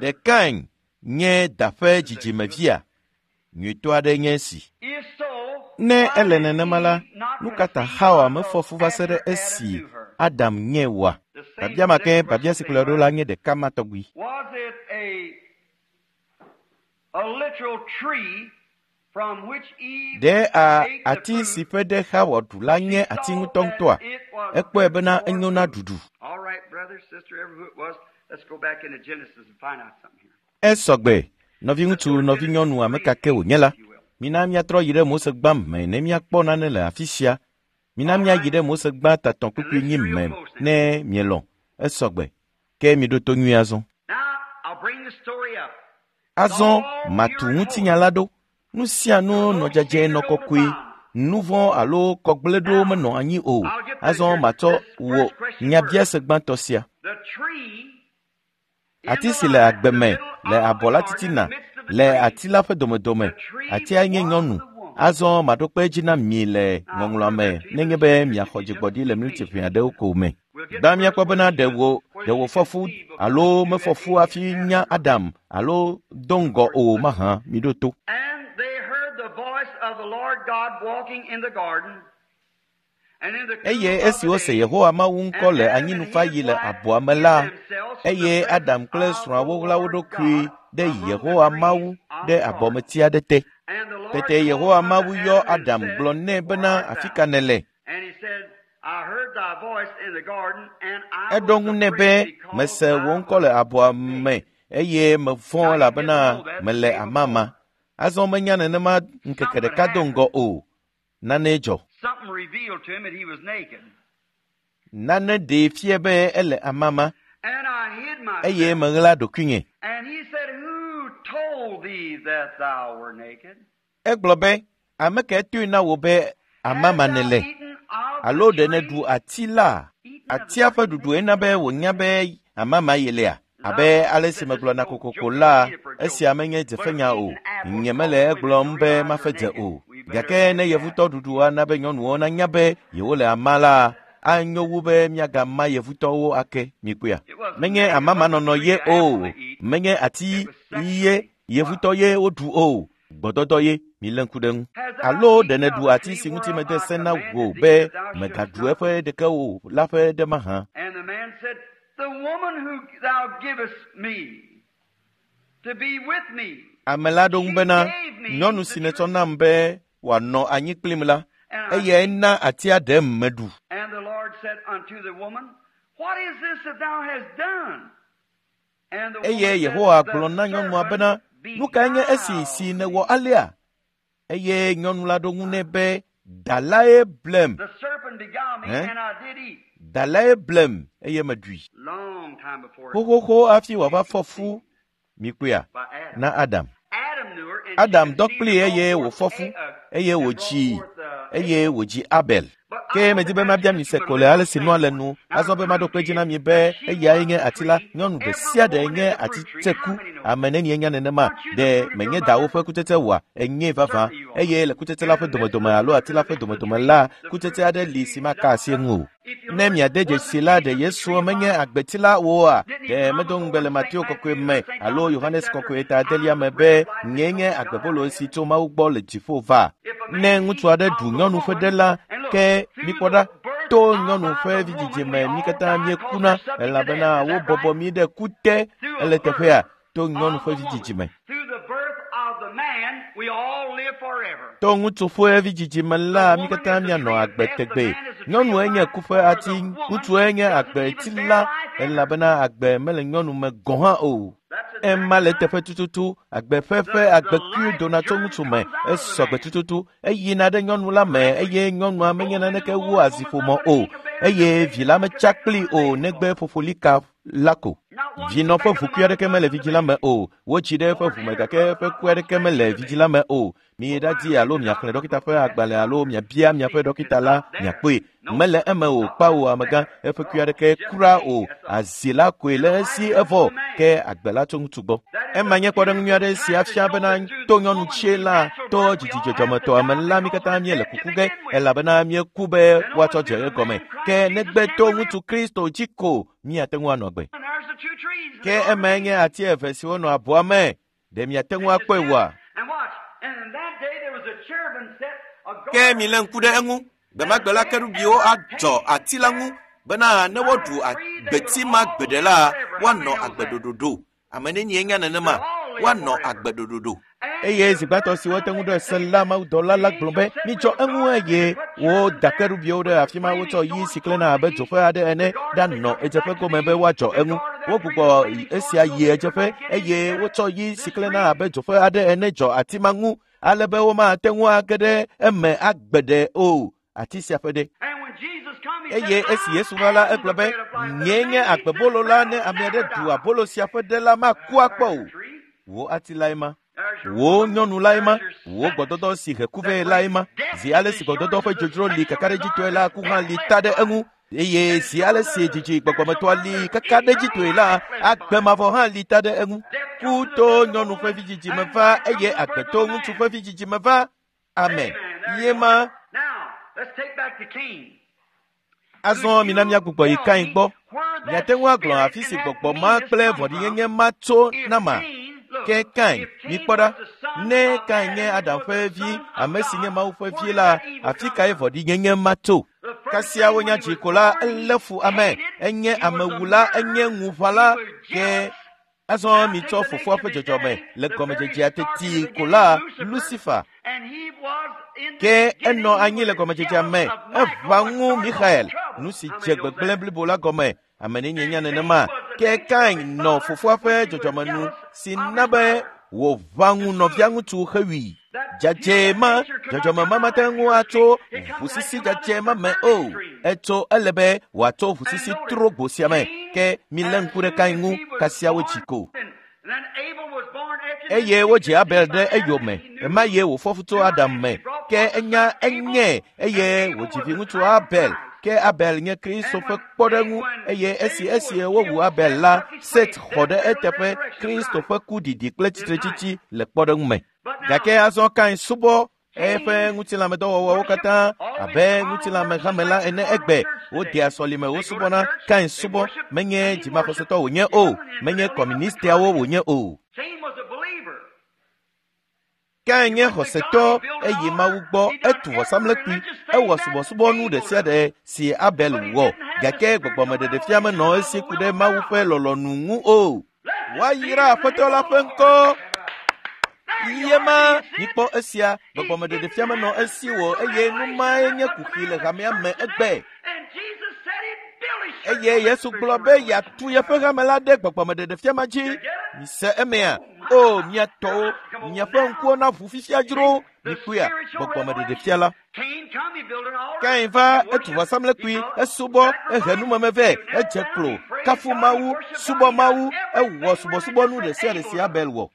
Ɖe Kain nye da ƒe dzidzimevia? Nyuitɔ aɖe nye esi. Ne ele nenema la, nu ka ta Xawa mefɔ fu va se ɖe esi Adam nye oa? Biabia ma ke biabia si kplɔe ɖo la nye ɖeka ma tɔgbi. Ɖe a ati si ƒe ɖe Xawa ɖu la nye ati ŋutɔŋutɔa? Ekpɔe bena enyo na ɖuɖu. Esɔgbe, nɔviŋutsu, nɔvinyɔnu, ame ka ke wònye la, mina míatrɔ yi ɖe Mose gbã me ne míakpɔ nane le afi sia. Mina míayi ɖe Mose gbã tatɔ̃ kpukpui nyi me ne mielɔ̃. Esɔgbe, ke miɖo to nyuie azɔ. Azɔ matu ŋutinya la ɖo. Nu sia nu nɔ dzadzɛ nɔ kɔkɔe. Nu vɔ̃ alo kɔgblẽɖo menɔ anyi o. Azɔ matsɔ wò nyabiase gbãtɔ sia. Ati si le agbe me le abɔ la titina le ati la ƒe domedome. Atia nye nyɔnu. Azɔ maɖo kpe edzi na mi le ŋɔŋlɔa me nenye be miaxɔ dzigbɔɖi le miniti ʋɛ aɖewo ko me. Gbã míakpɔ bena ɖe wò ɖe wòfɔ fu alo mefɔ fu hafi nya Adam alo do ŋgɔ o mahã miɖo to. Eye esi wose Yehowa Mawu ŋkɔ le anyinufaɣi le abɔa me la, eye Adam kple srɔ̃awo ɣla wo ɖokui ɖe Yehowa Mawu ɖe abɔmeti aɖe te. Tete Yehowa Mawu yɔ Adam gblɔ nɛ bena afi ka nèle? Eɖo ŋu nɛ be mese wò ŋkɔ le abɔa me eye mevɔ̃ elabena mele amama. Azɔ menya nenema ŋkeke ɖeka do ŋgɔ o. Nane dzɔ. Nane ɖee fia be ele amama eye meɣla ɖokuinye. Egblɔ be, ame kae toe na wò be amama nèle? Alo ɖe nèɖu ati la? Atia ƒe ɖuɖue na be wònya be amama yelea? Abe ale si megblɔna kokoko la, esia menye dzefenya o. Nyemele egblɔm be mafe dze o. Gake ne yevutɔ ɖuɖu ana be nyɔnuwo nanya be yewole ama la, anyo wu be miagama yevutɔwo ake. Mikpɔea? Menye amamanɔnɔ ye o, menye ati ye yevutɔ ye woɖu o. Gbɔdɔdɔ ye milé ŋku ɖe ŋu. Alo ɖe nèɖu ati si ŋuti mede se na wò be mègaɖu eƒe ɖeke o la ƒe ɖe mahã? Ame la ɖo ŋu bena, nyɔnu si nètsɔ nam be wòanɔ anyi kplim la, eyae na atia ɖem meɖu. Eye Yehowa gblɔ na nyɔnua bena, nu kae nye esi si nèwɔ alea? Eye nyɔnu la ɖo ŋu nɛ be dalae blem. Eh? Dalae blem eye meɖui. Xoxoxo hafi wòava fɔ fu mikpɔea na Adam. Adam dɔ kplii eye wòfɔ fu eye wòdzi eye wòdzi Abel. Ke medi be mabia mi se ko le ale si nua le nu azɔ be maɖo kpe dzi na mi be eyae nye ati la. Nyɔnu ɖe sia ɖe nye ati tseku. Ame nenie nya nenema? Ɖe menye dawo ƒe kutsetse oa? Enyee vavã. Eye le kutsetse la ƒe domedome alo ati la ƒe domedome la, kutsetse aɖe li si maka asi eŋu o. Ne miade dzesi la, ɖe Yesu menye agbeti la oa? Ɖe medo ŋugbe le Mateo kɔkɔe me alo Yohanes kɔkɔe ta adelia me be nyee nye agbebolo si tso Mawu gbɔ le dziƒo va. Ne ŋutsu aɖe ɖu nyɔnu ƒe ɖe la, ke mikpɔ ɖa, to nyɔnu ƒe vidzidzi me mí katã míekuna elabena wobɔbɔ mí ɖe ku te ele teƒea to nyɔnu ƒe vidzidzi me. To ŋutsu ƒe vidzidzi me la, mí katã míanɔ agbe tegbee. Nyɔnue nye ku ƒe ati, ŋutsue nye agbeti la elabena agbe mele nyɔnu me gɔ̃ hã o. Ema le teƒe tututu, agbe ƒe ƒe agbekui dona tso ŋutsu me, esɔgbe tututu, eyina ɖe nyɔnu la me eye nyɔnua menye naneke wu aziƒomɔ o, eye vi la metsa kplii o negbe fofolika la ko. Vinɔ ƒe ʋukui aɖeke mele vidzĩ la me o. Wotsi ɖe eƒe ʋu me gake eƒe ku aɖeke mele vidzĩ la me o. Miyi ɖadi alo miaxlẽ ɖɔkita ƒe agbalẽ alo miabia miaƒe ɖɔkita la miakpɔe. Mele eme o kpawo amegã, eƒe kui aɖeke kura o. Azi la koe le esi evɔ ke agbe la tso ŋutsu gbɔ. Ema nye kpɔɖeŋu nyui aɖe si afia bena to nyɔnu tsie la to dzidzi dzɔdzɔmetɔ me la mí katã míele kuku ge elabena míeku be woatsɔ dze egɔme. Ke negbe to ŋutsu Kristo dzi ko míate ŋu anɔ agbe. Ke emae nye ati eve siwo nɔ abɔa me. Ɖe miate ŋu akpɔe oa? Ke milé ŋku ɖe eŋu. Gbemagbe la kerubiwo adzɔ ati la ŋu bena ne woɖu agbeti ma gbe ɖe la, woanɔ agbe ɖoɖoɖo. Ame nenie nya nenema? Woanɔ agbe ɖoɖoɖo. Eye zi gbãtɔ si wote ŋu ɖe se la, mawudɔla la gblɔ be midzɔ eŋu eye woda kerubiwo ɖe afi ma wotsɔ yi si klẽna abe dzoƒe aɖe ene ɖanɔ ɣedzeƒe gome be woadzɔ eŋu. Wogbugbɔ esia yi ɣedzeƒe eye wotsɔ yi si klẽna abe dzoƒe aɖe ene dzɔ ati ma ŋu ale be womate ŋu age ɖe eme agbe ɖe o. Ati sia ƒe ɖe. Eye esi Yesu va la, egblɔ be nyee nye agbebolo la, ne ame aɖe ɖu abolo sia ƒe ɖe la, maku akpɔ o. Wò ati lae ma, wò nyɔnu lae ma, wò gbɔdɔdɔ si he ku vɛ lae ma. Zi ale si gbɔdɔdɔ ƒe dzodzro li kakaɖedzitɔe la, ku hã li ta ɖe eŋu. Eye zi ale si dzidzi gbɔgbɔmetɔa li kakaɖedzitɔe la, agbe mavɔ hã li ta ɖe eŋu. Ku to nyɔnu ƒe vidzidzi me va eye agbe to ŋutsu ƒe vidzidzi me va. Amen. Ye ma. Azɔ mina míagbugbɔ yi Kain gbɔ. Miate ŋu agblɔ afi si gbɔgbɔ ma kple vɔ̃ɖinyenye ma tso nama. Ke Kain, mikpɔ ɖa, ne Kain nye Adam ƒe vi, ame si nye Mawu ƒe vi la, afi kae vɔ̃ɖinyenye ma tso? Kasia wonya dzi ko la, elé fu ame, enye amewula, enye ŋuʋãla. Ke azɔ mitsɔ fofoa ƒe dzɔdzɔme le gɔmedzedzea teti ko la, Lucifer. Ke enɔ anyi le gɔmedzedzea me, eʋã ŋu Michael, nu si dze gbegblẽ blibo la gɔme. Ame nenie nya nenema? Ke Kain nɔ fofoa ƒe dzɔdzɔmenu si na be wòʋã ŋu nɔvia ŋutsu hewui. Dzadzɛ ma, dzɔdzɔme ma mate ŋu atso ʋusisi dzadzɛ ma me o. Etso ele be wòatso ʋusisi trogbo sia me. Ke milé ŋku ɖe Kain ŋu, kasia wodzi ko. Eye wodzi Abel ɖe eyome. Ema ye wòfɔ fu tso Adam me. Ke enya enye eye wòdzi viŋutsu Abel. Ke Abel nye Kristo ƒe kpɔɖeŋu eye esi esi wowu Abel la, Set xɔ ɖe eteƒe Kristo ƒe ku ɖiɖi kple tsitretsitsi le kpɔɖeŋu me. Gake azɔ Kain subɔ eƒe ŋutilãmedɔwɔwɔwo katã abe ŋutilãmehame la ene egbe. Wodea sɔlime wosubɔna. Kain subɔ menye dzimaxɔsetɔ wònye o, menye kɔmunistiawo wònye o. Kain nye xɔsetɔ eye Mawu gbɔ etu vɔsamlekpui, ewɔ subɔsubɔnu ɖe sia ɖe si Abel wɔ, gake gbɔgbɔmeɖeɖefia menɔ esi ku ɖe Mawu ƒe lɔlɔ̃nu ŋu o. Woayra Aƒetɔ la ƒe ŋkɔ. Yema mikpɔ esia, gbɔgbɔmeɖeɖefia menɔ esi o eye nu mae nye kuxi le hamea me egbe. Eye Yesu gblɔ be yeatu yeƒe hame la ɖe gbɔgbɔmeɖeɖefia ma dzi. Mise emea? O, mia tɔwo, miaƒe ŋkuwo naʋu fifia dzro. Mikpɔea, gbɔgbɔmeɖeɖefia la. Kain va etu vɔsamlekpui, esubɔ, ehe numeme vɛ, edze klo, kafu Mawu, subɔ Mawu, ewɔ subɔsubɔnu ɖe sia ɖe si Abel wɔ.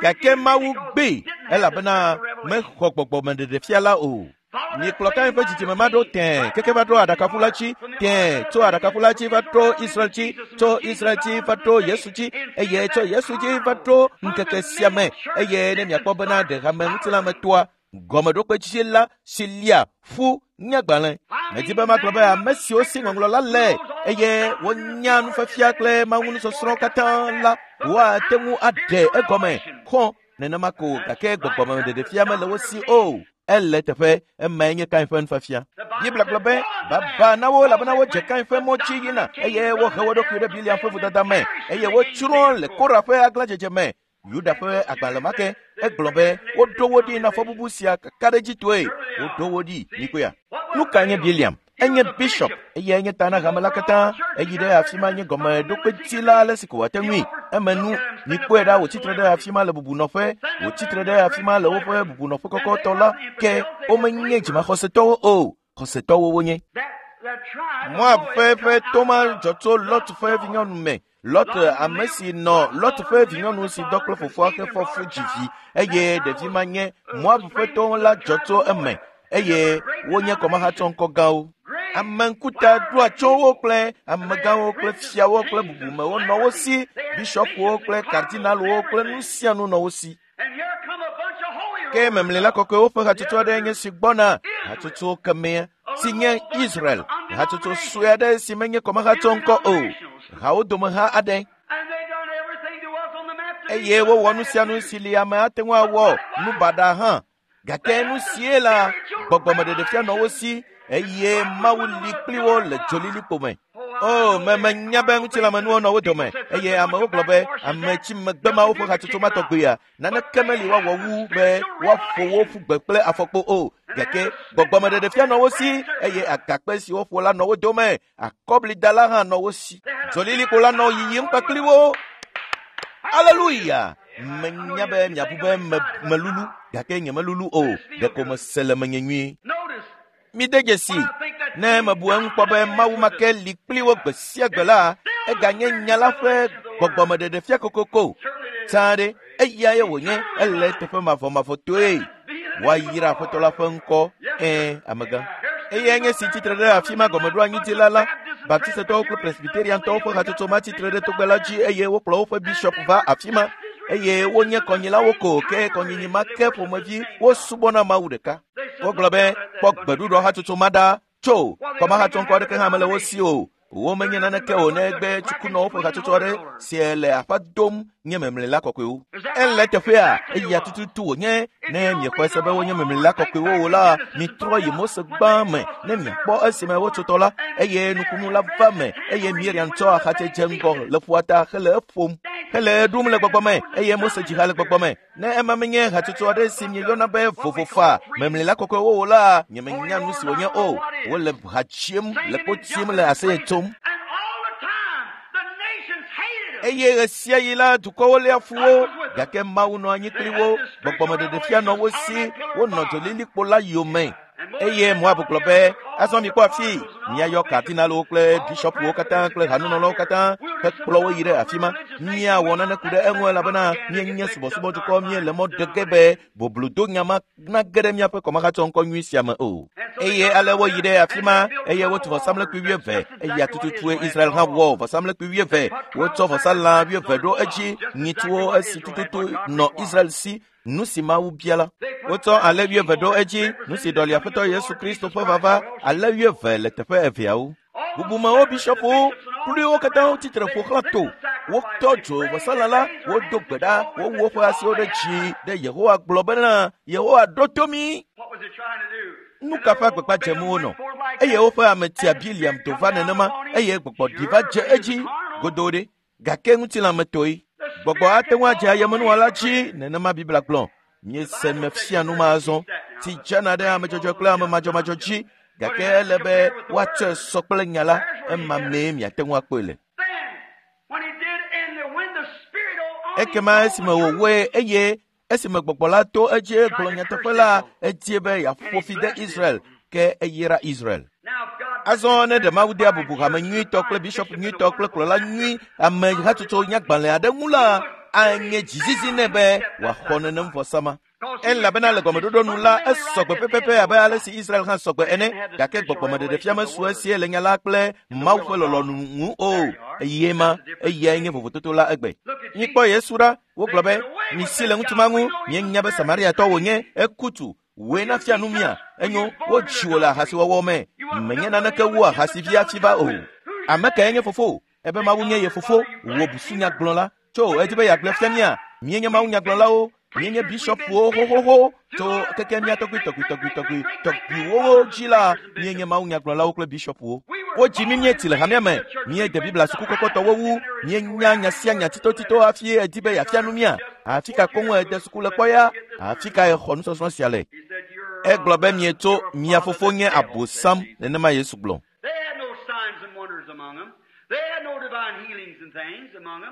Gake Mawu gbee elabena mexɔ gbɔgbɔmeɖeɖefia la o. Miekplɔ Kain ƒe dzidzime ma ɖo tẽe keke va ɖo aɖakaƒu la dzi, tẽe tso aɖakaƒu la dzi va ɖo Israel dzi, tso Israel dzi va ɖo Yesu dzi, eye tso Yesu dzi va ɖo ŋkeke sia me. Eye ne miakpɔ bena ɖe hame ŋutilãmetoa gɔmeɖokpe dzi la si lia ƒu nye agbalẽ. Medi be magblɔ be ame siwo si ŋɔŋlɔ la le eye wonya nufiafia kple Mawu nusɔsrɔ̃ katã la woate ŋu aɖe egɔme xɔ nenema ko, gake gbɔgbɔmeɖeɖefia mele wo si o. Ele teƒe emae nye Kain ƒe nufiafia. Biblia gblɔ be baba na wo elabena wodze Kain ƒe mɔ dzi yina eye wohe wo ɖokui ɖe Biliam ƒe vodada me eye wotsrɔ̃ le Kora ƒe aglãdzedze me. Yuda ƒe agbalẽ ma ke egblɔ be woɖo wo ɖi na fɔbubu sia kakaɖedzitɔe. Woɖo wo ɖi mikpɔea. Nu ka nye Biliam? Enye bishop eye enye ta na hame la katã. Eyi ɖe afi ma nye gɔmeɖokpetila ale si ko wòate ŋui. Eme nu mikpɔe ɖa wòtsitre ɖe afi ma le bubunɔƒe, wòtsitre ɖe afi ma le woƒe bubunɔƒe kɔkɔtɔ la ke womenye dzimaxɔsetɔwo o, xɔsetɔwo wonye. Moab ƒe ƒe toma dzɔ tso Lot ƒe vinyɔnu me. Lot ame si nɔ Lot ƒe vinyɔnu si dɔ kple fofoa xe fɔ fu dzi vi eye ɖevi ma nye Moab ƒe to la dzɔ tso eme eye wonye kɔmahatsɔŋkɔ gãwo. Ame ŋkuta ɖo atsyɔ̃wo kple amegãwo kple fiawo kple bubumewo nɔ wo si, bishɔpwo kple kardinalwo kple nu sia nu nɔ wo si. Ke memlɛla kɔkɔewo ƒe hatsotso aɖe nye si gbɔna, hatsotso kemea si nye Israel, hatsotso sue aɖe si menye kɔmahatsɔŋkɔ o, hawo dome ha aɖe. Eye wowɔ nu sia nu si li ame ate ŋu awɔ nu baɖa hã. Gake nu sie la gbɔgbɔmeɖeɖefia nɔ wo si eye Mawu li kpli wo le dzolilikpo me. O, me menya be ŋutilãmenuwo nɔ wo dome eye amewo gblɔ be ame tsi megbe mawo ƒe hatsotso ma tɔgbea naneke meli woawɔ wu be woaƒo wo ƒu gbe kple afɔkpo o. Gake gbɔgbɔmeɖeɖefia nɔ wo si eye agakpe si woƒo la nɔ wo dome, akɔblida la hã nɔ wo si. Dzolilikpo la nɔ yiyim kpakpli wo. Aleluya! Menya be miabu be me melulu gake nyemelulu o, ɖeko mese le menye nyuie. Mide dzesi ne mebu eŋu kpɔ be Mawu ma ke li kpli wo gbe sia gbe la, eganye nya la ƒe gbɔgbɔmeɖeɖefia kokoko. Tsã ɖe eyae wònye, ele teƒe mavɔmavɔtɔe. Woayra Aƒetɔ la ƒe ŋkɔ. Ɛ̃, amegã. Eyae nye si tsitre ɖe afi ma gɔmeɖoanyidila la. Baptistetɔwo kple Presbyteriantɔwo ƒe hatsotso ma tsitre ɖe togbɛ la dzi eye wokplɔ woƒe bishɔp va afi ma eye wonye kɔnyilawo ko ke kɔnyinyi ma ke ƒomevi wosubɔna Mawu ɖeka. Wogblɔ be kpɔ gbeɖuɖɔ hatsotso ma ɖa tso kɔmahatsɔŋkɔ aɖeke hã mele wo si o. Womenye naneke o negbe tsukunɔwo ƒe hatsotso aɖe si le aƒa dom nye memlɛla kɔkɔewo. Ele teƒea eya tututu wònye. Ne miexɔe se be wonye memlɛla kɔkɔewo o la, mitrɔ yi Mose gbã me ne miakpɔ esime wotso tɔ la eye nukunu la va me eye Miriam tsɔ axatsɛ dze ŋgɔ le ƒua ta hele eƒom hele ɖum le gbɔgbɔ me eye Mose dzi ha le gbɔgbɔ me. Ne ema menye hatsotso aɖe si mieyɔna be vovofa memlɛla kɔkɔewo o la, nyemenya nu si wònye o. Wole ha dzim le kpo tim le aseye tsom. Eye ɣe sia ɣi la dukɔwo léa fu wo, gake Mawu nɔ anyi kpli wo. Gbɔgbɔmeɖeɖefia nɔ wo si, wonɔ dzolilikpo la yome. Eye Moab gblɔ be azɔ mikpɔ afi miayɔ kardinalwo kple bishɔpwo katã kple hanunɔlawo katã hekplɔ wo yi ɖe afi ma. Míawɔ nane ku ɖe eŋu elabena míenye subɔsubɔdukɔ, míele mɔ ɖe ge be boblodonya ma nage ɖe míaƒe kɔmahatsɔŋkɔ nyui sia me o. Eye ale woyi ɖe afi ma eye wotu vɔsamlekpui wuieve. Eya tututue Israel hã wɔ vɔsamlekpui wuieve. Wotsɔ vɔsalã wuieve ɖo edzi, nyitsuwo esi tututu nɔ Israel si. Nu si Mawu bia la, wotsɔ alẽ wuieve ɖo edzi, nu si ɖɔli Aƒetɔ Yesu Kristo ƒe vava, alẽ wuieve le teƒe eveawo. Bubumewo, bishɔpwo kpli wo katã wotsitre ƒo xlã to. Wotɔ dzo vɔsalã la, wodo gbe ɖa, wowu woƒe asiwo ɖe dzi ɖe Yehowa gblɔ bena, Yehowa ɖo to mí. Nu ka ƒe agbagba dzem wonɔ? Eye woƒe ame tia Biliam do va nenema eye gbɔgbɔ ɖi va dze edzi godoo ɖe. Gake ŋutilãmetɔe. Gbɔgbɔ ate ŋu adze ayemenuwɔla dzi, nenema Biblia gblɔ. Míese mefia nu ma azɔ. Tsi dzena ɖe ame dzɔdzɔe kple ame madzɔmadzɔ dzi, gake ele be woatsɔe sɔ kple nya la, ema mee miate ŋu akpɔe le. Ekema esime wòwɔe eye Esime gbɔgbɔ la to edzi gblɔ nyateƒe la, edie be yeaƒo fi de Israel, ke eyra Israel. Azɔ ne ɖe Mawu dea bubu hame nyuitɔ kple bishop nyuitɔ kple kplɔla nyui ame hatsotso nyagbalẽ aɖe ŋu la, anye dzizizi nɛ be wòaxɔ nenem vɔsa ma. Elabena le gɔmeɖoɖo nu la, esɔgbe pɛpɛpɛ abe ale si Israel hã sɔgbe ene, gake gbɔgbɔmeɖeɖefia mesu esie le nya la kple Mawu ƒe lɔlɔ̃nu ŋu o. Eye ma, eyae nye vovototo la egbe. Mikpɔ Yesu ɖa, wogblɔ be, misi le ŋutsu ma ŋu, mienya be Samariatɔ wònye, eku tu. Wòe nafia nu mia, enyo, wodzi wò le ahasiwɔwɔ me, menye naneke wu ahasivi hafi va o. Ame kae nye fofo? Ebe Mawu nye ye fofo, wò busunyagblɔla. Tso edi be yeagblɔe fia mía, míenye mawunyagblɔlawo, míenye bishɔpwo xoxoxo, tso keke mía tɔgbui tɔgbui tɔgbui tɔgbui tɔgbuiwo dzi la, míenye mawunyagblɔlawo kple bishɔpwo. Wodzi mí míetsi le hamea me, míede Biblia suku kɔkɔtɔwo wu, míenya nya sia nya tsitotsito hafi edi be yeafia nu mía. Afi ka koŋ ede suku le kpɔ ya? Afi ka exɔ nusɔsrɔ̃ sia le? Egblɔ be mietso mia fofo nye Abosam, nenema Yesu gblɔ.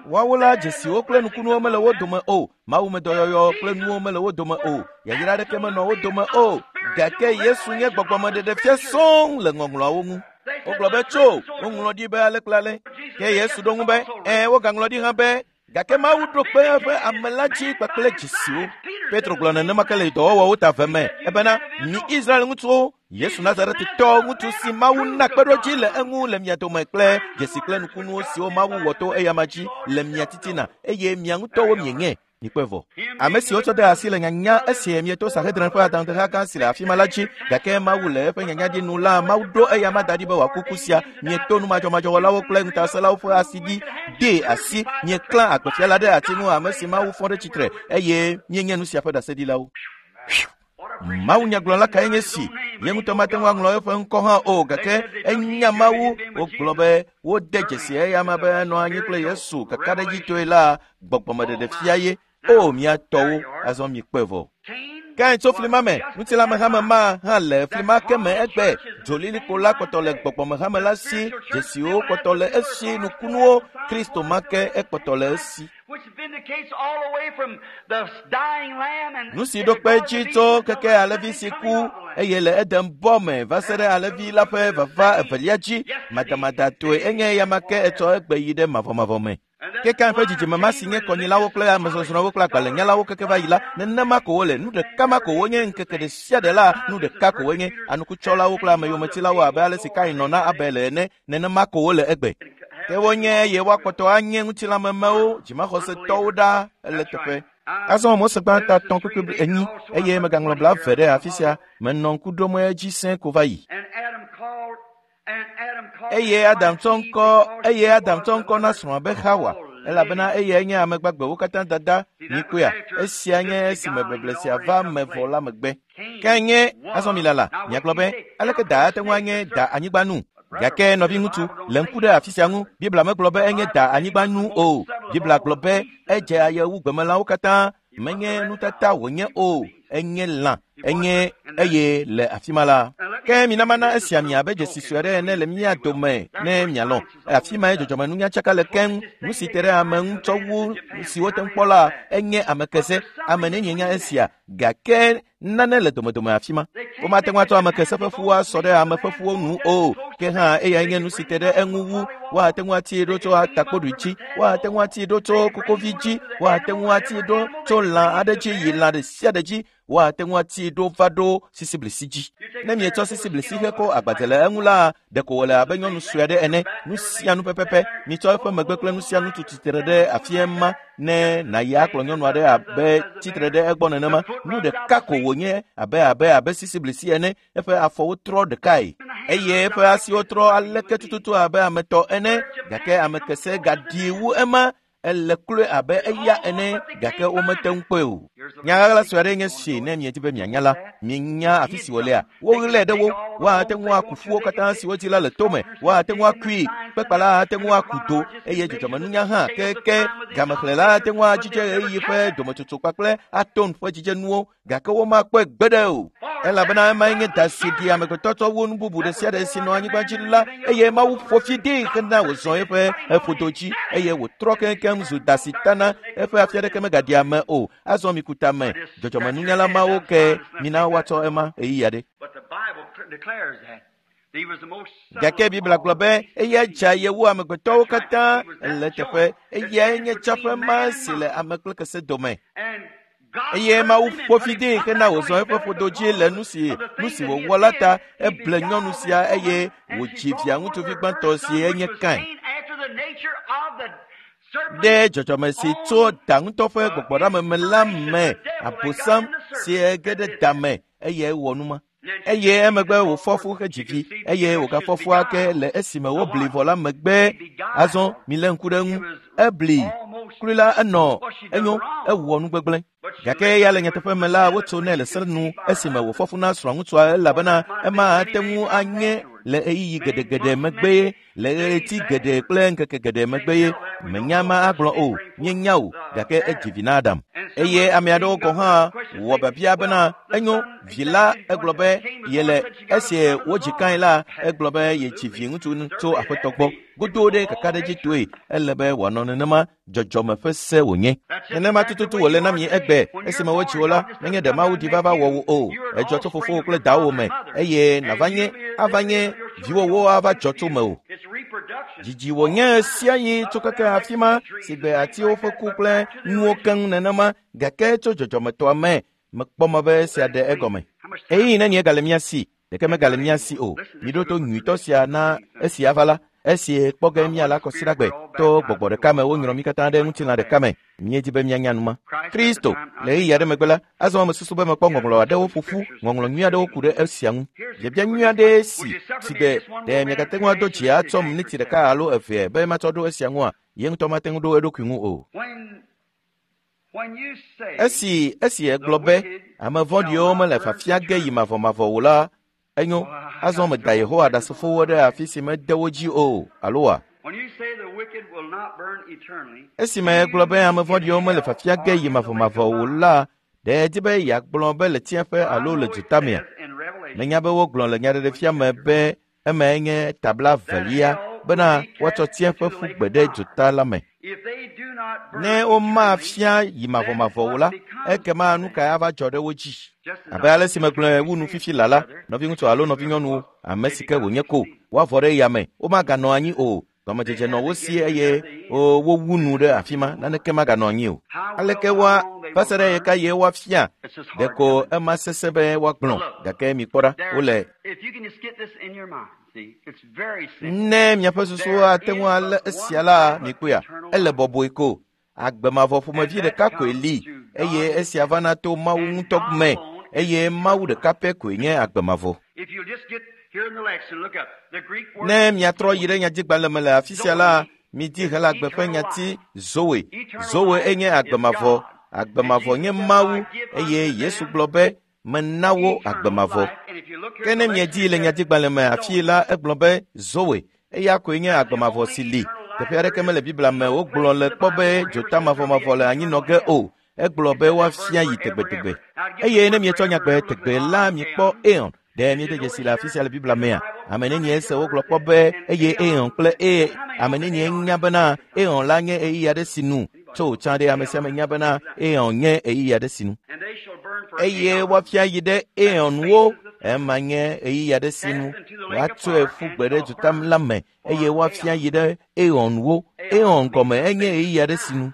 Woawo la dzesiwo kple nukunuwo mele wo dome o, mawumedɔyɔyɔ kple nuwo mele wo dome o, yayra aɖeke menɔ wo dome o, gake Yesu nye gbɔgbɔmeɖeɖefia sɔŋ le ŋɔŋlɔawo ŋu. Wogblɔ be tso, woŋlɔ ɖi be ale kple ale. Ke Yesu ɖo ŋu be, ɛ̃, wogaŋlɔ ɖi hã be, gake Mawu ɖo kpe eƒe ame la dzi kpakple dzesiwo. Petro gblɔ nenema ke le dɔwɔwɔwo ta ve me, ebena mi Israel ŋutsuwo, Yesu Nazaretitɔ ŋutsu si Mawu na kpeɖodzi le eŋu le mia dome kple dzesi kple nukunuwo siwo Mawu wɔ to eyama dzi le mia titina, eye mia ŋutɔwo mienye. Mikpɔe vɔ. Ame siwo tsɔ de asi le nyanya esie mieto Sanhedrin ƒe adaŋudeha gã si le afi ma la dzi, gake Mawu le eƒe nyanya ɖi nu la, Mawu ɖo eyama da ɖi be wòaku ku sia. Mieto numadzɔmadzɔwɔlawo kple ŋutasẽlawo ƒe asi ɖi dee asi, mieklã agbefia la ɖe ati ŋu, ame si Mawu fɔ ɖe tsitre, eye míenye nu sia ƒe ɖaseɖilawo. Mawunyagblɔla kae nye si? Ye ŋutɔ mate ŋu aŋlɔ eƒe ŋkɔ hã o, gake enya Mawu. Wogblɔ be wode dzesi eyama be enɔ anyi kple Yesu kakaɖedzitɔe la, gbɔgbɔmeɖeɖefia ye. O mia tɔwo, azɔ mikpɔe vɔ. Kain tso fli ma me, ŋutilãmehame ma hã le fli ma ke me egbe. Dzolilikpo la kpɔtɔ le gbɔgbɔmehame la si, dzesiwo kpɔtɔ le esi, nukunuwo, Kristo ma ke ekpɔtɔ le esi. Nu si ɖo kpe edzi tso keke alẽvi si ku eye le Eden bɔ me va se ɖe alẽvi la ƒe vava evelia dzi, madamadatɔe enye eyama ke etsɔ egbe yi ɖe mavɔmavɔ me. Ke Kain ƒe dzidzime ma si nye kɔnyilawo kple amezɔzrɔ̃wo kple agbalẽnyalawo keke va yi la, nenema ko wole, nu ɖeka ma ko wonye ŋkeke ɖe sia ɖe la, nu ɖeka ko wonye, anukutsɔlawo kple ameyometsilawo abe ale si Kain nɔ na Abel ene, nenema ko wole egbe. Ke wonye eye woakpɔtɔ anye ŋutilãmemewo, dzimaxɔsetɔwo ɖa ele teƒe. Azɔ Mose gbãtɔ atɔ̃ kpekpe enyi eye megaŋlɔ blaeve ɖe afi sia, menɔ ŋku ɖom edzi sẽ ko va yi. Eye Adam tsɔ ŋkɔ eye Adam tsɔ ŋkɔ na srɔ̃a be Xawa, elabena eyae nye ame gbagbewo katã dada. Mikpɔea, esia nye esime beble sia va me vɔ la megbe. Ke nye azɔ mi lala, miagblɔ be, aleke da ate ŋu anye da anyigba nu? Gake nɔvi ŋutsu, le ŋku ɖe afi sia ŋu, Biblia megblɔ be enye da anyigba nu o. Biblia gblɔ be edze aye wu gbemelãwo katã, menye nutata wònye o, enye lã, enye eye le afi ma la. Ke mina mana esia mi abe dzesi sue aɖe ene le mía dome ne mialɔ̃. Afi mae dzɔdzɔmenunyatsaka le keŋ, nu si te ɖe ame ŋu tsɔ wu si wote ŋu kpɔ la, enye ame kese. Ame nenye nya esia, gake nane le domedome afi ma. Womate ŋu atsɔ ame kese ƒe fuwo asɔ ɖe ame ƒe fuwo nu o, ke hã eyae nye nu si te ɖe eŋu wu. Woate ŋu atii ɖo tso atakpoɖui dzi, woate ŋu atii ɖo tso kokovi dzi, woate ŋu atii ɖo tso lã aɖe dzi yi lã ɖe sia ɖe dzi, woate ŋu atii ɖo va ɖo sisiblisi dzi. Ne mietsɔ sisiblisi hekɔ agbadze le eŋu la, ɖeko wòle abe nyɔnu sue aɖe ene, nu sia nu pɛpɛpɛ. Mitsɔ eƒe megbe kple nu sia nu tu tsitre ɖe afia ma ne nàyi akplɔ nyɔnu aɖe abe tsitre ɖe egbɔ nenema. Nu ɖeka ko wònye abe abe abe sisiblisi ene, eƒe afɔwo trɔ ɖekae eye eƒe asiwo trɔ aleke tututu abe ame tɔ ene, gake ame kese gaɖi wu ema. Ele kloe abe eya ene, gake womete ŋu kpɔe o. Nya ɣaɣla sue aɖe nye si ne miedi be mianya la, mienya afi si wòlea. Woɣlae ɖe wo, woate ŋu aku ƒuwo katã si wodzi la le tome, woate ŋu akui, kpekpala ate ŋu aku do, eye dzɔdzɔmenunya hã keke gamexlẽla ate ŋu adzidze ɣeyiɣi ƒe dometsotso kpakple atom ƒe dzidzenuwo, gake womakpɔe gbeɖe o. Elabena emae nye da si ɖi amegbetɔ tsɔ wu nu bubu ɖe sia ɖe si nɔ anyigba dzi la, eye Mawu ƒo fi dee hena wòzɔ eƒe eƒodo dzi, eye wòtrɔ keŋkeŋ zu da si tana, eƒe afi aɖeke megaɖi ame o. Azɔ miku ŋkutame dzɔdzɔmenunyala mawo ke mina woatsɔ ema ɣeyiɣi aɖe. Gake Biblia gblɔ be eya dza yewu amegbetɔwo katã le teƒe eyae nye tsaƒe ma si le ame kple kese dome. Eye Mawu ƒo fi dee hena wòzɔ eƒe ƒodo dzi le nu si nu si wòwɔ la ta eble nyɔnu sia eye wòdzi via ŋutsuvi gbãtɔ si enye Kain. Ɖe dzɔdzɔme si tso da ŋutɔ ƒe gbɔgbɔɖame la me abosam si ge ɖe da me eye wɔ nu ma. Eye emegbe wòfɔ fu hedzi vi eye wògafɔ fu ake le esime wobli vɔ la megbe. Azɔ milé ŋku ɖe eŋu. Ebli klui la enɔ enyo ewɔ nu gbegblẽ. Gake eya le nyateƒe me la wotso nɛ le se nu esime wòfɔ fu na srɔ̃ŋutsua elabena ema ate ŋu anye le ɣeyiɣi geɖegeɖe megbe le ɣleti geɖe kple ŋkeke geɖe megbe ye menya ma agblɔ o míenya o gake edzi vi na Adam. Eye ame aɖewo gɔ̃ hã wɔ biabia bena enyo vi la egblɔ be yele esi wodzi Kain la egblɔ be yedzi vi ŋutsu tso aƒetɔ gbɔ. Godo ɖe kakaɖedzitɔe ele be wòanɔ nenema dzɔdzɔme ƒe se wònye. Nenema tututu wòle na mi egbe esime wodzi wo la menye ɖe Mawu di vava wɔ wò o. Edzɔ tso fofowò kple dawò me eye nava nye ava nye viwòwo ava dzɔ tso mewò. Dzidzi wònye sia yi tso keke afi ma si gbe atiwo ƒe ku kple nuwo keŋ nenema gake tso dzɔdzɔmetɔa me mekpɔ mɔ be esia ɖe egɔme. Ɣeyiɣi nenie gale mía si? Ɖeke megale mía si o. Miɖo to nyuitɔ sia na esi ava la. Esi kpɔ ge míala kɔsiɖagbe to gbɔgbɔ ɖeka me wonyrɔ mí katã ɖe ŋutilã ɖeka me. Míedi be míanya nu ma. Kristo le ɣeyiɣi aɖe megbe la azɔ mesusu be mekpɔ ŋɔŋlɔ aɖewo ƒo ƒu ŋɔŋlɔ nyui aɖewo ku ɖe esia ŋu. Biabia nyui aɖe si si gbe ɖe miagate ŋu ado dzi atsɔ miniti ɖeka alo eve be matsɔ ɖo esia ŋua ye ŋutɔ mate ŋu ɖo eɖokui ŋu o. Esi esi egblɔ be ame vɔ̃ɖiwo mele fafia ge yi mavɔmavɔ o la enyo azɔ meda Yehowa Ɖasefowo ɖe afi si mede wo dzi o alo wa. Esime egblɔ be ame vɔ̃ɖiwo mele fafia ge yi mavɔmavɔ o la ɖe edi be yeagblɔ be le tsiẽƒe alo le dutamea. Menya be wogblɔ le nyaɖeɖefia me be emae nye tabla velia bena woatsɔ tsiẽƒe ƒu gbe ɖe duta la me. Ne womafia yi mavɔmavɔ o la ekema nu kae ava dzɔ ɖe wo dzi? Abe ale si megblɔe wu nu fifi la la nɔviŋutsu alo nɔvinyɔnuwo ame si ke wònye ko woavɔ ɖe yame womaganɔ anyi o. Gɔmedzedze nɔ wo si eye wowu nu ɖe afi ma naneke maganɔ anyi o. Aleke woa va se ɖe ɣe ka ɣie woafia? Ɖeko ema sesẽ be woagblɔ gake mikpɔ ɖa wole. Ne miaƒe susuwo ate ŋu alé esia la mikpɔea ele bɔbɔe ko. Agbe mavɔ ƒomevi ɖeka koe li eye esia vana to Mawu ŋutɔ me eye Mawu ɖeka pɛ koe nye agbe mavɔ. Ne miatrɔ yi ɖe nyadzigbalẽ me le afi sia la midi Helagbe ƒe nyati Zoe. Zoe enye agbe mavɔ. Agbe mavɔ nye Mawu eye Yesu gblɔ be mena wo agbe mavɔ. Ke ne miedi le nyadzigbalẽ me afi la egblɔ be Zoe eya koe nye agbe mavɔ si li. Teƒe aɖeke mele Biblia me wogblɔ le kpɔ be dzota mavɔmavɔ le anyinɔ ge o. Egblɔ be woafia yi tegbetegbe. Eye ne mietsɔ nyagbe tegbe la mikpɔ Aeon. Ɖe miede dzesi le afi sia le Biblia mea? Ame nenie se wogblɔ kpɔ be eye Aeon kple e ame nenie nya bena Aeon la nye ɣeyiɣi aɖe si nu tso tsã ɖe ame sia ame nya bena Aeon nye ɣeyiɣi aɖe si nu. Eye woafia yi ɖe Aeonwo ema nye ɣeyiɣi aɖe si nu woatsɔe ƒu gbe ɖe duta la me eye woafia yi ɖe Aeonwo. Aeon gɔme enye ɣeyiɣi aɖe si nu.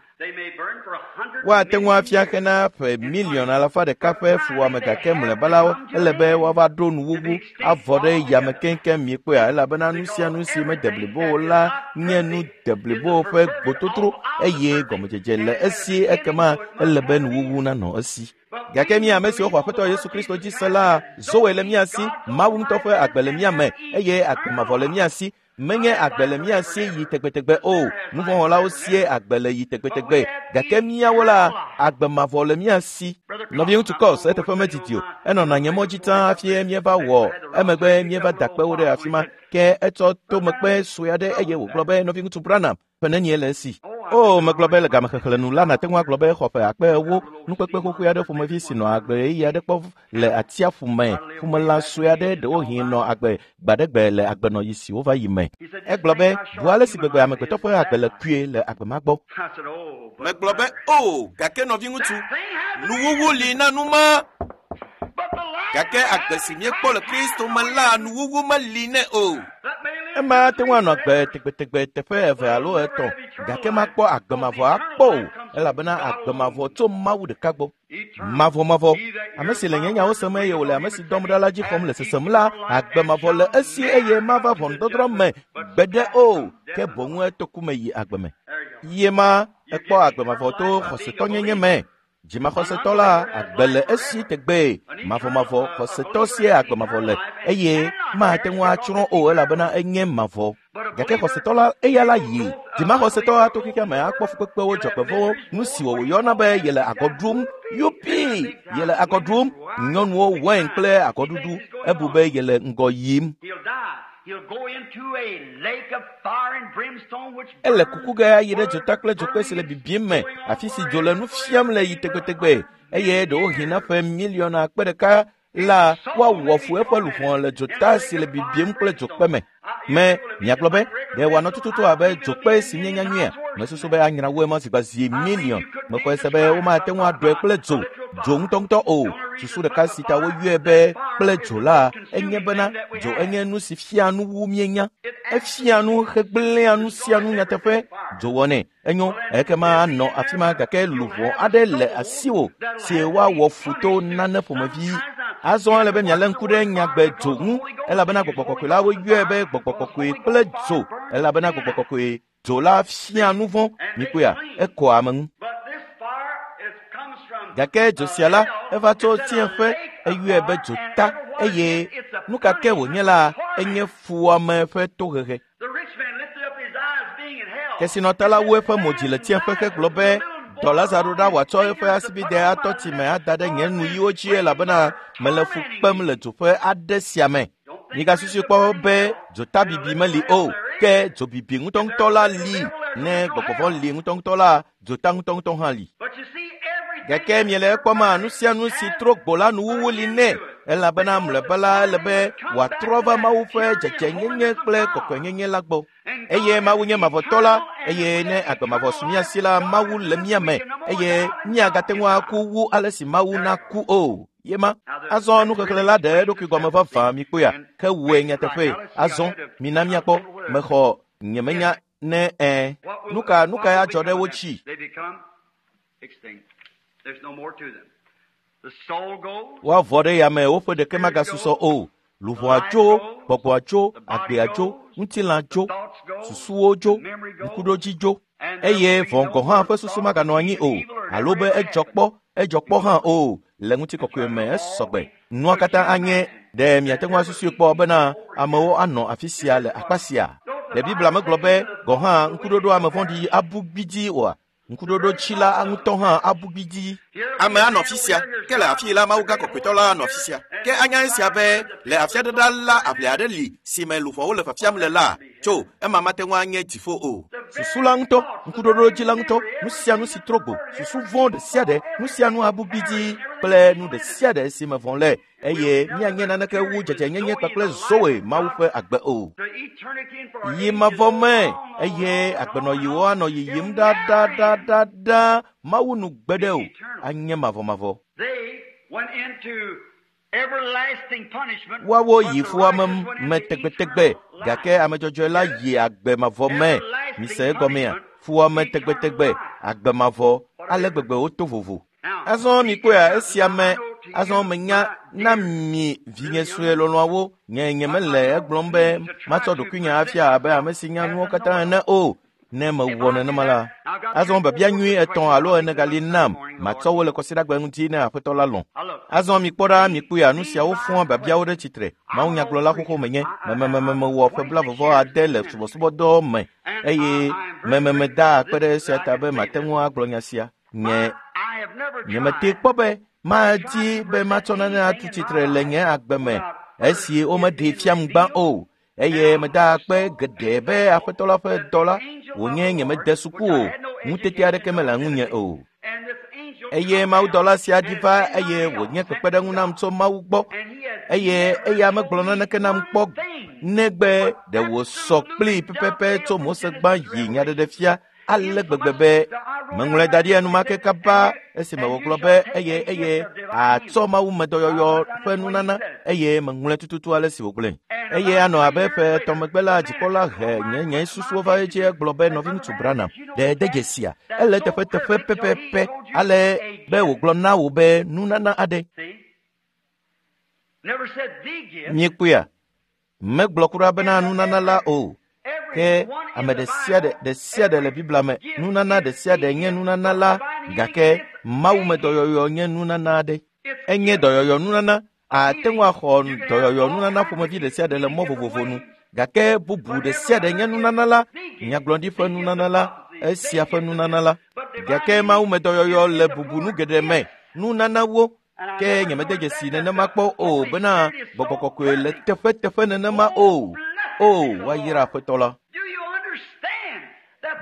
Woate ŋu afia hena ƒe miliɔn alafa ɖeka ƒe fuwɔame gake mlɔeba la ele be woava ɖo nuwuwu avɔ ɖe yame keŋkeŋ miekpɔea elabena nu sia nu si mede blibo o la nye nu deblibo ƒe gbototro eye gɔmedzedze le esi ekema ele be nuwuwu nanɔ esi. Gake mí ame siwo xɔ Aƒetɔ Yesu Kristo dzi se la Zoe le mía si, Mawu ŋutɔ ƒe agbe le mía me eye agbe mavɔ le mía si. Menye agbe le mía si yi tegbetegbe o. Nuvɔ̃wɔlawo sie agbe le yi tegbetegbe gake míawo la agbe mavɔ le mía si. Nɔviŋutsu Kɔs eteƒe medidi o. Enɔna nye mɔ dzi tsã hafi míeva wɔ emegbe míeva da kpewo ɖe afi ma ke etsɔ tomekpe sue aɖe eye wògblɔ be nɔviŋutsu Branham ƒe nenie le esi. O, megblɔ be le gamexexlẽ nu la nàte ŋu agblɔ be xɔ ƒe akpe ewo nukpekpe xoxoe aɖe ƒomevi si nɔ agbe ɣeyiɣi aɖe kpɔ le atsiaƒu me ƒumelã sue aɖe ɖewohĩ nɔ agbe gbaɖegbe le agbenɔɣi si wova yi me. Egblɔ be bu ale si gbegbe amegbetɔ ƒe agbe le kpuie le agbe ma gbɔ. Megblɔ be o, gake nɔviŋutsu, nuwuwu li na nu ma. Gake agbe si míekpɔ le Kristo me la, nuwuwu meli nɛ o. Ema ate ŋu anɔ agbe tegbetegbe teƒe eve alo etɔ̃, gake makpɔ agbe mavɔ akpɔ o, elabena agbe mavɔ tso Mawu ɖeka gbɔ. Mavɔmavɔ, ame si le nye nyawo sem eye wòle ame si dɔm ɖa la dzi xɔm le sesem la, agbe mavɔ le esi eye mava ʋɔnudɔdrɔ̃ me gbeɖe o, ke boŋ eto ku me yi agbe me. Ye ma ekpɔ agbe mavɔ to xɔsetɔnyenye me. Dzimaxɔsetɔ la agbe le esi tegbee. Mavɔmavɔ xɔsetɔ sie agbe mavɔ le eye mate ŋu atsrɔ̃ o elabena enye mavɔ. Gake xɔsetɔ la eya la yi. Dzimaxɔsetɔ ato xexea me akpɔ fukpekpewo, dzɔgbevɔ̃wo, nu si wòyɔna be yele agɔ ɖum. Yupi, yele agɔ ɖum. Nyɔnuwo wain kple agɔɖuɖu. Ebu be yele ŋgɔ yim. Ele kuku ge ayi ɖe dzota kple dzokpe si le bibim me, afi si dzo le nu fiam le yi tegbetegbe eye ɖewohĩ na ƒe miliɔn akpe ɖeka la woawɔ fu eƒe luʋɔ le dzota si le bibim kple dzokpe me. Me miagblɔ be ɖe wòanɔ tututu abe dzokpe si míenya nyuia? Mesusu be anyra wu ema zi zi miliɔn. Mexɔe se be womate ŋu aɖɔe kple dzo, dzo ŋutɔŋutɔ o. Susu ɖeka si ta woyɔe be kple dzo la enye bena dzo enye nu si fia nu wu míenya. Efia nu hegblẽa nu sia nu nyateƒe. Dzo wɔnɛ. Enyo ekema anɔ afi ma gake luʋɔ aɖe le asiwò si woawɔ fu to nane ƒomevi. Azɔ ele be mialé ŋku ɖe nyagbe dzo ŋu elabena gbɔgbɔ kɔkɔe la woyɔe be gbɔgbɔ kɔkɔe kple dzo elabena gbɔgbɔ kɔkɔe dzo la fia nu vɔ̃. Mikpɔea, ekɔa ame ŋu. Gake dzo sia la eva tso tsiẽƒe, eyɔe be dzota eye nu ka ke wònye la enye fuwɔame ƒe tohehe. Kesinɔtɔ la wu eƒe mo dzi le tsiẽƒe hegblɔ be dɔ Lazaro ɖa wòatsɔ eƒe asibide atɔ tsi me ada ɖe nye nuyiwo dzi elabena mele fu kpem le dzoƒe aɖe sia me. Migasusui kpɔ be dzotabibi meli o, ke dzobibi ŋutɔŋutɔ la li. Ne gbɔgbɔ vɔ̃ li ŋutɔŋutɔ la, dzota ŋutɔŋutɔ hã li. Gake miele ekpɔma nu sia nu si trɔ gbo la nuwuwu li nɛ elabena mlɔeba la ele be wòatrɔ va Mawu ƒe dzedzenyenye kple kɔkɔenyenye la gbɔ. Eye Mawu nye mavɔtɔ la, eye ne agbe mavɔ su mía si la, Mawu le mía me eye míagate ŋu aku wu ale si Mawu naku o. Ye ma azɔ nuxexlẽ la ɖe eɖokui gɔme vavã mikpɔea, ke wòe nyateƒe. Azɔ mina míakpɔ. Mexɔ nyemenya ne ẽ. Nu ka nu kae adzɔ ɖe wo dzi? Woavɔ ɖe yame woƒe ɖeke magasusɔ o. Luʋɔa tso, gbɔgbɔa tso, agbea tso, ŋutilã tso, susuwo tso, ŋkuɖodzi tso, eye vɔ̃ gɔ̃ hã ƒe susu maganɔ anyi o, alo be edzɔ kpɔ, edzɔ kpɔ hã o. Le ŋutikɔkɔe me esɔgbe. Nua katã anye ɖe miate ŋu asusui kpɔ bena amewo anɔ afi sia le akpa sia. Ɖe Biblia megblɔ be gɔ̃ hã ŋkuɖoɖo ame vɔ̃ɖi abu gbidzi oa? Ŋkuɖoɖo tsila ŋutɔ hã abu gbidzi. Ame anɔ afi sia, ke le afi la Mawu gã kɔkɔetɔ la anɔ afi sia. Ke anya esia be le afia ɖe ɖa la aʋli aɖe li si me luʋɔwo le fiafiam le la, tso ema mate ŋu anye dziƒo o. Susu la ŋutɔ, ŋkuɖoɖo dzi la ŋutɔ, nu sia nu si trɔ gbo, susu vɔ̃ ɖe sia ɖe, nu sia nu abu gbidzi kple nu ɖe sia ɖe si me vɔ̃ le eye míanye naneke wu dzedzenyenye kpakple Zoe Mawu ƒe agbe o. Yi mavɔ me eye agbenɔyiwo anɔ yiyim ɖaɖaɖaɖa Mawu nu gbeɖe o, anye mavɔmavɔ. Woawo yi fuwɔame me tegbetegbe gake ame dzɔdzɔe la yi agbe mavɔ me. Mise egɔmea? Fuwɔame tegbetegbe, agbe mavɔ, ale gbegbe woto vovo. Azɔ mikpɔea esia me. Azɔ menya na mi vinye sue lɔlɔ̃awo. Nye nyemele egblɔm be matsɔ ɖokuinye afia abe ame si nya nuwo katã ene o. Ne mewɔ nenema la, azɔ biabia nyui etɔ̃ alo ene gali nam matsɔ wo le kɔsiɖagbe ŋuti ne aƒetɔ la lɔ̃. Azɔ mikpɔ ɖa, mikpɔea nu siawo fɔa biabiawo ɖe tsitre. Mawunyagblɔla xoxo menye. Memememewɔ ƒe blaeve ade le subɔsubɔdɔ me eye mememeda akpe ɖe esia ta be mate ŋu agblɔ nya sia. Nye nyemete kpɔ be madi be matsɔ nane atu tsitre le nye agbe me esi womeɖee fiam gbã o. Eye meda akpe geɖe be aƒetɔ la ƒe dɔ la Wònye nyemede suku o, ŋutete aɖeke mele ŋunye o. Eye mawudɔla sia ɖi va eye wònye kpekpeɖeŋu nam tso Mawu gbɔ eye eya megblɔ naneke nam kpɔ negbe ɖe wòsɔ kplii pɛpɛpɛ tso Mose gbã yi nyaɖeɖefia ale gbegbe be meŋlɔe da ɖi enumake kaba esime wògblɔ be eye eye atsɔ mawumedɔyɔyɔ ƒe nunana eye meŋlɔe tututu ale si wògblɔe. Eye anɔ abe ƒe etɔ̃ megbe la dzikpɔla he nye nye susuwo va edzi egblɔ be nɔviŋutsu Branham ɖe de dzesia ele teƒeteƒe pɛpɛpɛ ale be wògblɔ na wò be nunana aɖe. Miekpɔea? Megblɔ kura bena nunana la o. Ke ame ɖe sia ɖe ɖe sia ɖe le Biblia me nunana ɖe sia ɖe nye nunana la gake mawumedɔyɔyɔ nye nunana aɖe. Enye dɔyɔyɔ nunana. Ate ŋu axɔ dɔyɔyɔ nunana ƒomevi ɖe sia ɖe le mɔ vovovo nu gake bubu ɖe sia ɖe nye nunana la, nyagblɔɖi ƒe nunana la, esia ƒe nunana la. Gake mawumedɔyɔyɔ le bubu nu geɖe me nunanawo ke nyemede dzesi nenema kpɔ o bena gbɔgbɔ kɔkɔe le teƒeteƒe nenema o. O, woayra Aƒetɔ la.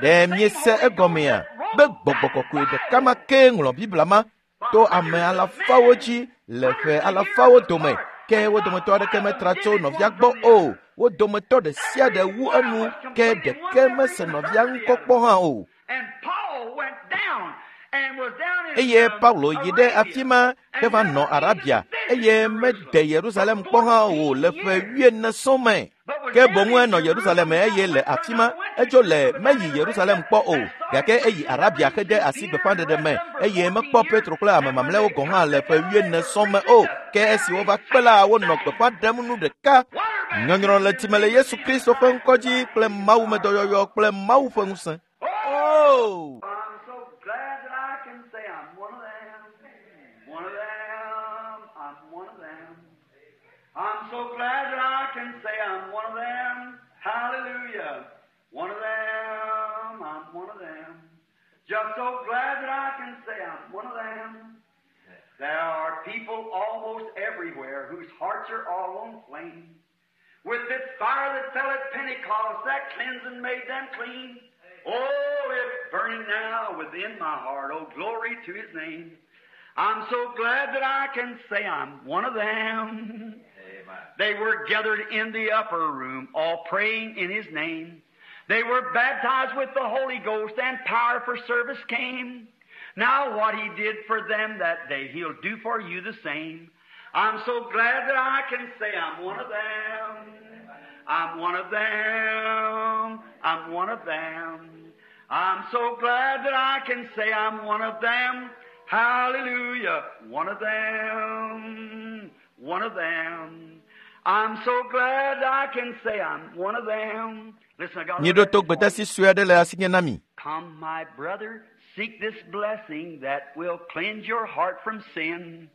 Ɖe miese egɔmea be gbɔgbɔ kɔkɔe ɖeka ma ke ŋlɔ Biblia ma to ame alafawo dzi le ƒe alafawo dome ke wo dometɔ aɖeke metra tso nɔvia gbɔ o. Wo dometɔ ɖe sia ɖe wu enu ke ɖeke mese nɔvia ŋkɔ kpɔ hã o. Eye Paulo yi ɖe afi ma heva nɔ Arabia eye mede Yerusalem kpɔ hã o le ƒe wuiene sɔŋ me. Ke boŋ enɔ Yerusalem eye le afi ma edzo le meyi Yerusalem kpɔ o gake eyi Arabia hede asi gbeƒãɖeɖe me eye mekpɔ Petro kple ame mamlɛawo gɔ̃ hã le ƒe wuiene sɔŋ me o. Ke esi wova kpe la wonɔ gbeƒã ɖem nu ɖeka. Nyɔnyrɔ le time le Yesu Kristo ƒe ŋkɔ dzi kple mawumedɔyɔyɔ kple Mawu ƒe ŋusẽ. Oh! I'm so glad that I can say I'm one of them. One of them. I'm one of them. I'm so glad that I can say I'm one of them. Hallelujah. One of them. I'm one of them. Just so glad that I can say I'm one of them. There are people almost everywhere whose hearts are all on flame. With this fire that fell at Pentecost, that cleansing made them clean. Oh, it's burning now within my heart. Oh, glory to His name. I'm so glad that I can say I'm one of them. They were gathered in the upper room, all praying in His name. They were baptized with the Holy Ghost, and power for service came. Now what He did for them that day, He'll do for you the same. I'm so glad that I can say I'm one of them. I'm one of them. I'm one of them. I'm so glad that I can say I'm one of them. Hallelujah. One of them. One of them. I'm so glad I can say I'm one of them. Listen, I got Míeɖo to gbedasi sue aɖe le asinye na mi. Come, my brother, seek this blessing that will cleanse your heart from sin,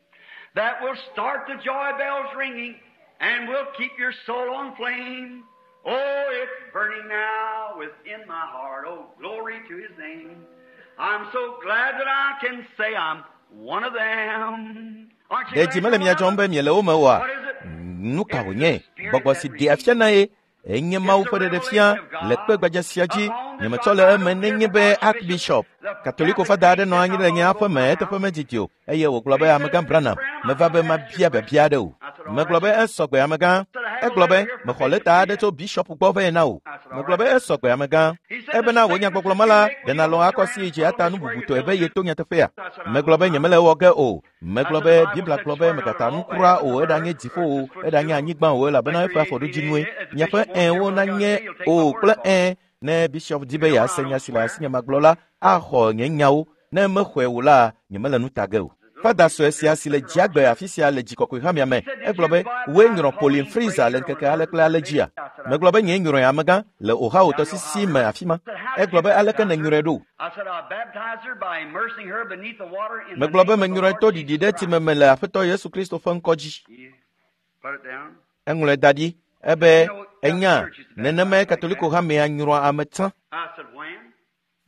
that will start the joy bells ringing, and will keep your soul on flame. Oh, it's burning now within my heart. Oh, glory to His name. I'm so glad that I can say I'm one of them. Aren't you Ɖe dzi glad mele mia you're one dzɔm of be them? miele wo me oa? What is it? Nu ka wònye? Gbɔgbɔ si ɖea fia na ye enye Mawu ƒe ɖeɖefia le kpe gbadza sia dzi. Nyemetsɔ le eme nenye be Archbishop Katoliko fada aɖe nɔ anyi le nye aƒe me eteƒe medidi o eye wògblɔ be amegã Branham meva be mabia biabia aɖe o. Megblɔ be esɔgbe amegã. Egblɔ be mexɔ lɛta aɖe tso bishop gbɔ vɛ na wò. Megblɔ be esɔgbe amegã. Ebena wò nyagbɔgblɔ ma la ɖe nalɔ̃ akɔ si dzi ata nu bubutɔe be yeto nyateƒea. Megblɔ be nyemele ewɔ ge o. Megblɔ be Biblia gblɔ be megata nu kura o eɖanye dziƒo o eɖanye anyigba o elabena eƒe afɔɖodzinue. Miaƒe ɛwo nanye o kple ɛ ne bishop di be yease nya si le asinye magblɔ la axɔ nye nyawo ne mexɔe o la nyemele nu ta ge o. Fada sue sia si le dziagbe afi sia le dzikɔkɔe hamea me egblɔ be woe nyrɔ Pauline Fraser le ŋkeke ale kple ale dzia. Megblɔ be nye nyrɔe amegã le Ohio tɔsisi me afi ma. Egblɔ be aleke nènyrɔe ɖo? I said, I baptized her by immersing her beneath the water in the Megblɔ be name of the menyrɔe Lord to Jesus ɖiɖi ɖe Christ. tsi me me le Aƒetɔ Yesu Kristo ƒe ŋkɔ dzi. He Put it down. Eŋlɔe da ɖi ebe enya nenemae Katoliko hamea nyrɔa ame tsã. I said, when?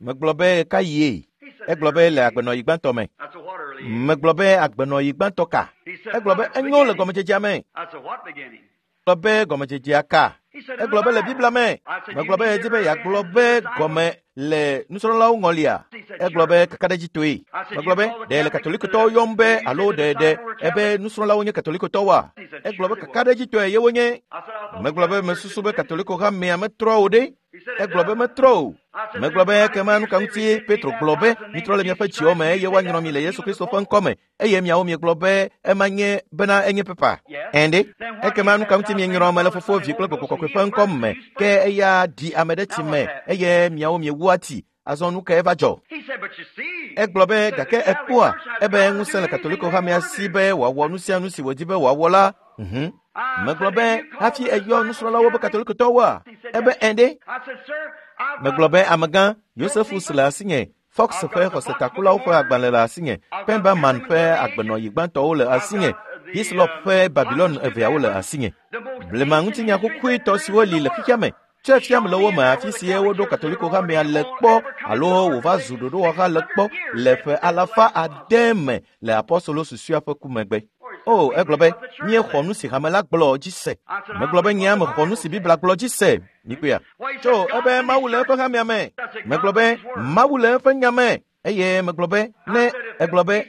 Megblɔ be ɣeka yie? He said, Egblɔ be le agbenɔɣi gbãtɔ me. I said, what early age? Megblɔ be agbenɔɣi gbãtɔ ka? He said, Egblɔ be from the enyo le beginning. gɔmedzedzea me. I said, what beginning? Gblɔ be gɔmedzedzea ka? He Egblɔ be le Biblia me. Megblɔ be edi be yeagblɔ be gɔme le nusrɔ̃lawo ŋɔlia. Egblɔ be kakaɖedzitɔe. Megblɔ be ɖe le katolikotɔwo yɔm be alo ɖe ɖe ebe nusrɔ̃lawo nye katolikotɔwoa? Egblɔ be kakaɖedzitɔe ye wonye. Megblɔ be mesusu be katoliko hamea metrɔ o ɖe. Egblɔ be metrɔ o. Megblɔ be ekema nu ka ŋuti Petro gblɔ be mitrɔ le miaƒe dziwo me eye woanyrɔ mi le Yesu Kristo ƒe ŋkɔ me eye miawo miegblɔ be ema nye bena enye pepa. Ɛnde ekema nu ka ŋuti mienyrɔ ame le Fofo, Vi kple Gbɔgbɔ Kɔkɔe ƒe ŋkɔ me ke eya ɖi ame ɖe tsi me eye miawo miewu ati. Azɔ nu kae va dzɔ? Egblɔ be gake ekpɔa ebe ŋusẽ le Katoliko hamea si be wòawɔ nu sia nu si wòdi be wòawɔ la. Mhm. Megblɔ be hafi eyɔ nusrɔ̃lawo be katolikotɔwoa? Ebe ɛnde. Megblɔ be amegã Yosefus le asinye, Fox ƒe xɔsetakulawo ƒe agbalẽ le asinye, Pemberman ƒe agbenɔyi gbãtɔwo le asinye, Hislop ƒe Babilon eveawo le asinye. Blema ŋutinya xoxoetɔ siwo li le xexea me tsɔe fiam le wo me afi si woɖo Katoliko hamea le kpɔ alo wòva zu ɖoɖowɔha le kpɔ le ƒe alafa ade me le apɔstolo susɔea ƒe ku megbe. O, egblɔ be míexɔ nu si hame la gblɔ dzi se. Megblɔ be nye mexɔ nu si Biblia gblɔ dzi se. Mikpɔea? Tso ebe Mawu le eƒe hamea me. Megblɔ be Mawu le eƒe nya me. Eye megblɔ be ne egblɔ be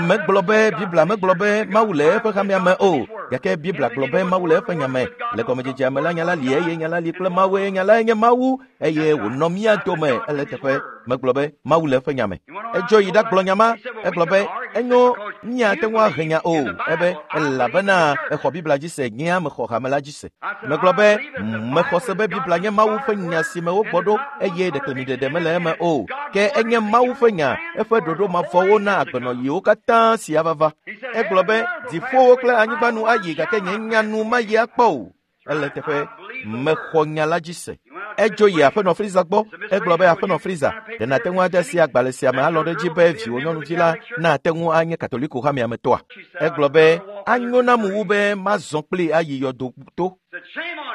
megblɔ be Biblia megblɔ be Mawu le eƒe hamea me o. Gake Biblia gblɔ be Mawu le eƒe nya me. Le gɔmedzedzea me la nya la li eye nya la li kple Mawu eye nya lae nye Mawu eye wònɔ mía dome ele teƒe. Megblɔ be Mawu le eƒe nya me. Edzo yi ɖagblɔ nya ma. Egblɔ be enyo míate ŋu ahe nya o. Ebe elabena exɔ Biblia dzi se, nyea mexɔ hame la dzi se. Megblɔ be mexɔ se be Biblia nye Mawu ƒe nya si me wogbɔ ɖo eye ɖeklemiɖeɖe mele eme o. Ke enye Mawu ƒe nya, eƒe ɖoɖo mavɔwo na agbenɔyiwo katã si ava va. Egblɔ be dziƒowo kple anyigba nu ayi gake nye nya nu mayi akpɔ o. Ele teƒe mexɔ nya la dzi se. Edzo yi aƒenɔ Friza gbɔ. Egblɔ be aƒenɔ Friza, ɖe nàte ŋu ade asi agbalẽ sia me alɔ ɖe edzi be viwò nyɔnuvi la nate ŋu anye Katoliko hamea me tɔa? Egblɔ be anyo nam wu be mazɔ kplii ayi yɔdo to.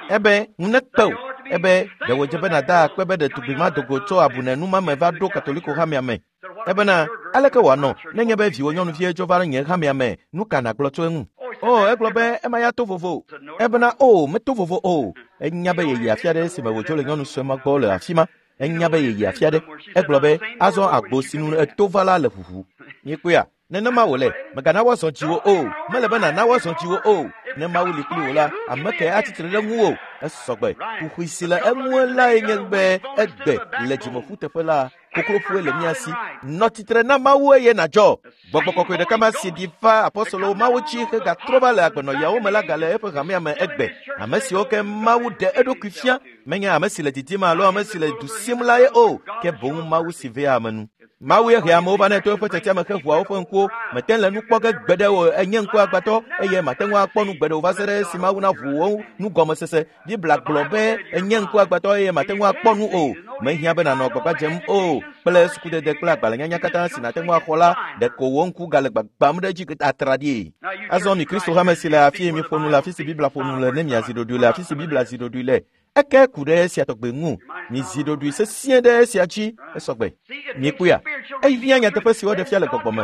Ebe ŋu nekpe o. Ebe ɖe wòdze be nàda akpe be ɖetugbi ma dogo tso abunenu me va ɖo Katoliko hamea me. Ebena aleke wòanɔ nenye be viwò nyɔnuvie dzo va nye hamea me, nu ka nàgblɔ tso eŋu? O, egblɔ be ema ya to vovo. Ebena o, meto vovo o. Enya be yeyi afi aɖe esime wòdzo le nyɔnu sue ma gbɔ le afi ma. Enya be yeyi afi aɖe. Egblɔ be azɔ agbo si nu eto va la le ʋuʋu. Miekpɔea? Nenema wòle. Mègana woazɔ dziwò o. Mele be nàna woazɔ dziwò o. Ne Mawu li kpli wò la, ame kae atsitre ɖe ŋuwò? Esɔgbe. Kuxi si le eŋue lae nye be egbe le dzimeƒuteƒe la, kokloƒoe le mía si. Nɔ tsitre na Mawu eye nàdzɔ. Gbɔgbɔ kɔkɔe ɖeka ma si ɖi va apɔstolowo Mawu dzi hegatrɔ va le agbenɔyawo me la gale eƒe hamea me egbe. Ame siwo ke Mawu ɖe eɖokui fia menye ame si le didim alo ame si le du sim la ye o, ke boŋ Mawu si vea ame nu. Mawu ye hea amewo va nɛ to eƒe tiatia me heʋua woƒe ŋkuwo. Mete le nu kpɔ ge gbeɖe o, enye ŋku agbatɔ eye mate ŋu akpɔ nu gbeɖe o va se ɖe esi Mawu naʋu wo nugɔmesese. Biblia gblɔ be enye ŋku agbatɔ eye mate ŋu akpɔ nu o. Mehiã be nànɔ gbagba dzem o kple sukudede kple agbalẽnyanya katã si nàte ŋu axɔ la, ɖeko wò ŋku gale gbagbam ɖe edzi atraɖii. Azɔ mi Kristo hame si le afi miƒo nu le afi si Biblia ƒo nu le ne miazi ɖoɖoe le afi si Biblia zi ɖoɖoe le. Eke ku ɖe esia tɔgbe ŋu. Mizi ɖoɖoe sesĩe ɖe esia dzi esɔgbe. Miekpɔea? Ehiã nyateƒe si woɖe fia le gbɔgbɔ me.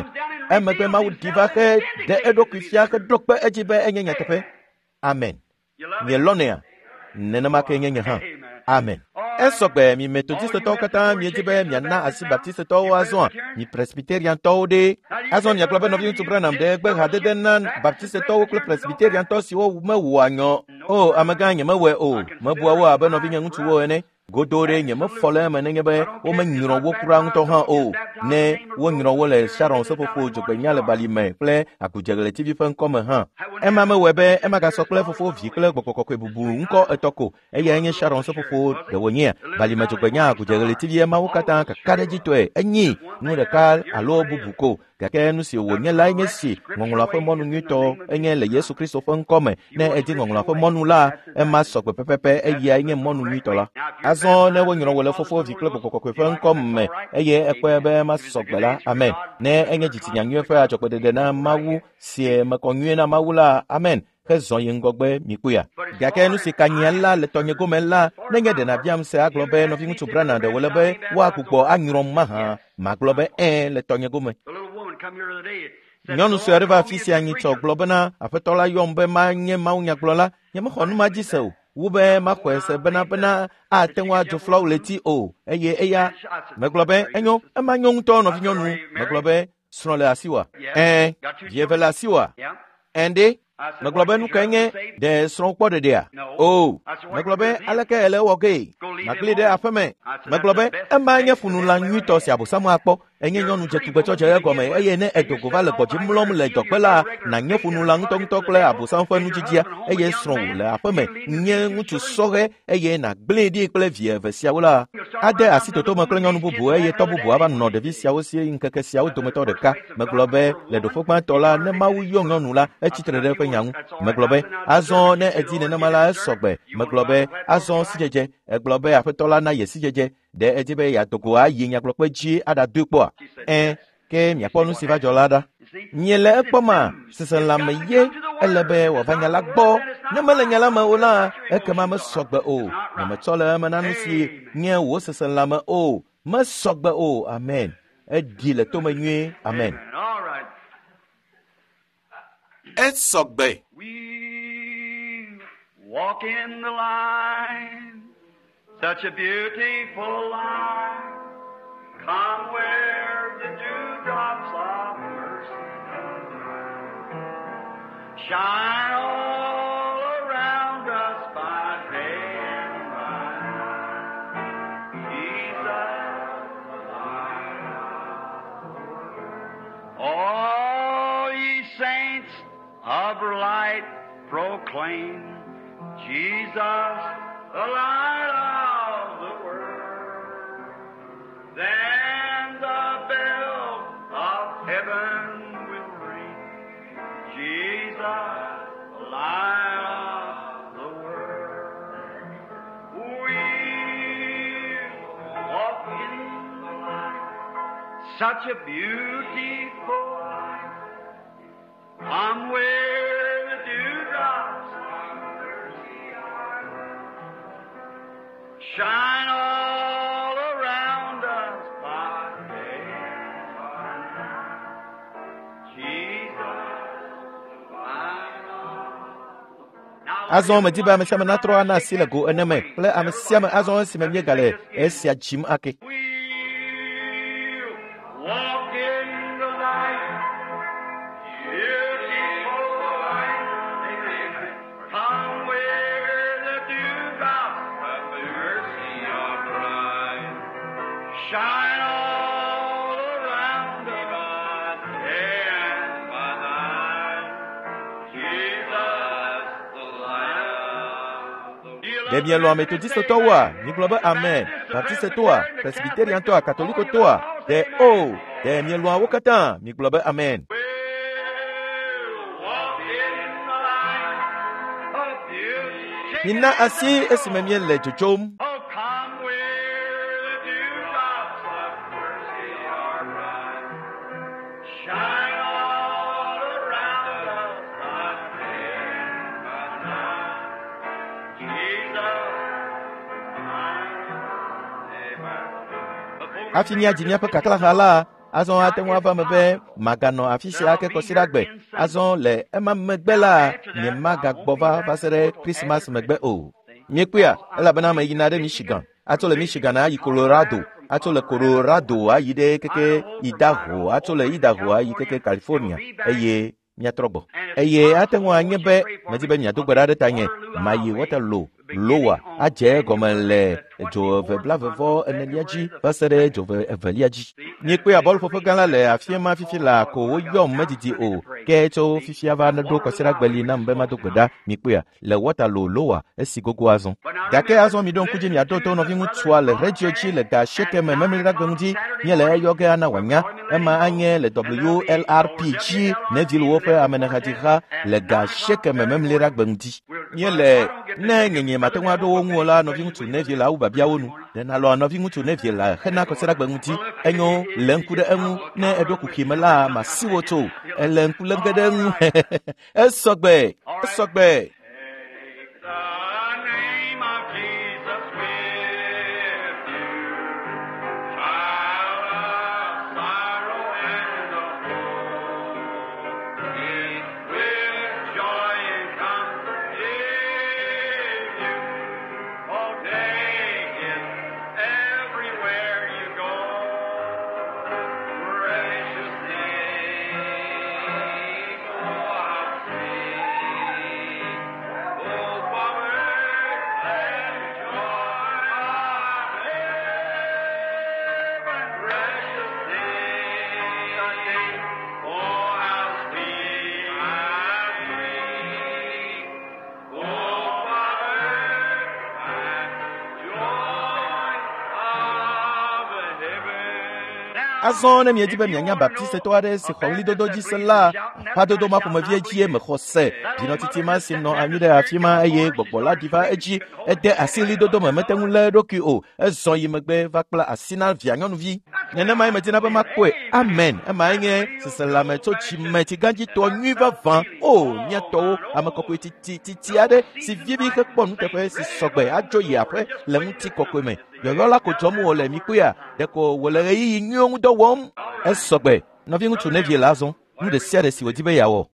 Emegbe Mawu ɖi va he ɖe eɖokui fia heɖo kpe edzi be enye nyateƒe. Amen. Mielɔnɛa? Nenema ke nye nye hã. Amen. Esɔgbe mi Metodistetɔwo katã miedzi be miana asi Baptistetɔwo azɔa, mi Presbyteriantɔwo ɖe. Azɔ miagblɔ be nɔviŋutsu Branham ɖe gbe hadede na Baptistetɔwo kple Presbyteriantɔ siwo mewɔa nyɔ. O, amegã nyemewɔe o. Mebua wo abe nɔvinye ŋutsuwo ene. Godo ɖe nyemefɔ le eme nenye be womenyrɔ wo kura ŋutɔ hã o. Ne wonyrɔ wo le Sharon seƒoƒo dzogbenya le bali me kple agudzeɣletivi ƒe ŋkɔme hã. Ema mewɔe be ema gasɔ kple Fofo, Vi kple Gbɔgbɔ Kɔkɔe bubu ŋkɔ etɔ̃ ko. Eyae nye Sharon seƒoƒo ɖe wònyea balime dzogbenya agudzeɣletivi emawo katã kakaɖedzitɔe enyi nu ɖeka alo bubu ko. Gake nu si wònye lae nye si ŋɔŋlɔa ƒe mɔnu nyuitɔ enye le Yesu Kristo ƒe ŋkɔme. Ne edi ŋɔŋlɔa ƒe mɔnu la, ema sɔgbe pɛpɛpɛ eyae nye mɔnu nyuitɔ la. Azɔ ne wonyrɔ wò le Fofo, Vi kple Gbɔgbɔ Kɔkɔe ƒe ŋkɔme eye ekpɔe be ema sɔgbe la, amen. Ne enye dzitsinya nyui ƒe adzɔgbeɖeɖe na Mawu si mekɔ nyuie na Mawu la, amen. Hezɔ yi ŋgɔgbe mikpɔea. Gake nu si ka nyia la le tɔnye gome la, nenye ɖe nàbiam se agblɔ be nɔviŋutsu Branham ɖe wòle be woagbugbɔ anyrɔm mahã, magblɔ be ɛ̃ le tɔnye gome. Nyɔnu sue aɖe va afi sia nyitsɔ gblɔ bena aƒetɔ la yɔm be manye mawunyagblɔla. Nyemexɔ nu ma dzi se o. Wu be maxɔe se bena bena ate ŋu adzo flawuleti o eye eya megblɔ be enyo ema nyo ŋutɔ nɔvinyɔnu megblɔ be srɔ̃ le asiwòa ɛ̃ vi eve le asiwòa ɛ̃ ɖe megblɔ be nu kae nye ɖe srɔ̃ kpɔ ɖeɖea o megblɔ be aleke ele wɔ gee magli ɖe aƒeme megblɔ be ema nye funula nyuitɔ si abosamu akpɔ enye nyɔnu dzetugbetsɔdze egɔme eye ne edogo va le gbɔdzi mlɔm le dɔgbe la nànye funula ŋutɔŋutɔ kple abosam ƒe nudzidzia eye srɔ̃wò le aƒeme nye ŋutsu sɔhɛ eye nàgblẽe ɖi kple vi eve siawo la ade asi totome kple nyɔnu bubu eye tɔ bubu ava nɔ ɖevi siawo si ŋkeke siawo dometɔ ɖeka megblɔ be le ɖoƒe gbãtɔ la ne Mawu yɔ nyɔnu la etsitre ɖe eƒe nya ŋu megblɔ be azɔ ne edi nenema la esɔgbe megblɔ be azɔ sidzedze egblɔ be aƒetɔ la na ye sidzedze ɖe edi be yeadogo ayi nyagblɔkpe dzi aɖadoe kpɔa ɛ̃ ke miakpɔ nu si va dzɔ la ɖa miele ekpɔma seselãme ye ele be wòava nya la gbɔ ne mele nya la me o la ekema mesɔgbe o nyemetsɔ le eme na nu si nye wò seselãme o mesɔgbe o amen eɖi le tome nyuie amen All right. Esɔgbe. We walk in the light, such a beautiful light. Come where the dewdrops of mercy shine all around us by day and by night. Jesus, the light of the world. All ye saints of light proclaim Jesus, the light of the world. Then the bell of heaven will ring. Jesus, the light of the world. We walk in the light, such a beautiful light. Come where the dewdrops of mercy are. Shine all around us by day and by night. Jesus, the light of Now, azɔ medi be ame sia ame natrɔ ana asi le go ene me kple ame sia ame azɔ esime míegale esia dzim ake We'll walk in the light, beautiful light. Amen. Come where the dewdrops of mercy are bright. Shine all around us by day and by night. Jesus, the light of the ɖe mielɔ̃ ametodistetɔwoa migblɔ be amen baptistetɔa presbiteriantɔa katolikotɔa ɖe o ɖe mielɔ̃a wo katã migblɔ be amen We'll walk in the light of beauty. mina asi esime míele dzodzom Oh, come where the dewdrops of mercy are bright. Shine all around us by day and by night. Jesus, Amen. Before hafi míadzi míaƒe kaklaha la azɔ ate ŋu ava me be maganɔ afi sia ake kɔsiɖagbe azɔ le ema megbe la nyemagagbɔ va va se ɖe krismas megbe o miekpɔea elabena meyina ɖe michigan atso le michigan ayi colorado atso le colorado ayi ɖe keke idaho atso le idaho ayi keke california eye míatrɔ gbɔ eye ate ŋu anye be medi be miado gbe ɖa ɖe tanye mayi waterloo lowa adze egɔme le dzo eve blavevɔ enelia dzi va se ɖe dzo eve evelia dzi miekpɔe bɔluƒoƒe gã la le afi ma fifi la ko woyɔm medidi o ke tso fifia va ɖo kɔsiɖagbe li nam be mado gbe ɖa mikpɔea le waterloo lowa esi gogo azɔ gake azɔ miɖo ŋku dzi miaɖo to nɔviŋutsua le redio dzi le ga asieke me memleɖagbe ŋuti míele eyɔ ge ana wòanya ema anye le wlrp dzi neville woƒe amenehadziha le ga asieke me memleɖagbe ŋuti míele ne nyenye mate ŋu aɖo wo ŋu o la nɔviŋutsu neville awu biabiawo nu ɖe nalɔ nɔviŋutsu neville la hena kɔsiɖagbe ŋuti enyo le ŋku ɖe eŋu ne eɖo kuxi me la masi wo tso ele ŋku lé ge ɖe eŋu esɔgbe esɔgbe Take the name of Jesus with you, child of sorrow and of woe. It will joy and comfort give you Azɔ ne miedi be mianya baptistetɔ aɖe si xɔ ɣlidodo dzi se la, aƒadodo ma ƒomevie dzie mexɔ se. Dzinɔtiti ma si nɔ anyi ɖe afi ma eye gbɔgbɔ la ɖi va edzi. Ede asi ɣlidodo me mete ŋu lé eɖokui o. Ezɔ yi megbe va kpla asi na via nyɔnuvi. Nenemae medina be makpɔe. Amen. Emae nye seselãme tso dzime tsigãdzitɔ nyui vavã. O, mía tɔwo, ame kɔkɔe titi titi aɖe si vivi hekpɔ nuteƒe si sɔgbe adzo yi aƒe le ŋutikɔkɔe me. Yɔyɔ la ko dzɔm wòle mikpɔea, ɖeko wòle ɣeyiɣi nyuiwo ŋu dɔ wɔm. Esɔgbe. Nɔviŋutsu Neville azɔ. Nu ɖe sia ɖe si wòdi be yeawɔ.